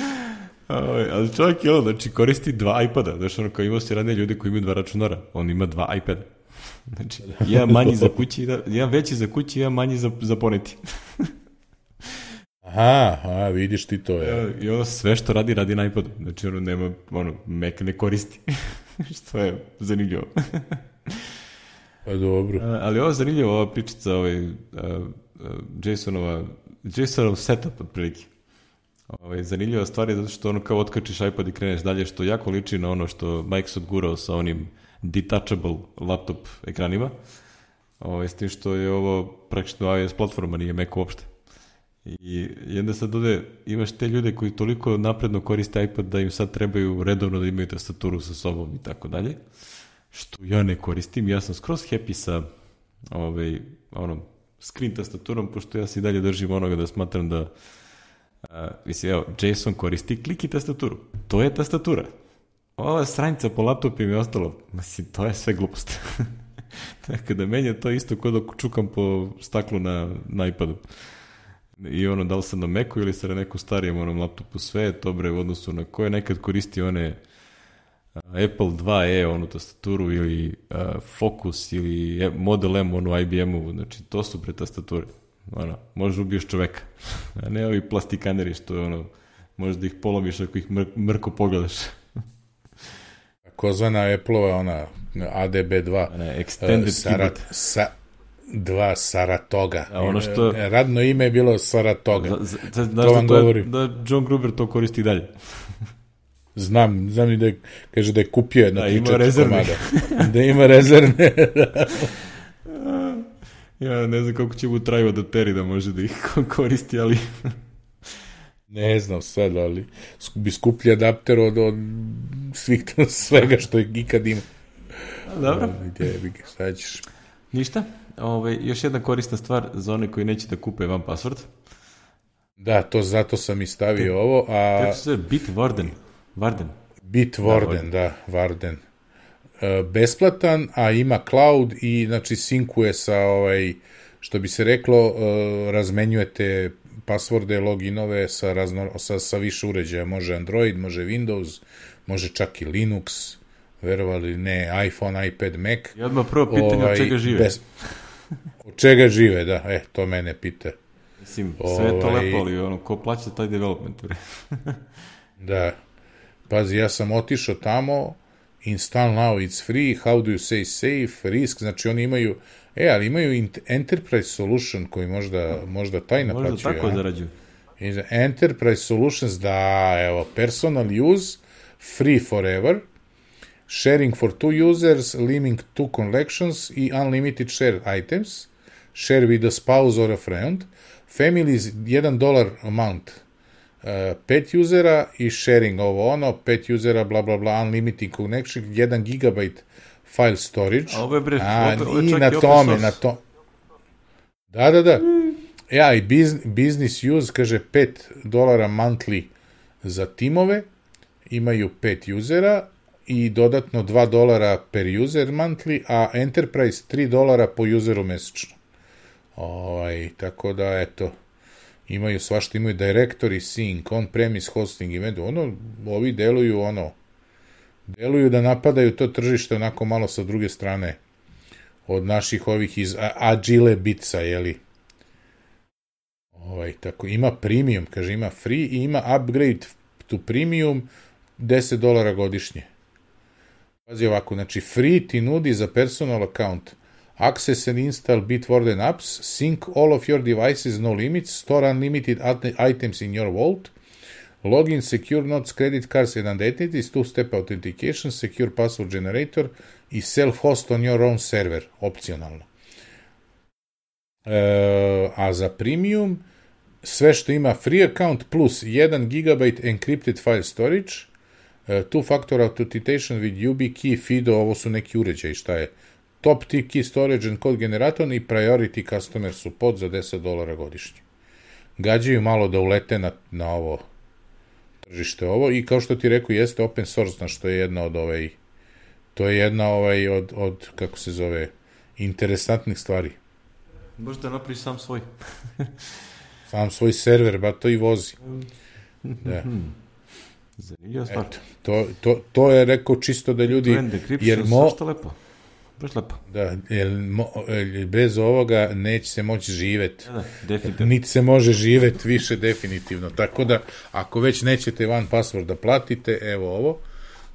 Ali čovjek je ono, znači koristi dva iPada. Znači ono kao imao se radne ljudi koji imaju dva računara. On ima dva iPada. Znači, jedan manji za kući, jedan veći za kući, jedan manji za, za poneti. Aha, aha, vidiš ti to, je. Ja, i ono sve što radi, radi na iPadu. Znači ono nema, ono, Mac ne koristi. Što je zanimljivo. Pa dobro. A, ali ovo je zanimljivo, ova pričica, ovaj, a, a, Jasonova, Jasonov setup, otprilike. Ovaj, zanimljiva stvar je zato što ono kao otkačiš iPad i kreneš dalje, što jako liči na ono što Mike odgurao sa onim detachable laptop ekranima. Ovaj, s tim što je ovo praktično iOS platforma, nije Mac uopšte. I, i onda sad ovde imaš te ljude koji toliko napredno koriste iPad da im sad trebaju redovno da imaju tastaturu sa sobom i tako dalje, što ja ne koristim. Ja sam skroz happy sa ovaj, onom screen tastaturom, pošto ja se i dalje držim onoga da smatram da a, mislim, evo, Jason koristi kliki tastaturu, to je tastatura. Ova sranjica po laptopima i ostalo, mislim, to je sve glupost. Tako da meni je to isto kod dok čukam po staklu na, na iPadu. I ono, da li sam na Macu ili sam na nekom starijem onom laptopu, sve je to bre u odnosu na koje nekad koristi one uh, Apple dva E, onu tastaturu, ili uh, Focus, ili Model M, onu I B M-u, znači to su pre tastature. Ono, možeš ubiješ čoveka. A ne ovi plastikaneri što je ono, možeš da ih polomiš ako ih mr mrko pogledaš. Kozvana Apple-ova, ona A D B dva. Ne, extended uh, Sarat, sa, dva Saratoga. A ono što... Radno ime je bilo Saratoga. Z, z, z, to vam da, govorim. Da John Gruber to koristi dalje. Znam, znam i da je, kaže da je kupio jedno da, ima rezervne. Da ima rezervne. Ja ne znam koliko će mu trajati da teri da može da ih koristi, ali... Ne znam sad, ali bi skuplji adapter od, od svih svega što je ikad ima. Dobro. Gdje bi ga, sad ćeš... Ništa. Ove, još jedna korisna stvar za one koji neće da kupe van password. Da, to zato sam i stavio ovo, a... Kako se zove? Bitwarden. Warden. Bitwarden, da, Warden. E, besplatan, a ima cloud i, znači, sinkuje sa, ovaj, što bi se reklo, e, razmenjujete pasvorde, loginove sa, razno, sa, sa više uređaja. Može Android, može Windows, može čak i Linux, verovali ne, iPhone, iPad, Mac. I odmah prvo pitanje ovaj, od čega žive. Bez... Od čega žive, da, e, to mene pita. Mislim, sve je to ovaj... lepo, ali ono, ko plaća taj development? Da. Pazi, ja sam otišao tamo, install now, it's free, how do you say safe, risk, znači oni imaju, e, ali imaju enterprise solution koji možda, možda taj naplaćuju. Možda tako zarađuju. Enterprise solutions, da, evo, personal use, free forever, sharing for two users, limiting two collections i unlimited shared items, share with a spouse or a friend, families, jedan dolar amount, uh, pet usera i sharing ovo ono, pet usera, bla bla bla, unlimited connection, jedan gigabajt file storage. A ovo je bre, a, ovo, ovo i na tome, na to. Da, da, da. Ja, i business, business use, kaže, pet dolara monthly za timove, imaju pet usera i dodatno dva dolara per user monthly, a enterprise tri dolara po useru mesečno. Ovaj, tako da, eto, imaju svašta, imaju directory, sync, on-premise hosting, event, ono, ovi deluju, ono, deluju da napadaju to tržište onako malo sa druge strane od naših ovih iz Agile Bitsa, jeli? Ovaj, tako, ima premium, kaže, ima free i ima upgrade to premium deset dolara godišnje. Pazi ovako, znači, free ti nudi za personal account access and install Bitwarden apps, sync all of your devices, no limits, store unlimited items in your vault, login, secure notes, credit cards and identities, two-step authentication, secure password generator i self-host on your own server, opcionalno. E, a za premium, sve što ima free account plus jedan gigabajt encrypted file storage, two-factor authentication with YubiKey, FIDO, ovo su neki uređaji, šta je? Top key storage and code generator i priority customer support za deset dolara godišnje. Gađaju malo da ulete na, na ovo tržište ovo i kao što ti rekao jeste open source, na što je jedna od ovaj, to je jedna ovaj od, od kako se zove, interesantnih stvari. Možeš da napraviš sam svoj. Sam svoj server, ba to i vozi. Da. Zanimljiva stvar. Eto, to, to, to je rekao čisto da ljudi... Trend decryption, mo... što lepo. Baš lepo. Da, jer mo, bez ovoga neće se moći živeti. Da, definitivno. Niti se može živeti više definitivno. Tako da, ako već nećete one password da platite, evo ovo.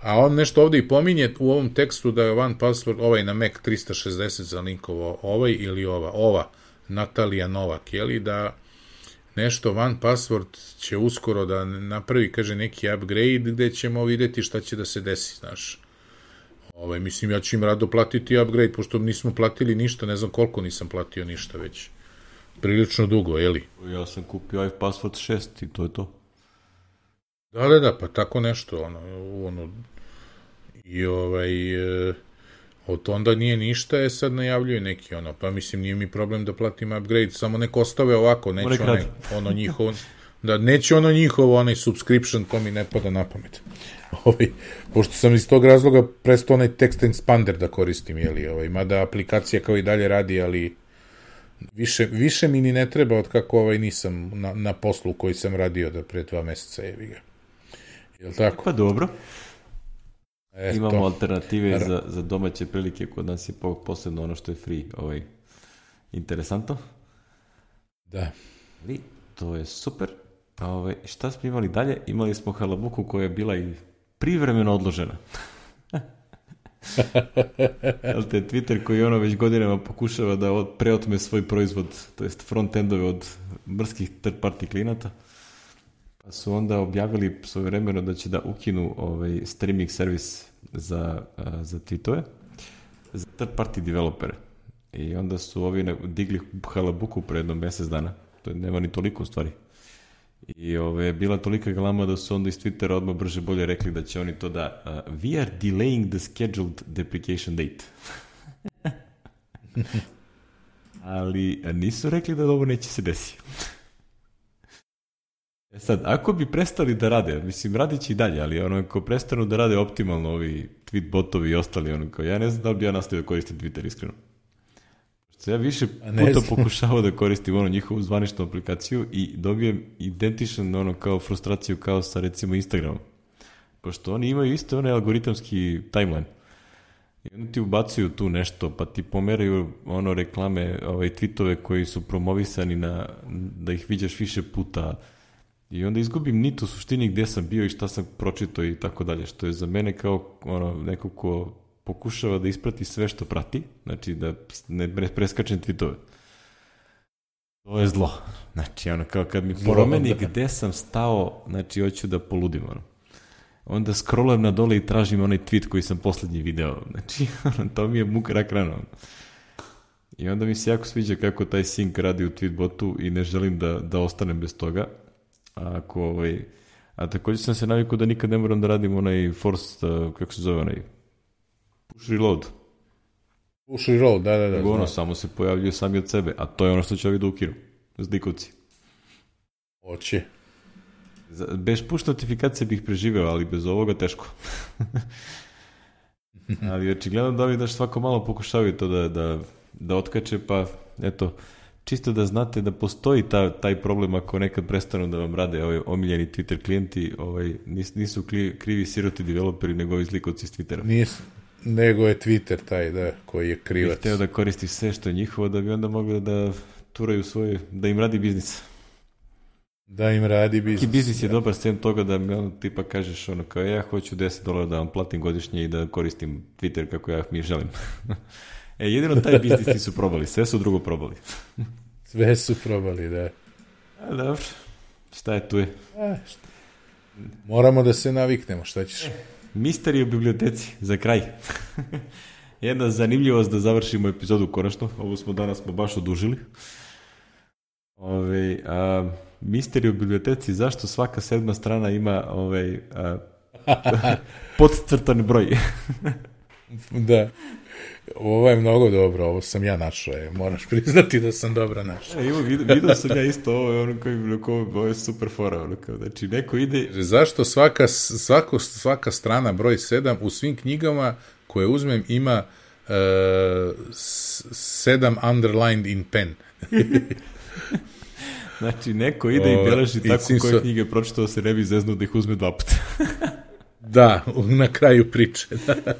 A on nešto ovdje i pominje u ovom tekstu da je one password, ovaj na Mac tristo šezdeset za linkovo, ovaj ili ova, ova, Natalija Novak, jeli, da nešto one password će uskoro da napravi, kaže, neki upgrade gde ćemo vidjeti šta će da se desi, znaš. Ovaj, mislim, ja ću im rado platiti upgrade, pošto nismo platili ništa, ne znam koliko nisam platio ništa već. Prilično dugo, jeli? Ja sam kupio iPassword šest i to je to. Da, da, da, pa tako nešto, ono, ono, i ovaj, e, od onda nije ništa, je sad najavljuje neki, ono, pa mislim, nije mi problem da platim upgrade, samo nek ostave ovako, neće onaj, ono njihovo, da, neće ono njihovo, onaj subscription, to mi ne pada na pamet. Ovaj, pošto sam iz tog razloga prestao onaj text expander da koristim, jeli, ovaj, mada aplikacija kao i dalje radi, ali više, više mi ni ne treba od kako ovaj nisam na, na poslu koji sam radio da pre dva meseca, jevi ga. Jel tako? Pa dobro. Eto. Imamo alternative za, za domaće prilike, kod nas je posebno ono što je free, ovaj, interesantno. Da. Ali, to je super. A ovaj, šta smo imali dalje? Imali smo halabuku koja je bila i privremeno odložena. Ali te Twitter koji ono već godinama pokušava da od, preotme svoj proizvod, to jest front-endove od mrskih third-party klijenata, pa su onda objavili svojevremeno da će da ukinu ovaj streaming servis za, za tweetove, za third-party developere. I onda su ovi digli halabuku pre jedno mjesec dana. To je, nema ni toliko u stvari. I ove, bila tolika galama da su onda iz Twittera odmah brže bolje rekli da će oni to da uh, we are delaying the scheduled deprecation date. Ali nisu rekli da ovo neće se desiti. E sad, ako bi prestali da rade, mislim, radit će i dalje, ali ono, ako prestanu da rade optimalno ovi tweet botovi i ostali, ono, kao, ja ne znam da li bi ja nastavio da koristim Twitter, iskreno. Što ja više puta pokušavao da koristim ono njihovu zvaničnu aplikaciju i dobijem identičan ono kao frustraciju kao sa recimo Instagramom. Pošto oni imaju isto onaj algoritamski timeline. I onda ti ubacuju tu nešto, pa ti pomeraju ono reklame, ovaj, tweetove koji su promovisani na, da ih viđaš više puta. I onda izgubim nit u suštini gde sam bio i šta sam pročitao i tako dalje. Što je za mene kao ono, neko ko pokušava da isprati sve što prati, znači da ne preskačem tweetove. To je zlo. Znači, ono, kao kad mi promeni gde sam stao, znači, hoću da poludim, ono. Onda scrollam na dole i tražim onaj tweet koji sam poslednji video. Znači, to mi je muk rak rano. I onda mi se jako sviđa kako taj sync radi u tweetbotu i ne želim da, da ostanem bez toga. A, ako, ovaj, a također sam se navikao da nikad ne moram da radim onaj force, uh, kako se zove onaj, push reload. Push reload, da, da, da. Ono, znam. Samo se pojavljuje sami od sebe, a to je ono što će ovi da ukinu. Zlikovci. Oće. Bez push notifikacije bih preživeo, ali bez ovoga teško. Ali očigledno da ovi daš svako malo pokušavaju to da, da, da otkače, pa eto, čisto da znate da postoji ta, taj problem ako nekad prestanu da vam rade ovaj omiljeni Twitter klijenti, ovaj, nis, nisu krivi siroti developeri, nego ovi zlikovci s Twittera. Nisu, nego je Twitter taj, da, koji je krivac. Bih hteo da koristi sve što je njihovo, da bi onda mogli da turaju svoje, da im radi biznis. Da im radi biznis. Neki biznis je dobar sem toga da mi ono tipa kažeš ono kao ja hoću deset dolara da vam platim godišnje i da koristim Twitter kako ja mi želim. E, jedino taj biznis ti su probali, sve su drugo probali. Sve su probali, da. A, dobro, šta je tu je? A, šta? Moramo da se naviknemo, šta ćeš? Misteri u biblioteci, za kraj. Jedna zanimljivost da završimo epizodu konačno, ovo smo danas smo baš odužili. Ove, a, misteri u biblioteci, zašto svaka sedma strana ima ovaj, a, podcrtan broj? Da. Ovo je mnogo dobro, ovo sam ja našao, je. Moraš priznati da sam dobro našao. E, vidio, vidio sam ja isto, ovo je ono koji, ovo je super fora, ono kao, znači neko ide... Zašto svaka, svako, svaka strana broj sedam u svim knjigama koje uzmem ima uh, sedam underlined in pen? Znači, neko ide i beleži tako koje so... knjige pročitao se ne bi zeznuo da ih uzme dva puta. Da, na kraju priče, da.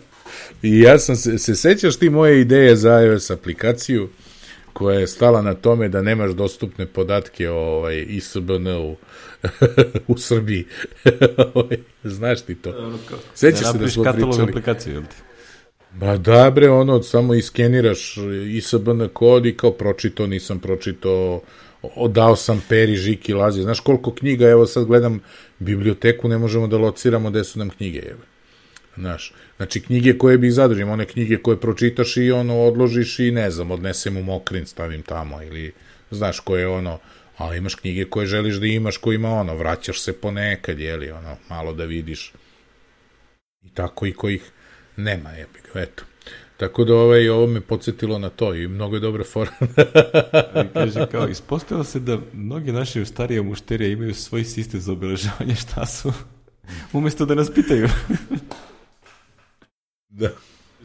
I ja sam se, se sećaš ti moje ideje za iOS aplikaciju koja je stala na tome da nemaš dostupne podatke o ovaj, I S B N-u u Srbiji. Znaš ti to? Sećaš se da smo pričali? Katalog aplikaciju, jel ti? Ba da bre, ono, samo iskeniraš I S B N kod i kao pročito, nisam pročito, odao sam Peri, Žiki, Lazi. Znaš koliko knjiga, evo sad gledam biblioteku, ne možemo da lociramo gde su nam knjige, evo. Znaš, znači knjige koje bih zadržim, one knjige koje pročitaš i ono odložiš i ne znam, odnesem u mokrin, stavim tamo ili, znaš, koje ono, ali imaš knjige koje želiš da imaš, koje ima ono, vraćaš se ponekad, jeli, ono, malo da vidiš. I tako i kojih nema, jebik, eto. Tako da ovaj, ovo me podsjetilo na to i mnogo je dobra fora. Ali kaže kao, ispostavilo se da mnogi naši starije mušterije imaju svoj sistem za obeležavanje šta su, umjesto da nas pitaju. Da.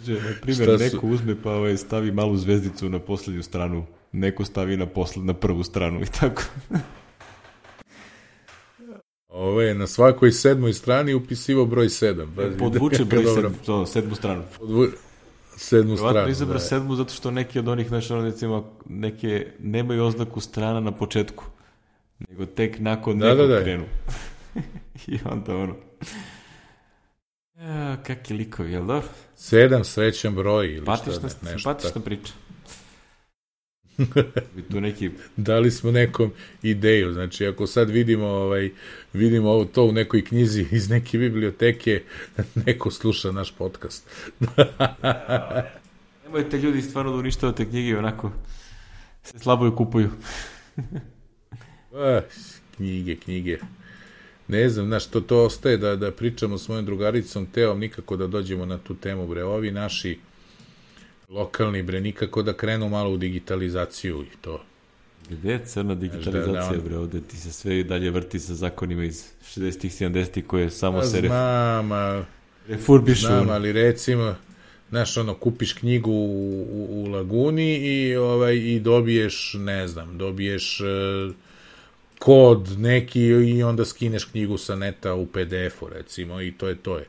Že, na primjer, neko uzme pa ovaj, stavi malu zvezdicu na poslednju stranu, neko stavi na, posled, na prvu stranu i tako. Ovo je na svakoj sedmoj strani upisivo broj sedam. Bazi, podvuče broj sedam, to, sedmu stranu. Podvu... Sedmu stranu. Vratno izabra da. sedmu zato što neki od onih, znaš, ono, recimo, neke nemaju oznaku strana na početku, nego tek nakon da, nekog da, da. krenu. I onda ono... Ja, kakvi likovi, jel dobro? Sedam srećan broj ili patišna, šta ne, nešto. Patišna priča. Tu neki... Dali smo nekom ideju, znači ako sad vidimo, ovaj, vidimo ovo to u nekoj knjizi iz neke biblioteke, neko sluša naš podcast. Nemojte ljudi stvarno da uništavate knjige, onako se slabo je kupuju. A, knjige, knjige. Ne znam, znaš, to, to ostaje da, da pričamo s mojom drugaricom Teom, nikako da dođemo na tu temu, bre, ovi naši lokalni, bre, nikako da krenu malo u digitalizaciju i to. Gde je crna digitalizacija, bre, ovde ti se sve i dalje vrti sa zakonima iz šezdesetih, sedamdesetih koje samo se znam, a... refurbišu. Znam, ali recimo, znaš, ono, kupiš knjigu u, u, u Laguni i, ovaj, i dobiješ, ne znam, dobiješ uh, kod neki i onda skineš knjigu sa neta u pe de efu, recimo, i to je to je.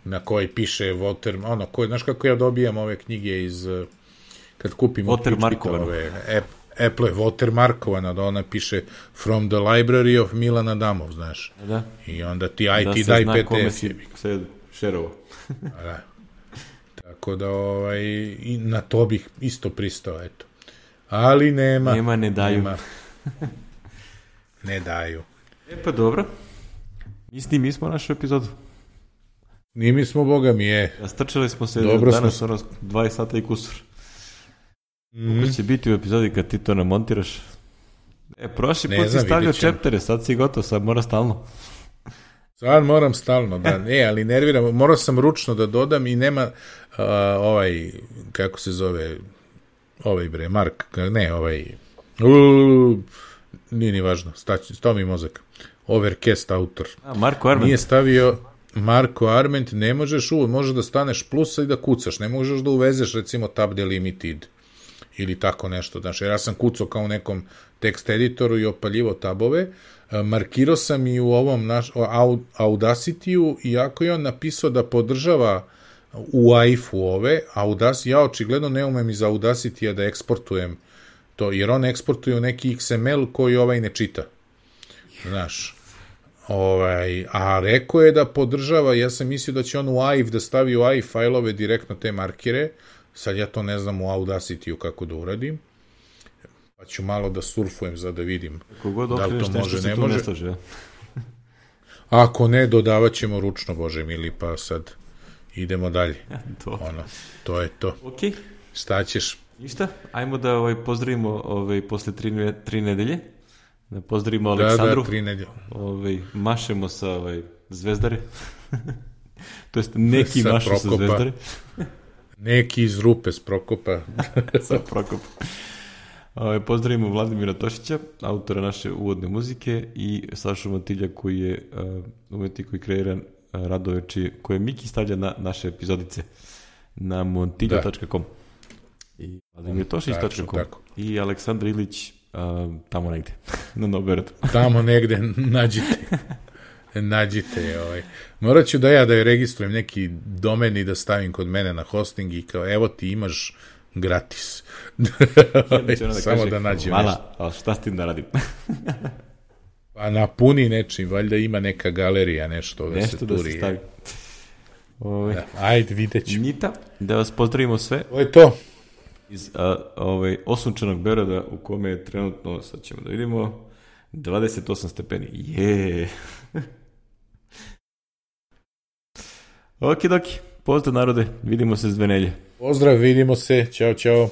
Na koji piše Walter, ono, koji, znaš kako ja dobijam ove knjige iz, kad kupim Walter Markovano. Ove, Apple je Walter Markovano, da ona piše From the Library of Milan Adamov, znaš. Da. I onda ti aj da ti daj pe de ef. pe Da se zna kome si se šerovo. da. Tako da, ovaj, i na to bih isto pristao, eto. Ali nema. Nema, ne daju. Nema. Ne daju. E pa dobro. Mislim, mi smo našu epizodu. Ni mi smo, boga mi je. Strčali smo se Dobro danas smo... ono dvadeset sata i kusur. Mm. Kako će biti u epizodi kad ti to namontiraš? E, prošli Ne put si znam, stavljao vidjet ćemo. čeptere, sad si gotov, sad mora stalno. Sad moram stalno, da, ne, ali nerviram, morao sam ručno da dodam i nema uh, ovaj, kako se zove, ovaj bre, Mark, ne, ovaj, uh, nije ni važno, stać, stao mi mozak, Overcast autor. A, Marko Arment. Nije stavio Marko Arment, ne možeš uvijek, možeš da staneš plusa i da kucaš, ne možeš da uvezeš recimo tab delimited ili tako nešto, znači, jer ja sam kucao kao u nekom tekst editoru i opaljivo tabove, markirao sam i u ovom naš, Audacity-u, iako je on napisao da podržava u A I F-u ove, Audacity, ja očigledno ne umem iz Audacity-a da eksportujem to, jer on eksportuje u neki X M L koji ovaj ne čita. Znaš, ovaj, a rekao je da podržava, ja sam mislio da će on u A I F da stavi u A I F fajlove direktno te markire, sad ja to ne znam u Audacity-u kako da uradim, pa ću malo da surfujem za da vidim Kogod da li to može, ne tu može. Ne slaže. Ako ne, dodavat ćemo ručno, Bože mili, pa sad idemo dalje. to. Ono, to je to. Ok. Šta ćeš? Ništa, ajmo da ovaj, pozdravimo ovaj, posle tri, tri nedelje. Da pozdravimo Da, Aleksandru. da, tri nedelje. Ovaj, mašemo sa ovaj, Zvezdare. To jest neki Sa mašu sa Prokopa. Zvezdare. Neki iz rupe s Prokopa. Sa Prokopa. Ovaj, pozdravimo Vladimira Tošića, autora naše uvodne muzike, i Sašu Matilja koji je uh, umetnik koji kreira uh, radove čije, koje Miki stavlja na naše epizodice na montilja tačka com i vladimir tošić tačka com i Aleksandar Ilić uh, tamo negde na Noberetu. Tamo negde nađite. Nađite. Ovaj. Morat ću da ja da je registrujem neki domen i da stavim kod mene na hosting i kao evo ti imaš gratis. Da samo kaže, da nađem hvala, nešto. ali šta s tim da radim? Pa napuni nečim, valjda ima neka galerija, nešto da nešto se da turi. se stavi. Ove, da, ajde, vidjet ću. Nita, da vas pozdravimo sve. To je to. Iz a, ovaj, osunčanog Beograda u kome je trenutno, sad ćemo da vidimo, dvadeset osam stepeni. Je. Okidoki, pozdrav narode, vidimo se s dve nelje. Pozdrav, vidimo se, ćao, ćao.